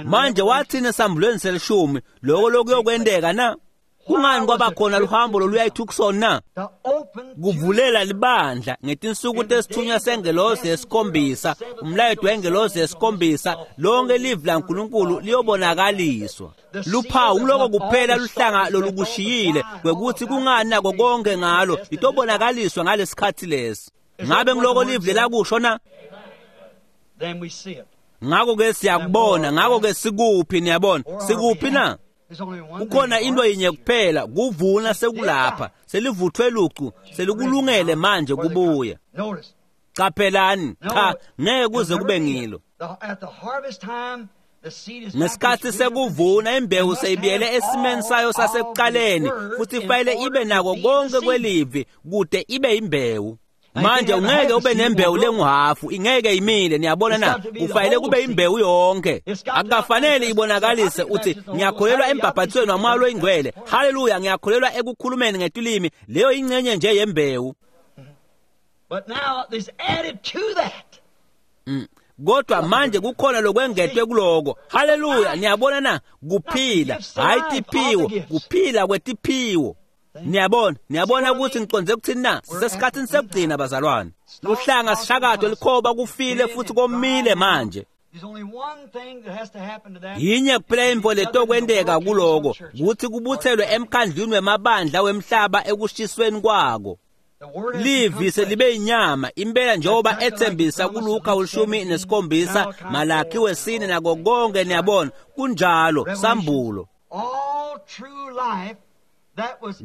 Manje wathini esambulweni selishumi lokho lokuyokwenteka na? Kungani kwaba khona luhambo loluya eTucson na? Kuvulela libandla ngetinsuku tesithunywa sengelosi yesikhombisa, umlayeto wengelosi yesikhombisa, lonke livi laNkulunkulu liyobonakaliswa. Luphawu loko kuphela luhlanga lolukushiyile kwekuthi kungani nako konke ngalo litobonakaliswa ngalesikhathi lesi. Ngabe ngiloko livi lelakusho na? Ngako ke siyakubona, ngako ke sikuphi, niyabona? Sikuphi na? Kukhona into yinye kuphela, kuvuna sekulapha, selivuthwe lucu, selikulungele manje kubuya. Qaphelani, cha, ngeke kuze kube ngilo. Ngesikhathi sekuvuna imbewu seyibuyele esimeni sayo sasekuqaleni, futhi ifanele ibe nako konke kwelivi kude ibe imbewu. Manje ungeke ube nembewu lenguhafu, ingeke imile, niyabona na? Kufanele kube imbewu yonke. Akukafanele ibonakalise uthi ngiyakholelwa embhabhatisweni waMoya loyiNgcwele, haleluya, ngiyakholelwa ekukhulumeni ngetilimi. Leyo ingcenye nje yembewu. Kodwa manje kukhona lokwengetwe kuloko. Haleluya, niyabona na? Kuphila, hayi tiphiwo, kuphila kwetiphiwo. Niyabona, niyabona ukuthi ngiqonde ukuthini na? Sisesikhathini sekugcina bazalwane. Luhlanga sishakato likhoba kufile futhi komile manje. Yinye kuphela intfo letokwenteka kuloko, kutsi kubutselwe emkhandlwini wemabandla wemhlaba ekushisweni kwako. Livi selibe inyama impela njengoba ethembisa kuLuka 17, Malakhi 4 nako konke, niyabona kunjalo, sambulo.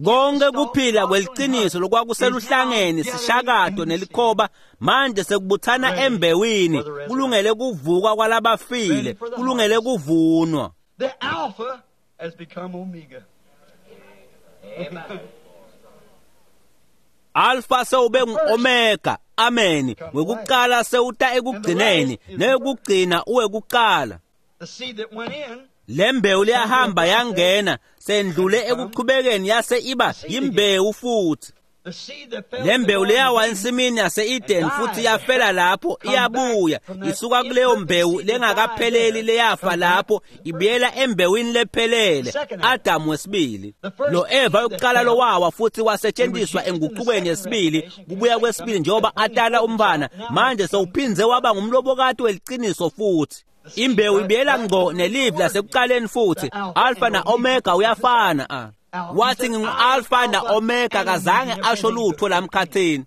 Konke kuphila kweliciniso lokwakuseluhlangeni sishakato nelikhoba manje sekubuthana embewini, kulungele kuvuka kwalabafile, kulungele kuvunwa. The Alpha has become Omega. Amen. Alpha sewube ngu-Omega, amen. Wekuqala sewuta ekugcineni, neyokugcina uwekuqala. The seed that went in, Lembewu liyahamba yangena, sendlule ekuqhubekeni yase iba yimbewu futhi. the seed that fell Lembewu in the liyawa garden, ensimini yase-Eden futhi yafela lapho, iyabuya isuka kuleyo mbewu lengakapheleli leyafa lapho, ibuyela embewini lephelele, Adamu wesibili. Lo Eva yokuqala lowawa futhi wasetshenziswa enguqukweni yesibili, kubuya kwesibili njengoba atala umfana, manje sewuphindze waba ngumlobokati weliciniso futhi. Imbewu ibuyela ngqo nelivi lasekuqaleni futhi, Alpha na Omega uyafana. A. Wathi ngingu-Alpha na Omega, kazange asho lutho lamkhathini.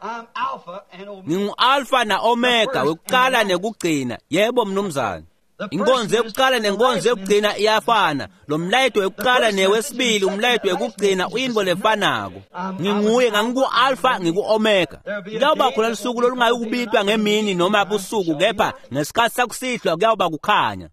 I'm Alpha and Omega. Ngingu-Alpha na Omega, wekuqala nekugcina. Yebo mnumzane. Inkonzo yokuqala nenkonzo yokugcina iyafana. Lo mlayeto wekuqala newesibili, umlayeto wekugcina uyinto lefanako. Nginguye, ngangiku-Alpha, ngiku-Omega. Kuyawuba khona lusuku lolungayukubitwa ngemini noma busuku, kepha ngesikhathi sakusihlwa kuyawuba kukhanya.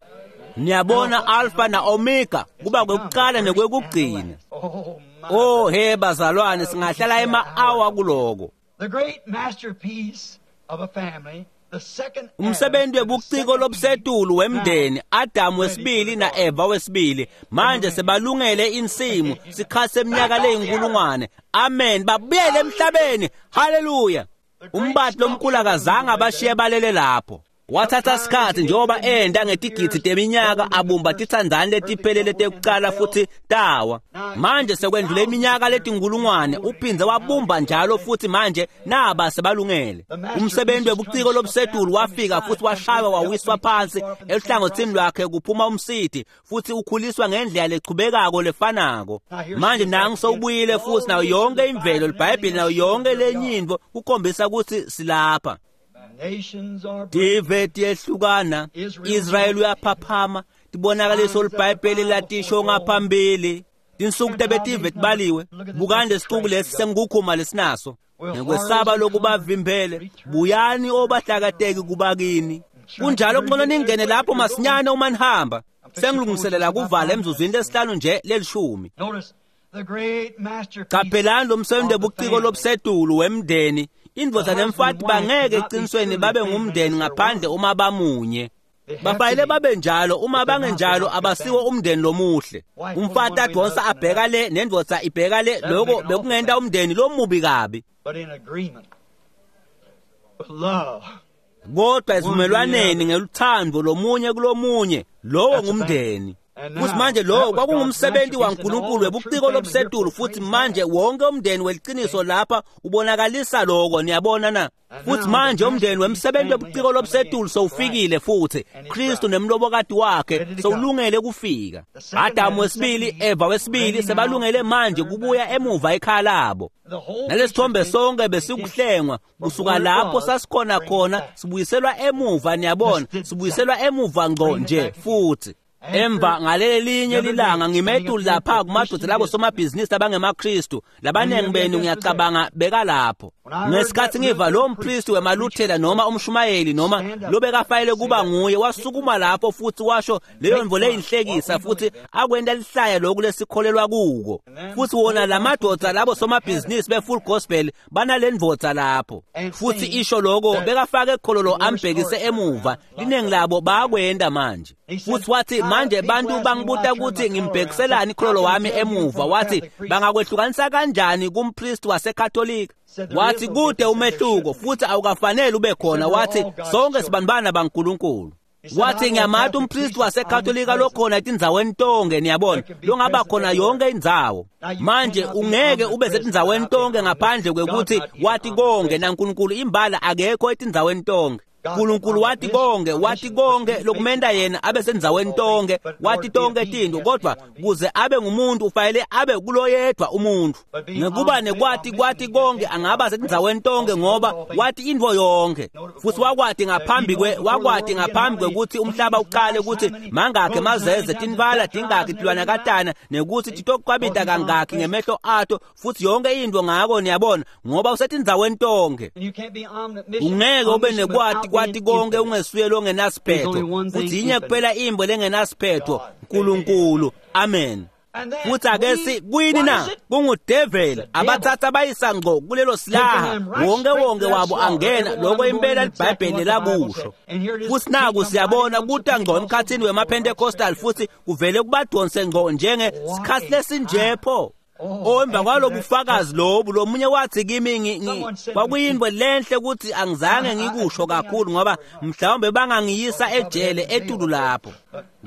Niyabona, Alpha na Omega kuba kwekuqala nekwekugcina. Oh my. Oh he bazalwane, singahlala ema-awa kuloko. The great masterpiece of a family, the second Adam Umsebenzi and the webuciko second lobusetulu wemndeni, Adamu wesibili Eve, na Eva wesibili, manje sebalungele insimu, sikhathi seminyaka leyinkulungwane. Amen, babuyele emhlabeni. Haleluya. Umbati lomkhulu akazange abashiye balele lapho. Wathatha sikhathi njengoba enda ngetigidzi teminyaka abumba titsandzane letiphelele tekuqala futhi tawa. Manje sekwendlule iminyaka letinkulungwane, uphindze wabumba njalo futhi manje naba sebalungele. Umsebenzi webuciko lobusetulu wafika futhi washaywa wawiswa phansi eluhlangothini lwakhe kuphuma umsiti futhi ukhuliswa ngendlela lechubekako lefanako. Manje nangu sewubuyile futhi nayo yonke imvelo, liBhayibheli nayo yonke lenye intfo kukhombisa ukuthi silapha. Nations are Tive tiyehlukana, Israel uyaphaphama, tibonakaliso liBhayibheli latisho ngaphambili. Tinsuku tebetive tibaliwe, bukani lesixuku lesi sengikukhuma lesinaso. Ngekwesaba lokubavimbele, buyani obahlakateki kubakini. Kunjalo kungcono ningene lapho masinyane uma nihamba. Sengilungiselela kuvala emzuzwini lesihlanu nje lelishumi. Qaphelani lo msebenzi webuciko lobusetulu wemndeni. Indvodza nemfati bangeke eqinisweni babe ngumndeni ngaphandle uma bamunye. Bafanele babe njalo, uma bangenjalo abasiwo umndeni lomuhle. Umfati adonsa abheka le nendvodza ibheka le, lokho bekungenta umndeni lomubi kabi. Kodwa esivumelwaneni ngeluthando lomunye kulomunye, lowo ngumndeni. Futhi manje lowo kwakungumsebenzi waNkulunkulu webuciko lobusetulu, futhi manje wonke umndeni weliciniso lapha ubonakalisa lokho, niyabona na? Futhi manje umndeni wemsebenzi webuciko lobusetulu sowufikile futhi Kristu nemlobokati wakhe sowulungele kufika. Adamu wesibili, Eva wesibili sebalungele manje kubuya emuva ekhaya labo. Nalesithombe sonke besikuhlengwa kusuka lapho sasikhona khona sibuyiselwa emuva, niyabona, sibuyiselwa emuva ngqo nje futhi. Emva ngalelelinye lilanga ngimetulu lapha kumadoda labo somabhizinisi abangemaKristu labaningi benu ngiyacabanga beka lapho. Ngesikhathi ngiva lo mpristi wemaLuthela noma umshumayeli noma lobekafayele kuba nguye wasukuma lapho futhi washo leyo nto leyinhlekisa futhi akwenta lihlaya lokhu lesikholelwa kuko. Futhi wona lamadoda labo somabhizinisi be-full gospel banalendvodza lapho futhi isho lokho bekafake ekhololo ambhekise emuva. Liningi labo bayakwenda manje. Futhi wathi manje bantu bangibuta ukuthi ngimbhekiselani ikhololo wami emuva. Wathi bangakwehlukanisa kanjani kumpristi waseKatolika? Wathi kude umehluko futhi awukafanele ube khona. Wathi sonke sibantwana baNkulunkulu. Wathi ngiyamati umpristi waseKatolika lokhona etindzaweni tonke, niyabona, longaba khona yonke indzawo. Manje ungeke ube setindzaweni tonke ngaphandle kwekuthi wathi konke naNkulunkulu imbala akekho etindzaweni tonke. uNkulunkulu wathi konke, wathi konke lokumenta yena abe sendzaweni tonke, wathi tonke tinto, kodwa kuze abe ngumuntu ufanele abe kuloyedwa umuntu. Ngekuba nekwati kwathi konke angaba sendzaweni tonke ngoba wathi intfo yonke. Futhi wakwati ngaphambi wakwati ngaphambi kwekuthi umhlaba uqale ukuthi mangakhe mazeze tinvala tingakhi tilwanakatana nekuthi titokwabita kangakhi ngemehlo ato futhi yonke into ngako, niyabona, ngoba usetindzaweni tonke. Ungeke ube nekwati kwati konke ungesuye longenasiphetho. Futhi yinye kuphela imbo lengenasiphetho, uNkulunkulu. Amen. Futhi ake si kuyini na? Kungudeveli abathatha bayisa ngqo kulelo silaha, wonke wonke wabo angena lokho impela liBhayibheli lakusho. Futhi naku siyabona kuta ngqo emkhathini wemaPentecostal futhi kuvele kubadonse ngqo njenge sikhathi lesinjepho. Emva kwalobufakazi lobu lomunye wathi kimi kwakuyinto lenhle ukuthi angizange ngikusho kakhulu ngoba mhlawumbe bangangiyisa ejele etulu lapho.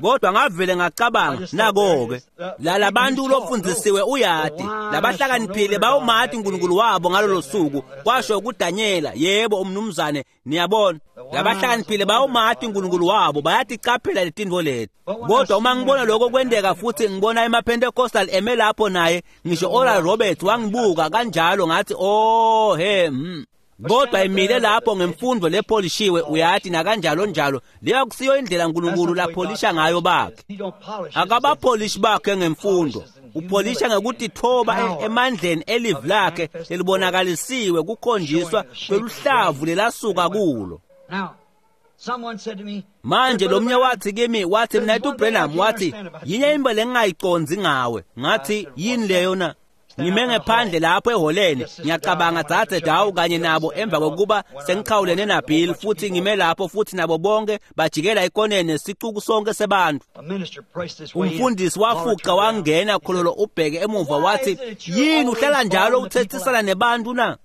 Kodwa ngavele ngacabanga nako-ke lalabantu lofundisiwe uyati labahlakaniphile bawumati uNkulunkulu wabo ngalolo suku, kwasho kuDanyela. Yebo umnumzane, niyabona, labahlakaniphile bawumati uNkulunkulu wabo, bayaticaphela letintfo leti. Kodwa uma ngibona lokho kwenteka futhi ngibona emaPentecostal eme lapho naye, ngisho Oral Roberts wangibuka kanjalo, ngathi oh he. Kodwa imile lapho ngemfundo lepholishiwe uyati nakanjalo njalo, leyo kusiyo indlela uNkulunkulu lapholisha ngayo bakhe. Akabapholishi bakhe ngemfundo, upholisha ngekutithoba emandleni elivi lakhe lelibonakalisiwe kukhonjiswa kweluhlavu lelasuka kulo. Manje lomnye wathi kimi, wathi mna Branham, wathi yinye into lengingayiconzi ngawe. Ngathi yini leyo na? Ngime ngephandle lapho eholeni, ngiyacabanga dzadze Dawu kanye nabo emva kokuba sengichawulene naBill, futhi ngime lapho futhi nabo bonke bajikela ikoneni nesicuku sonke sebantu. Umfundisi wafuqa wangena khololo ubheke emuva wathi yini uhlala njalo uthethisana nebantu na?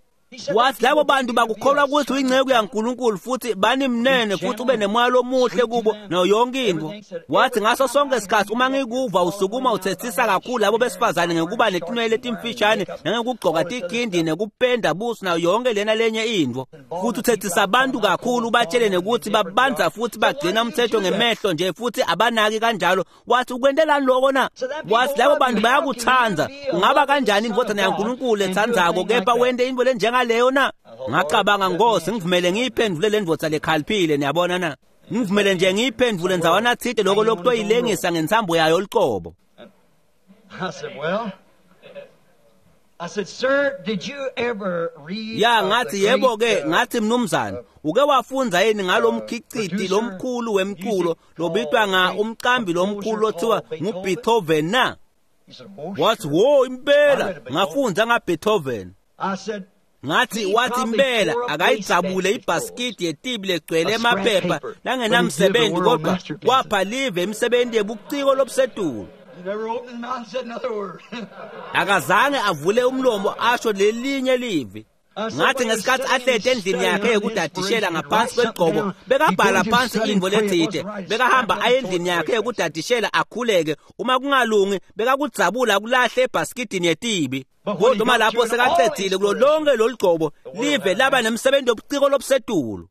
Wathi labo bantu bakukholwa ukuthi uyinceku yaNkulunkulu futhi banimnene futhi ube nemoya lomuhle kubo nayo yonke into. Wathi ngaso sonke isikhathi uma ngikuva usukuma uthethisa kakhulu labo besifazane ngekuba netinwele letimfishane nangekugcoka tikhindi nekupenda buso nayo yonke lena lenye into. Futhi uthethisa abantu kakhulu ubatshele nekuthi babanza futhi bagcina umthetho ngemehlo nje futhi abanaki kanjalo. Wathi ukwentelani lokho na? Wathi labo bantu bayakuthanda, ungaba kanjani indvodzana yaNkulunkulu ethandzako kepha wente into lenjengaleyo na? Ngacabanga, Nkosi, ngivumele ngiyiphendvule le ndvodza lekhaliphile, niyabona na? Ngivumele nje ngiyiphendvule ndzawana tsite lokho lokutoyilengisa ngentsambo yayo lucobo. Ya ngathi yebo ke, ngathi mnumzane, uke wafundza yini ngalomkhiciti lomkhulu wemculo lobitwa nga umqambi lomkhulu othiwa nguBeethoven na? Wathi wo impela ngafundza ngaBeethoven. Ngathi wathi impela akayijabule ibhasikidi yetibi legcwele emaphepha langenamsebenzi kodwa kwapha live imisebenzi yebuciko lobusetulu. Akazange avule umlomo asho lelinye livi. Ngathi ngesikhathi ahlete endlini yakhe yekudadishela ngaphansi kwegcobo bekabhala phansi intfo letsite, bekahamba aye endlini yakhe yekudadishela akhuleke, uma kungalungi bekakudzabula kulahle ebhasikidini yetibi. Kodwa uma lapho sekacedzile kulo lonke lolugcobo live laba nemsebenzi wobuciko lobusetulu.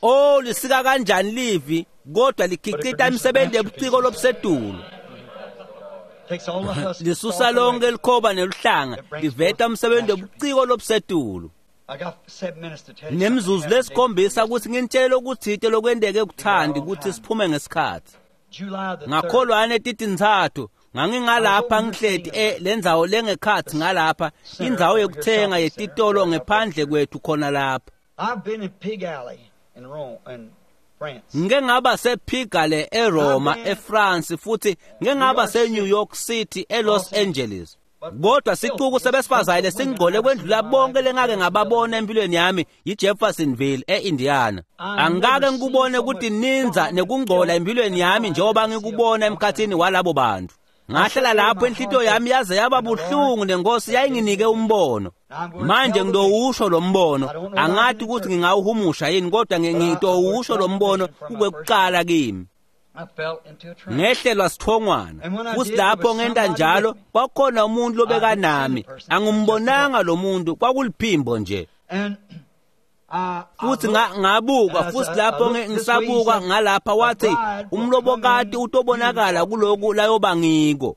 Oh, lisika kanjani livi kodwa likhicita imisebenzi yobuciko lobusetulu. Lisusa lonke likhoba neluhlanga liveta umsebenzi wobuciko lobusetulu. Nemzuzu lesikhombisa ukuthi nginitshele okuthite lokwenteke kuthandi ukuthi siphume ngesikhathi. Ngakholwane titintsatfu ngangingalapha ngihleti lendzawo lengekhatsi ngalapha indzawo yekuthenga yetitolo ngephandle kwethu khona lapha. Ngike ngaba sePigalle eRoma eFrance futhi ngike ngaba seNew York City eLos Angeles. Kodwa sicuku sebesifazane lesingcole kwendlula bonke lengake ngababona empilweni yami yiJeffersonville eIndiana. Angikake ngikubone ukuthi ninza nekungcola empilweni yami njengoba ngikubona emkhathini walabo bantu. Ngahlala lapho inhlitiyo yami yaze yaba buhlungu nenkosi yayinginike umbono. Manje ngidowusho lo mbono, angathi ukuthi ngingawuhumusha yini kodwa ngidowusho lo mbono kukwekuqala kimi. Ngehlelwa sithongwana futhi lapho ngenta njalo kwakhona umuntu lobekanami, angimbonanga lo muntu, kwakuliphimbo nje. Futhi ngabuka futhi lapho ngisabuka ngalapha wathi umlobokati utobonakala kuloku layoba ngiko.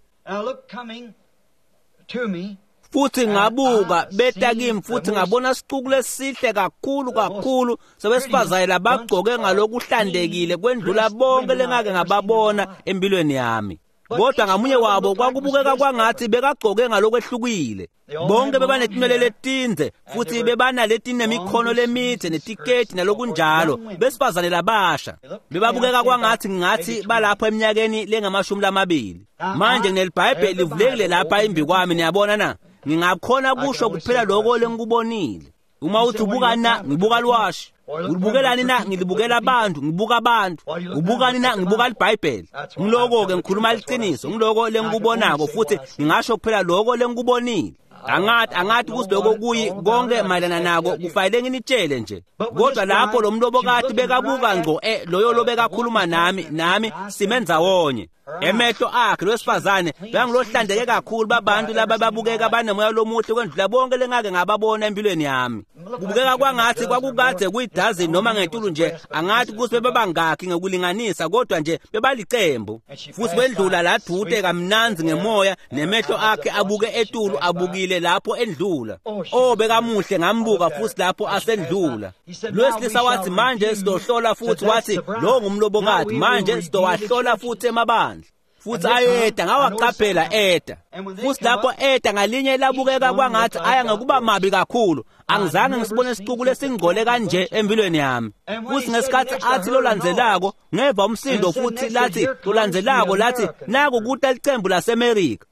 Futhi ngabuka beta kimi futhi ngabona sicuku lesihle kakhulu kakhulu sebesifazane labagcoke ngalokuhlandekile kwendlula bonke lengake ngababona empilweni yami. Kodwa ngamunye wabo kwakubukeka kwangathi bekagcoke ngalokwehlukile. Bonke bebanetinwele letindze futhi bebanaletinemikhono lemide netiketi nalokunjalo, besifazane labasha. Bebabukeka kwangathi ngathi balapho eminyakeni lengamashumi lamabili. Manje ngineliBhayibheli livulekile lapha imbi kwami, niyabona na? Ngingakhona kusho kuphela lokho lengikubonile. Uma uthi ubuka na, ngibuka lwashi. Ulibukelani na, ngilibukela abantu, ngibuka abantu. Ubukani na, ngibuka iBhayibheli. Ngiloko ke ngikhuluma iqiniso, ngiloko lengikubonako futhi ngingasho kuphela lokho lengikubonile. Angathi ukuthi lokho kuyi konke mayelana nako kufanele nginitshele nje. Kodwa lapho lo mlobokati bekabuka ngqo loyo lobekakhuluma nami simendzawonye. Emehlo akhe lowesifazane bekangilohlandeke kakhulu babantu laba babukeka banemoya lomuhle kwendlula bonke lengake ngababona empilweni yami. Kubukeka kwangathi kwakukade kuyidazini noma ngetulu nje, angathi ukuthi bebabangakhi ngekulinganisa kodwa nje bebalicembu. Futhi wendlula ladute kamnanzi ngemoya nemehlo akhe abuke etulu abukile lapho endlula. Oh bekamuhle, ngambuka futhi lapho asendlula. Lowesilisa wathi manje sizohlola futhi wathi lo ngumlobokati, manje sizowahlola futhi emabandla. Futhi ayeda ngawaqaphela eda. Futhi lapho eda ngalinye labukeka kwangathi aya ngokuba mabi kakhulu. Angizange ngisibone isicuku lesingcole kanje empilweni yami. Futhi ngesikhathi athi lolandzelako ngeva umsindo futhi lathi lolandzelako lathi naku kuta licembu laseMerika.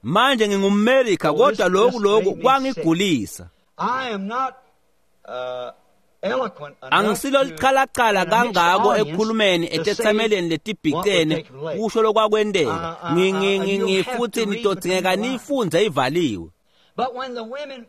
Manje ngingumMerika kodwa lokhu kwangigulisa. Angisilo liqhalaqhala kangako ekukhulumeni etethameleni letibhicene kusho lokwakwenteka. Ngifuthi nitodingeka niyifunze ivaliwe.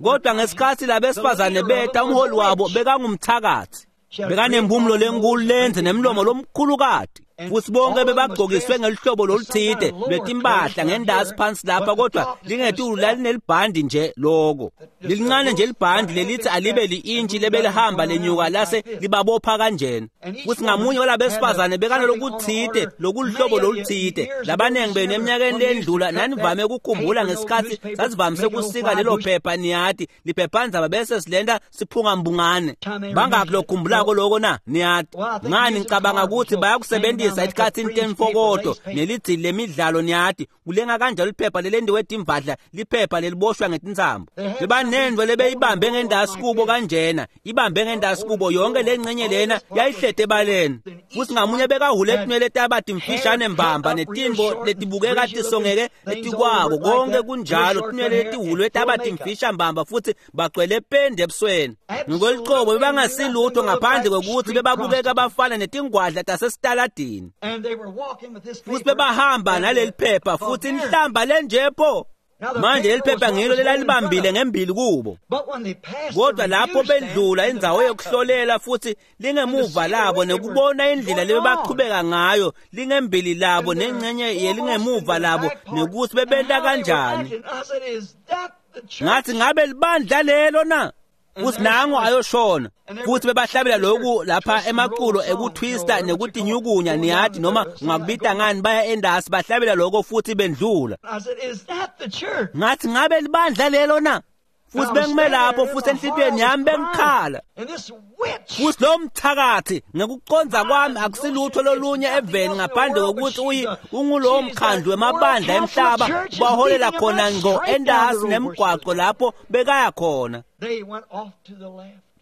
Kodwa ngesikhathi labesifazane beta umholi wabo bekangumthakathi. Bekanempumulo lenkulu lenze nemlomo lomkhulukati. Futhi bonke bebagcokiswe ngelihlobo loluthide lwetimpahla ngendasi phansi lapha kodwa lingetulu lalinelibhandi nje loko. Lilincane nje libhandi lelithi alibe li-intshi lebelihamba lenyuka lase libabopha kanjena. Futhi ngamunye walabesifazane bekanalokuthide lokulihlobo loluthide. Labanengi benu eminyakeni lendlula nanivame ukukhumbula ngesikhathi sasivamise kusika lelo phepha niyati liphephandzaba bese silenta siphunga mbungane. Bangaki lokukhumbulako loko na niyati? Ngani ngicabanga ukuthi bayakusebenzisa Kulisebentisa etikhatsini temfokoto nelidzili lemidlalo niyati kulenga kanjalo liphepha lelendiwe timvadla liphepha leliboshwa ngetintsambo. Bebanendvo lebeyibambe ngendasi kubo kanjena ibambe ngendasi kubo yonke lengcenye lena yayihlete ebaleni. Futsi ngamunye bekahule tinwele taba timfishane mbamba netintfo letibukeka tisongeke etikwako konke kunjalo tinwele letihulwe taba timfisha mbamba futsi bagcwele pendi ebusweni. Ngokwelucobo bebangasilutho ngaphandle kwekuthi bebabukeka bafana netingwadla tasesitaladini. Futsi bebahamba naleli phepha futhi inhlamba lenjepho. Manje leli phepha ngilo lelalibambile ngembili kubo. Kodwa lapho bendlula indzawo yokuhlolela futhi lingemuva labo nekubona indlela lebebaqhubeka ngayo lingembili labo nengcenye yelingemuva labo nekuthi bebenta kanjani. Ngathi ngabe libandla lelo na? Futhi nango ayoshona. Futhi bebahlabela lokhu lapha emaculo ekuthwista nekutinyukunya niyati noma ungakubita ngani baya endasi bahlabela lokho futhi bendlula. Ngathi ngabe libandla lelo na? Futhi bengime lapho futhi enhlitiyweni yami bengikhala. Futhi lo mthakathi ngekuconza kwami akusilutho lolunye eveni ngaphandle kokuthi ungulowo mkhandlu wemabandla emhlaba baholela khona ngqo endasi nemgwaqo lapho bekaya khona.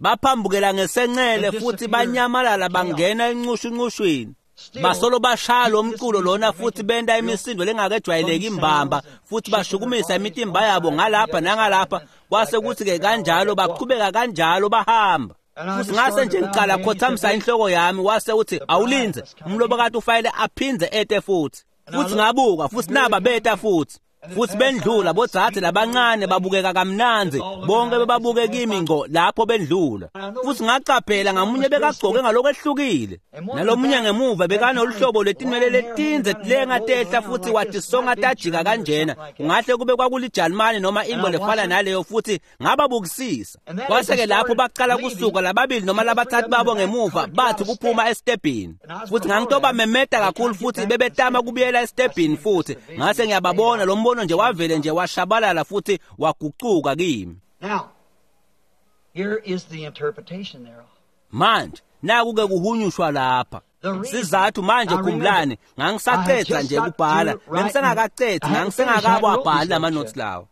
Baphambukela ngesencele futhi banyamalala bangena encushuncushwini. Basolo bashaya lo mculo lona futhi benta imisindo lengakejwayeleki imbamba futhi bashukumisa imitimba yabo ngalapha nangalapha kwase kuthi-ke kanjalo baqhubeka kanjalo bahamba. Futhi ngase nje ngiqala khothamisa inhloko yami wase uthi awulinze umlobokati ufanele aphindze ete futhi. Futhi ngabuka futhi naba beta futhi. Futhi bendlula bodzadze labancane babukeka kamnandzi bonke bebabuke kimi ngqo lapho bendlula. Futhi ngacaphela ngamunye bekagcoke ngalokwehlukile nalomunye ngemuva bekanoluhlobo lwetinwele letindze tilenga tehla futhi watisonga tajika kanjena kungahle kube kwakulijalimane noma into lefana naleyo futhi ngababukisisa. Kwase-ke lapho baqala kusuka lababili noma labathathu babo ngemuva bathi kuphuma esitebhini. Futhi ngangitobamemeta kakhulu futhi bebetama kubuyela esitebhini futhi ngase ngiyababona lo mbono nje wavele nje washabalala futhi wagucuka kimi. Now, here is the interpretation thereof. Manje naku-ke kuhunyushwa lapha. Sizathu manje khumbulani ngangisacetha nje kubhala bengisengakacethe ngangisengakawabhali lama-notes lawo.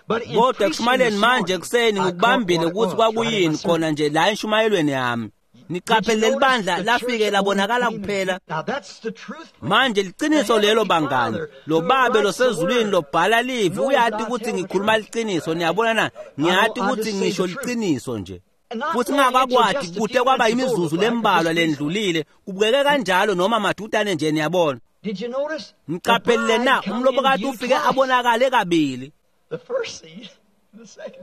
Kodwa ekushumayeleni manje ekuseni ngikubambile ukuthi kwakuyini khona nje la enshumayelweni yami. Niqaphele leli bandla lafike labonakala kuphela. Manje liqiniso lelo bangani. Lo babe losezulwini lobhala livi uyati ukuthi ngikhuluma liqiniso niyabona na? Ngiyati ukuthi ngisho liqiniso nje. Futhi ngakakwati kude kwaba imizuzu lembalwa lendlulile kubukeke kanjalo noma madudane nje niyabona. Niqaphelile na umlobokati ufike abonakale kabili.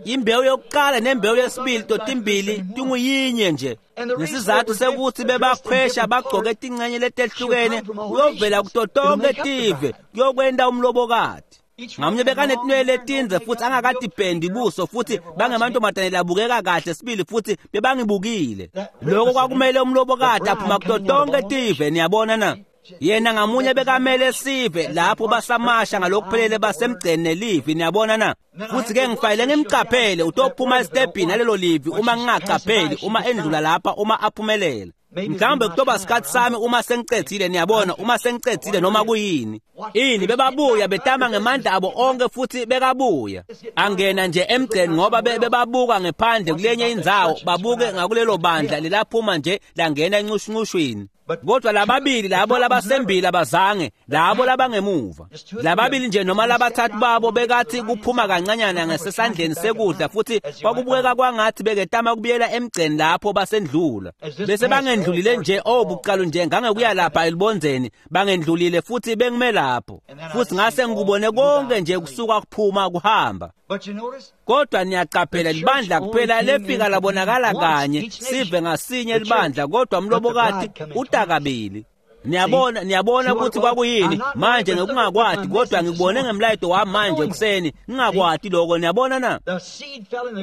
Imbewu yokuqala nembewu yesibili totimbili tinguyinye nje. Nesizathu sekuthi bebakhwesha bagcoke tingcenye letehlukene kuyovela kuto tonke tive kuyokwenta umlobokati. Ngamunye bekanetinwele letindze futhi angakadipendi buso futhi bangemantombazane labukeka kahle sibili futhi bebangibukile. Lokho kwakumele umlobokati aphuma kuto tonke tive niyabona na? Yena ngamunye bekamele sive lapho basamasha ngalokuphelele basemgceni nelivi niyabona na? Futhi ke ngifanele ngimcaphele utophuma esitebhini nalelo livi uma ngingacapheli uma endlula lapha uma aphumelela. Mhlawumbe kutoba sikhathi sami uma sengicedzile niyabona uma sengicedzile noma kuyini. Ini bebabuya betama ngemandla abo onke futhi bekabuya. Angena nje emgceni ngoba bebabuka ngephandle kulenye indzawo babuke ngakulelo bandla lelaphuma nje langena encushuncushwini. Kodwa lababili labo labasembili abazange labo labangemuva. Lababili nje noma labathathu babo bekathi kuphuma kancanyana ngesesandleni sekudla futhi kwakubukeka kwangathi beketama kubuyela emgceni lapho basendlula. Bese bangendlulile nje obuqalo nje ngangekuya lapha elibonzeni bangendlulile futhi bengime lapho. Futhi ngase ngikubone konke nje kusuka kuphuma kuhamba. Kodwa niyaqaphela libandla kuphela lefika labonakala kanye sive ngasinye libandla kodwa umlobokati uta kabili. Niyabona ukuthi kwakuyini manje ngekungakwati kodwa ngikubone ngemlayeto wami manje ekuseni ngingakwati lokho niyabona na?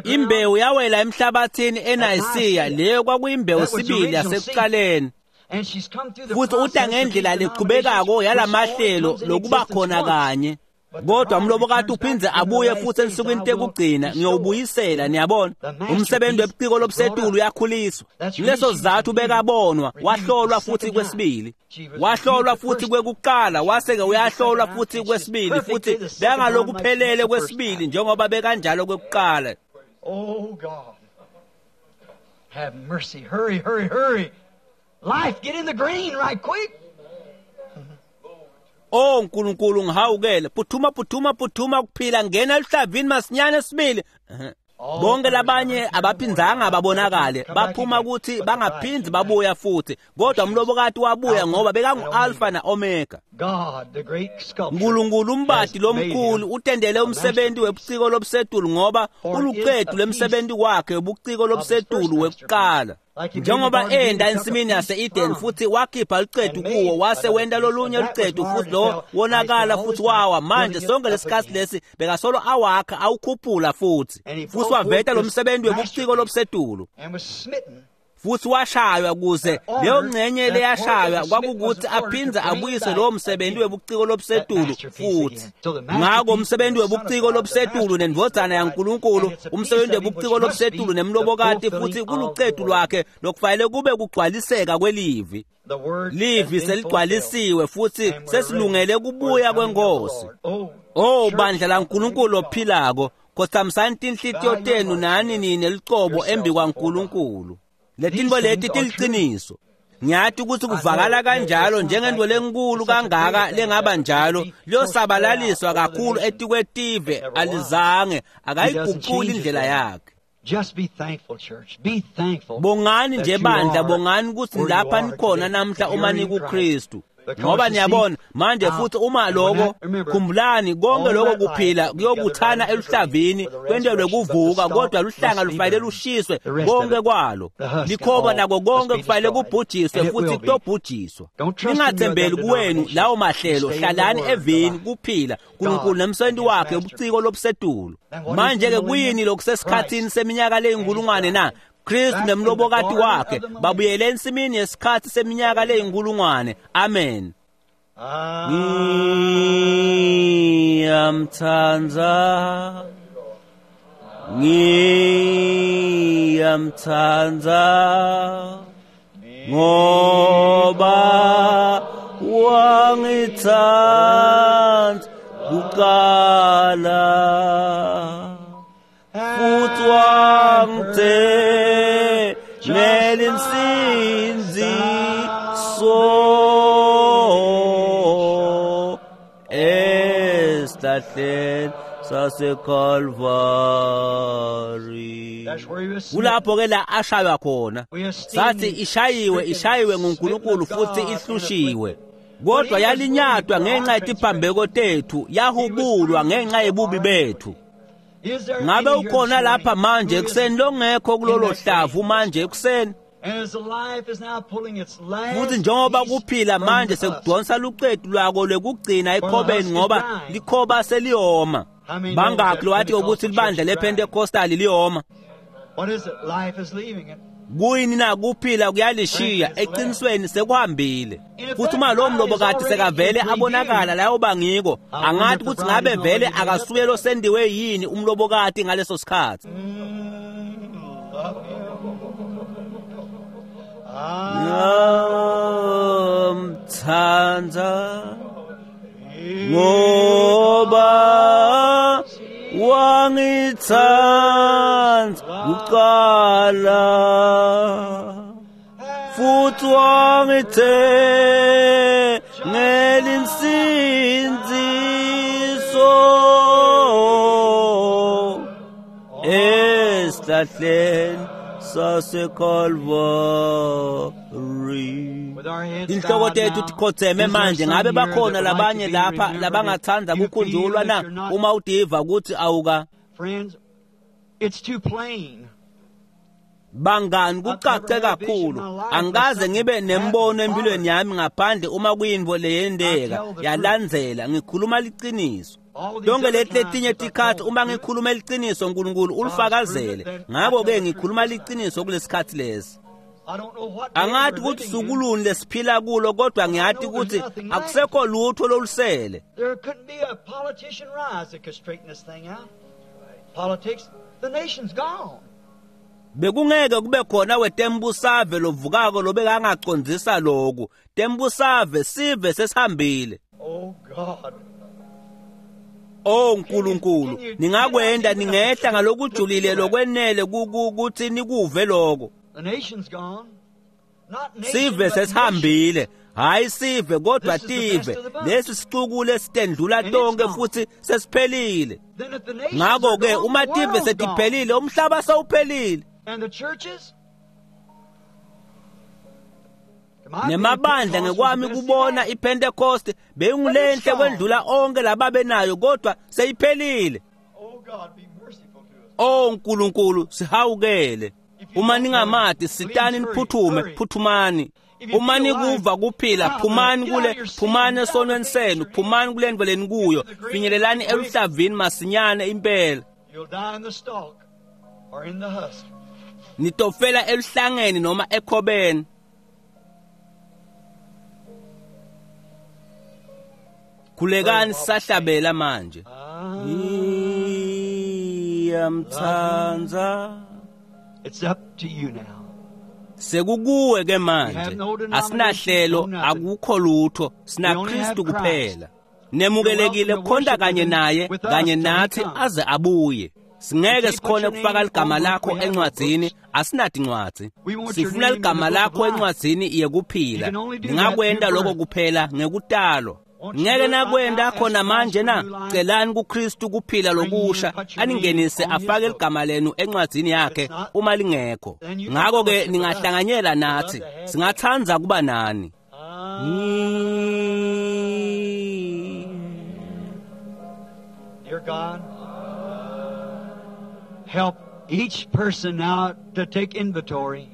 Imbewu yawela emhlabathini eNayisiya leyo kwakuyimbewu sibili yasekuqaleni. Futhi uta ngendlela leqhubekako yalamahlelo lokuba khona kanye. Kodwa umlobokati uphindze abuye futhi ensukwini tekugcina, ngiyowubuyisela. Niyabona, umsebenzi webuciko lobusetulu uyakhuliswa. Kuleso sizathu bekabonwa, wahlolwa futhi kwesibili, wahlolwa futhi kwekuqala, wase-ke uyahlolwa futhi kwesibili, futhi bekangalokuphelele kwesibili njengoba bekanjalo kwekuqala. Oh God, have mercy. Hurry, hurry, hurry. Life, get in the green right quick. Oh Nkulunkulu, ngihawukele. Phuthuma, phuthuma, phuthuma kuphila, ngena eluhlavini masinyane sibili. Bonke labanye abaphindzanga babonakale, baphuma ukuthi bangaphindzi babuya futhi, kodwa umlobokati wabuya ngoba bekangu-Alpha na-Omega. God, the great sculptor, Nkulunkulu umbati has made lomkhulu him utendele umsebenzi webuciko lobusetulu ngoba uluqedu lwemsebenzi wakhe webuciko lobusetulu wekuqala. Njengoba enda ensimini yase-Eden futhi wakhipha lucedu kuwo, wase wenta lolunye lucedu futhi lo wonakala futhi wawa. Manje sonke lesikhathi lesi bekasolo awakha awukhuphula futhi, futhi waveta lo msebenzi webuciko lobusetulu, and was smitten futhi washaywa kuze leyo ngcenye leyashaywa kwakukuthi aphindze abuyise lowo msebenzi webuciko lobusetulu futhi. Ngako umsebenzi webuciko lobusetulu nendvodzana yaNkulunkulu, umsebenzi webuciko lobusetulu nemlobokati, futhi kulucedu lwakhe lokufanele kube kugcwaliseka kwelivi. The word Livi has been seligcwalisiwe futhi fulfilled, and we're sesilungele ready for kubuya the coming of the kwenkosi. Lord. Oh, Oh church bandla laNkulunkulu of the living God, ophilako, khotsamisani tinhlitiyo tenu nani nine lucobo embi kwaNkulunkulu. Letintfo leti tiliqiniso. Ngiyati ukuthi kuvakala kanjalo njengento lenkulu kangaka lengaba njalo, liyosabalaliswa kakhulu etikwetive, alizange akayiguquli indlela yakhe. Just be thankful, church. Be thankful. Bongani that nje you bandla, are bongani ukuthi where you lapha are nikhona today, namhla that uma you're in nikuKristu. Christ. Because Ngoba you see, niyabona manje now, futhi uma and when lokho, that- remember, khumbulani konke all lokho that life kuphila will be gathered kuyobuthana right into the green eluhlavini for the kwentelwe resurrection, but the kuvuka, stalk kodwa luhlanga must be lufanele burned. lushiswe The rest of konke it, kwalo. the husk and Likhoba all, nako must konke be kufanele destroyed. kubhujiswe And it futhi will be. kutobhujiswa. Don't trust in your Ningathembeli other kuwenu denominations. lawo mahlelo, Stay in the hlalani word, the evini life. kuphila uNkulunkulu God nemsebenzi and his wakhe masterpiece. ubuciko lobusetulu. Then what is Manje the ke millennium? kuyini lokusesikhathini Christ seminyaka leyinkulungwane and his na? bride. Kristu Back in the nemlobokati garden wakhe of the millennium. babuyele ensimini yesikhathi seminyaka leyinkulungwane. Amen. Ah, Ngiyamthanda, ngiyamthanda, ngoba wangithanda kuqala futhi wangithengela insindziso esihlahleni saseKalvari. That's where he was smitten. Kulapho ke la ashaywa khona. We esteem Sathi ishayiwe, ishayiwe nguNkulunkulu smitten of futhi God and ihlushiwe. afflicted. Kodwa yalinyatwa ngenxa yetiphambeko tethu, yahubulwa ngenxa yebubi bethu. Is there Ngabe any here ukhona this lapha morning manje who ekuseni is- longekho kulolo in that hlavu grave? manje ekuseni? And as the life is now pulling its last Futhi njengoba piece kuphila from manje the husk, sekudonsa lucetu lwako lwekugcina ekhobeni ngoba dying. likhoba seliyoma. How many knows that Bangakhi lowatiko ukuthi Pentecostal libandla church is dying? lePentecostal liyoma? What is it? Life is leaving it. Kuyini na kuphila kuyalishiya, eqinisweni sekuhambile. Futhi uma lowo mlobokati sekavele abonakala layo bangiko, angathi ukuthi ngabe vele akasuye losendiwe yini umlobokati ngaleso sikhathi. Love him. Ah, Ngiyamthanda ngoba wangithanda kuqala futhi wangithengela insindziso esihlahleni saseKalvari. With our heads Inhloko bowed tethu now, tikhotheme is there manje. some Ngabe here that bakhona would like to labanye be lapha remembered? labangathanda If you feel kukhunjulwa that na you're not- uma udiva ukuthi awuka? Friends, it's too plain. Bangani, kucace kakhulu. Angikaze ngibe nembono empilweni yami ngaphandle uma kuyintfo leyenteka yalandzela. Ngikhuluma liciniso. All these Tonke other leti times letinye if I tikhathi told uma the truth, ngikhuluma liciniso uNkulunkulu ulifakazele. Ngakho-ke ngikhuluma liciniso kulesikhathi lesi. Angathi ukuthi sukuluni lesiphila kulo, kodwa ngiyathi ukuthi akusekho lutho lolusele. There couldn't be a politician rise that could straighten this thing out. Politics, the nation's gone. Bekungeke kube khona wetembusave lovukako lobekangacondzisa loku. Tembusave sive sesihambile. Oh God. Oh Nkulunkulu, ningakwenda ningehla ngalokujulile lokwenele ukuthi nikuve lokho. The nation's gone. Not nation, Sive but sesihambile, hayi sive kodwa tive. Lesi sicuku lesitendlula tonke futhi sesiphelile. Then if the nations Ngakho are ke gone, uma the tive world's gone. setiphelile, umhlaba sewuphelile. And the churches? To my opinion, Nemabandla Pentecost was ngekwami the best kubona thing. iPentecost beyingulenhle kwendlula onke lababenayo, kodwa seyiphelile. Oh God, be merciful to us. Oh Nkulunkulu, sihawukele. Uma ningamati, sitani niphuthume, phuthumani. Uma nikuva kuphila, phumani kule, phumani esonweni senu, phumani kule ndvo lenikuyo, finyelelani eluhlavini masinyane impela. You'll die in the stalk or in the husk. Nitofela eluhlangeni noma ekhobeni. Khulekani sisahlabela manje. Ngiyamtsandza. It's up to you now. Sekukuwe ke manje. Asinahlelo, akukho lutho, sina Kristu kuphela. Nemukelekile kukhonta kanye naye, kanye nathi aze abuye. Singeke sikhone kufaka ligama lakho encwadzini, asinatincwadzi. Sifuna ligama lakho encwadzini yekuphila. Ningakwenta lokho kuphela ngekutalwa. Ngeke nakwenta khona manje na? Celani kuKristu kuphila lokusha, aningenise afake ligama lenu encwadzini yakhe uma lingekho. Ngakho ke ningahlanganyela nathi, singatsandza kuba nani. Dear God, help each person now to take inventory.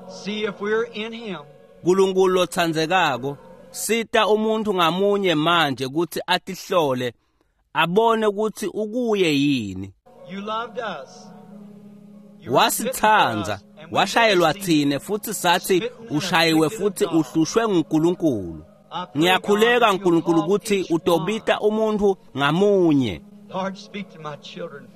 See if we're in Him. Nkulunkulu lotsandzekako, sita umuntu ngamunye manje ukuthi atihlole, abone ukuthi ukuye yini. You loved us. You were smitten for Wasithandza, us, and we washayelwa received. thine futhi sathi ushayiwe futhi uhlushwe nguNkulunkulu. I pray, Ngiyakhuleka God, that you'll Nkulunkulu call ukuthi each utobita umuntu ngamunye. one. Lord, speak to my children.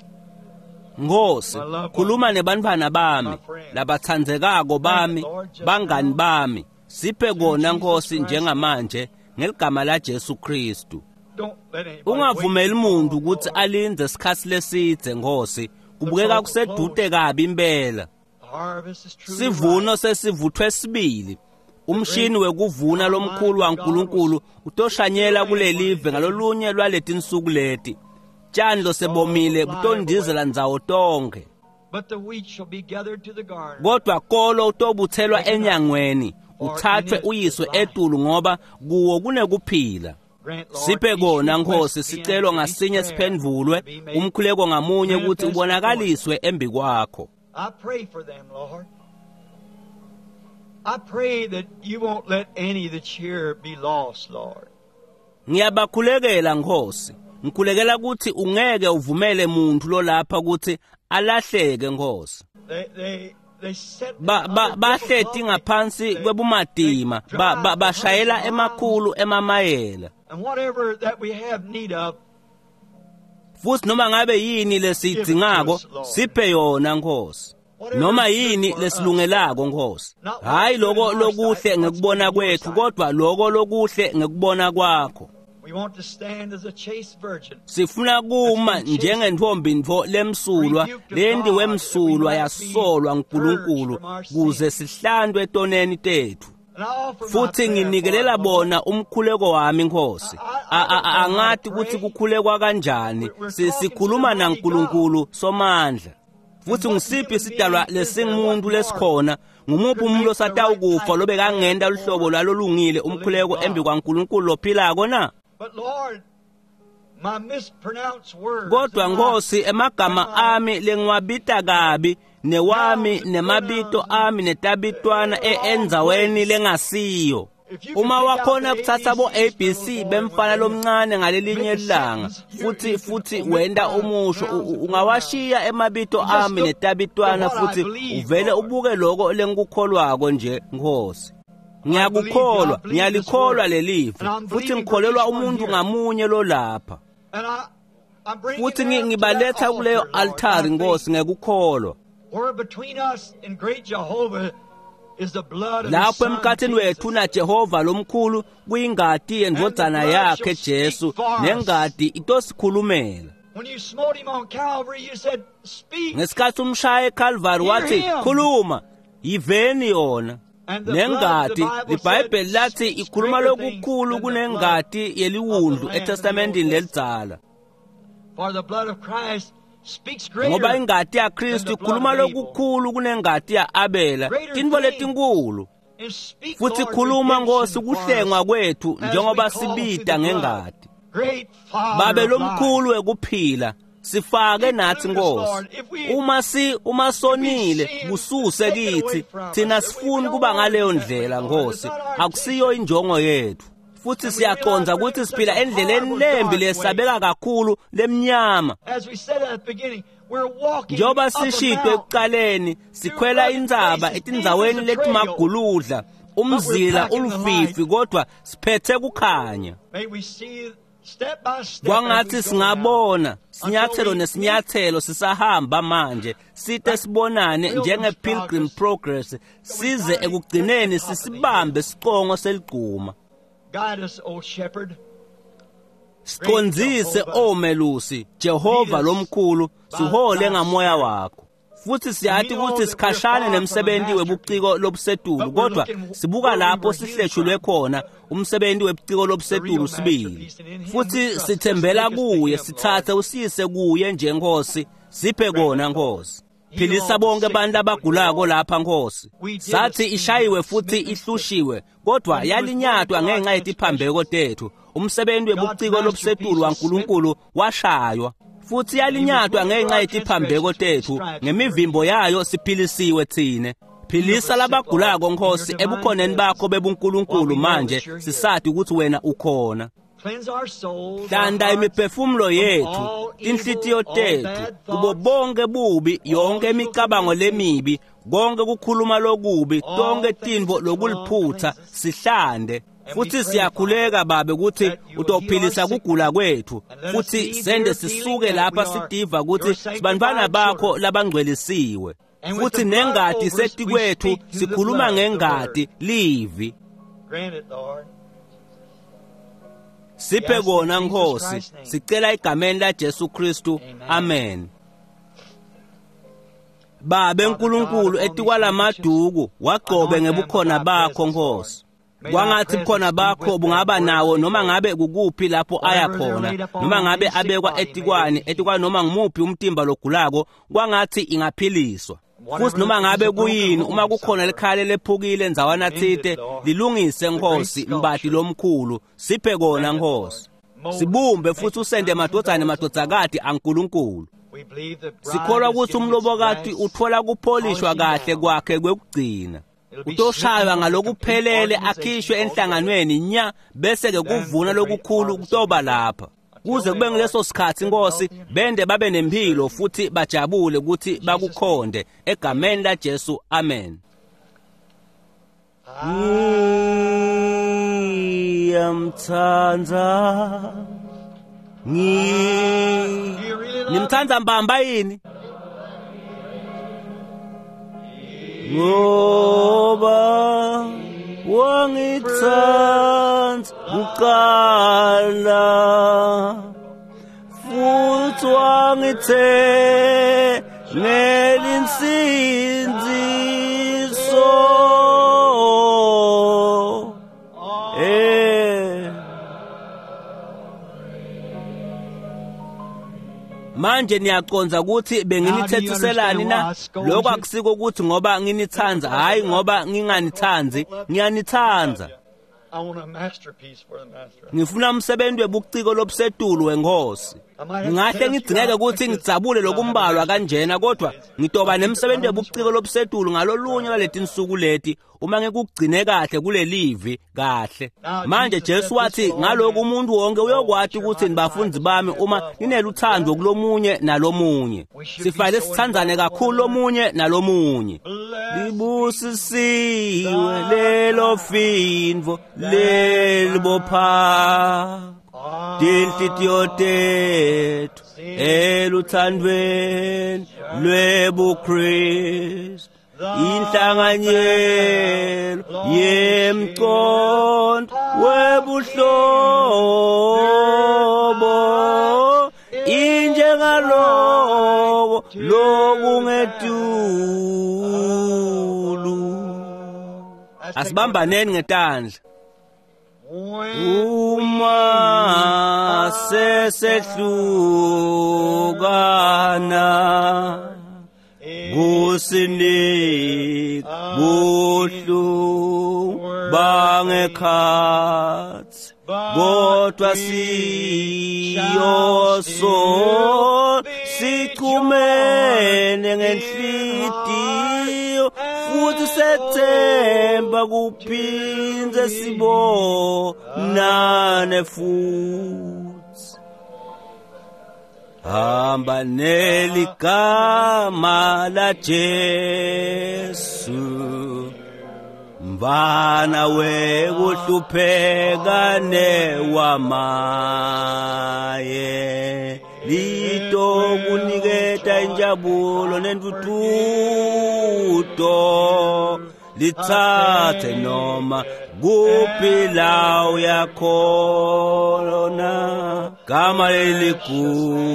Nkosi, khuluma nebantfwana bami, labatsandzekako bami, bangani bami. Siphe kona Nkosi njengamanje ngeligama la Jesu Kristu. Don't let anybody Ungavumeli wait umuntu too long, ukuthi Lord. alindze isikhathi lesidze Nkosi. Kubukeka kusedude kabi impela. The harvest is truly Sivuno ripe. sesivuthwe sibili. Umshini wekuvuna lomkhulu waNkulunkulu utoshanyela kulelive ngalolunye lwaletinsuku leti. Tshani losebomile butondizela ndzawo tonke. But the wheat shall be gathered to the garner. Kodwa kolo utobuthelwa enyangweni, uthathwe uyiswe etulu ngoba kuwo kunekuphila. Grant, Lord, Siphe each kona request Nkosi, be sicelo answered, each ngasinye prayer siphendvulwe, to be made. umkhuleko ngamunye ukuthi manifest before ubonakaliswe embi kwakho. I pray for them, Lord. I pray that you won't let any that's here be lost, Lord. Ngiyabakhulekela Nkosi. Ngikhulekela ukuthi ungeke uvumele muntu lolapha ukuthi alahleke Nkosi. They set Ba ba bahleti ngaphansi kwebumatima, ba, ba bashayela emakhulu emamayela. And whatever that we have need of, Futhi noma ngabe yini lesiyidingako, siphe yona Nkosi. Noma yini lesilungelako Nkosi. Hayi lokho lokuhle ngekubona kwethu, kodwa lokho lokuhle ngekubona kwakho. we want to stand as a chaste virgin. Sifuna kuma njengentombi ntfo lemsulwa, lentiwe msulwa yasolwa nguNkulunkulu kuze sihlandwe etoneni tethu. And I offer my Futhi prayer nginikelela for them, Lord. bona umkhuleko wami Nkosi. Angathi ukuthi kukhulekwa kanjani. Sikhuluma naNkulunkulu somandla. Futhi ngisiphi isidalwa lesingumuntu lesikhona, ngumuphi umuntu osatawukufa lobekangenta luhlobo lwalolungile umkhuleko embi kwaNkulunkulu lophilako na? But Lord, my mispronounced words. Kodwa and my- Nkosi, emagama ami lengiwabita kabi newami nemabito ami netabitwana endzaweni lengasiyo. Uma wakhona kuthatha bo-ABC bemfana lomncane ngalelinye ilanga futhi wenda umusho, ungawashiya emabito ami netabitwana futhi uvele ubuke lokho lengikukholwako nje, Nkosi. Ngiyakukholwa, ngiyalikholwa lelivi, futhi ngikholelwa umuntu ngamunye lolapha. Futhi ngibaletha kuleyo altari, Nkosi, ngekukholwa. Lapho emkhathini wethu naJehova lomkhulu kuyingati yendvodzana yakhe Jesu, nengati itosikhulumela. Ngesikhathi umshaya eCalvary wathi, khuluma, yiveni yona. Nengati, iBhayibheli lathi ikhuluma lokukhulu kunengati yeliwundlu eTestamentini lelidzala. Ngoba ingati yaKristu ikhuluma lokukhulu kunengati ya-Abela, tintfo letinkulu. Futhi khuluma, Nkosi, kuhlengwa kwethu njengoba sibita ngengati. Babe lomkhulu wekuphila, sifake nathi, Nkosi. Uma sonile, kususe kithi. Thina sifuni kuba ngaleyo ndlela, Nkosi. Akusiyo injongo yethu. Futhi siyaqonda ukuthi siphila endleleni lembi lesabeka kakhulu lemnyama. Njengoba sishito ekuqaleni, sikhwela intsaba etindzaweni letimaguludla, umzila ulufifi, kodwa siphethe kukhanya. Kwangathi singabona sinyathelo nesinyathelo sisahamba manje, site sibonane njenge-Pilgrim Progress, size ekugcineni sisibambe sicongo seligquma. Sicondzise, o melusi, Jehova lomkhulu, sihole ngamoya wakho. Futhi siyathi ukuthi sikhashane nemsebenzi webuciko lobusetulu, kodwa sibuka lapho sihleshulwe khona umsebenzi webuciko lobusetulu sibili. Futhi sithembela kuye, sithathe usiyise kuye nje, Nkosi. Siphe kona, Nkosi. Philisa bonke abantu abagulako lapha, Nkosi. Sathi ishayiwe futhi ihlushiwe, kodwa yalinyatwa ngenxa yetiphambeko tethu. Umsebenzi webuciko lobusetulu waNkulunkulu washaywa, futhi yalinyatwa ngenxa yetiphambeko tethu. Ngemivimbo yayo siphilisiwe thine. Philisa labagulako, Nkosi, ebukhoneni bakho bebuNkulunkulu manje, sisathi ukuthi wena ukhona. Hlanda imiphefumulo yethu, inhlitiyo tethu, kubo bonke bubi, yonke imicabango lemibi, konke kukhuluma lokubi, tonke tintfo lokuliphutha, sihlande. Futhi siyakhuleka, Babe, ukuthi utophilisa kugula kwethu, futhi sende sisuke lapha sitiva ukuthi sibantwana bakho labangcwelisiwe. Futhi nengati setikwethu, sikhuluma ngengati, livi. Siphe kona, Nkosi. Sicela egameni la Jesu Kristu. Amen. Babe nkulunkulu, etikwalamaduku wagcobe ngebukhona bakho, Nkosi. Kwangathi bukhona bakho bungaba nawo noma ngabe kukuphi lapho aya khona, noma ngabe abekwa etikwani, etikwani noma ngumuphi umtimba logulako, kwangathi ingaphiliswa. Futhi noma ngabe kuyini, uma kukhona likhaya lephukile ndzawana tsite, lilungise, Nkosi, mbati lomkhulu. Siphe kona, Nkosi. Sibumbe futhi usende madvodzana nemadvodzakati aNkulunkulu. Sikholwa ukuthi umlobokati uthola kupholishwa kahle kwakhe kwekugcina. Utoshaywa ngalokuphelele akhishwe enhlanganweni nya, bese-ke kuvuna lokukhulu kutoba lapha. Kuze kube ngileso sikhathi, Nkosi, bende babe nempilo futhi bajabule ukuthi bakukhonde. Egameni laJesu, amen. Ngiyamthanda. Nimthanda mbamba yini? Ngoba wangithanda kuqala, futhi wangithengela insindiso. Manje niyaconza ukuthi benginithethiselani na? Lokho akusiko ukuthi ngoba nginithanda, hayi ngoba nginganithandi, ngiyanithanda. Ngifuna umsebenzi webuciko lobusetulu wenkosi. Ngingahle ngidingeke ukuthi ngidzabule lokumbalwa kanjena, kodwa ngitoba nemsebenzi webuciko lobusetulu ngalolunye lwaletinsuku leti uma ngikugcine kahle kulelivi kahle. Manje Jesu wathi ngalokhu umuntu wonke uyokwati ukuthi nibafundi bami uma nineluthando kulomunye nalomunye. Sifanele sithandzane kakhulu lomunye nalomunye. Libusisiwe lelo findvo lelibopha tinhlitiyo tethu eluthandweni lwebuKristu, inhlanganyelo yemqondo webuhlobo injengaloko lokungetulu. Asibambaneni ngetandla. Uma sesehlukana kusinika buhlungu bangekhatsi, kodwa siyoso sichumene ngenhlitiyo futhi sethemba kuphindze sibonane futhi. Hamba neligama la Jesu, mvana wekuhlupheka newamaye, litokuniketa injabulo nentuthuto, litsatse noma kuphi la uyakhona. Gama leligugu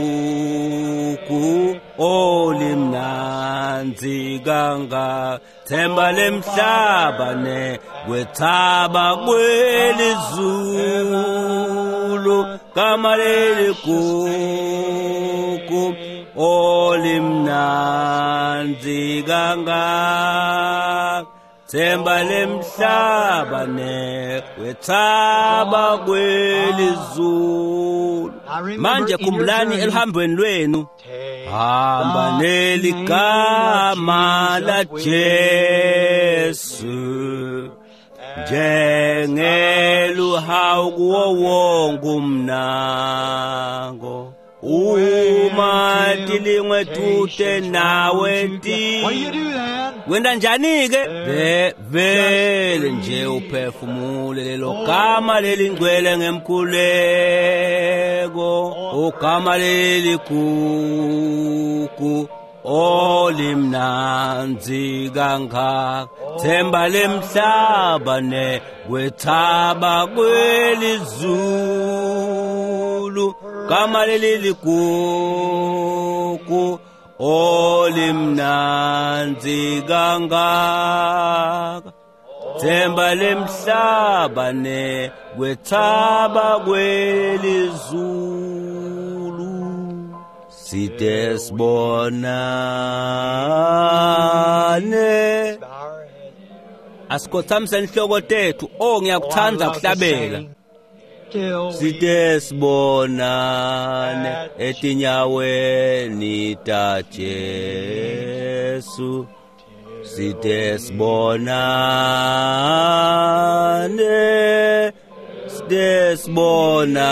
olimnandzi kangaka, themba lemhlaba nekwethaba kwelizulu. Gama leligugu olimnandzi kangaka, themba lemhlaba nekwethaba kwelizulu. Manje khumbulani eluhambweni lwenu, hamba neligama la Jesu njengeluhawu kuwo wonke umnango. Uma tilingwe tute nawe ti wenda njani-ke? Vele nje uphefumule lelo gama lelingcwele ngemkhuleko, ugama leligugu olimnandzi kangaka, themba lemhlaba nekwethaba kwelizulu. Gama leligugu olimnandzi kangaka, themba lemhlaba nekwethaba kwelizulu. Side sibonane. Asikhothamise inhloko tethu. Oh, ngiyakuthanda ukuhlabela. Side sibonane etinyaweni ta Jesu, side sibonane, side sibonane.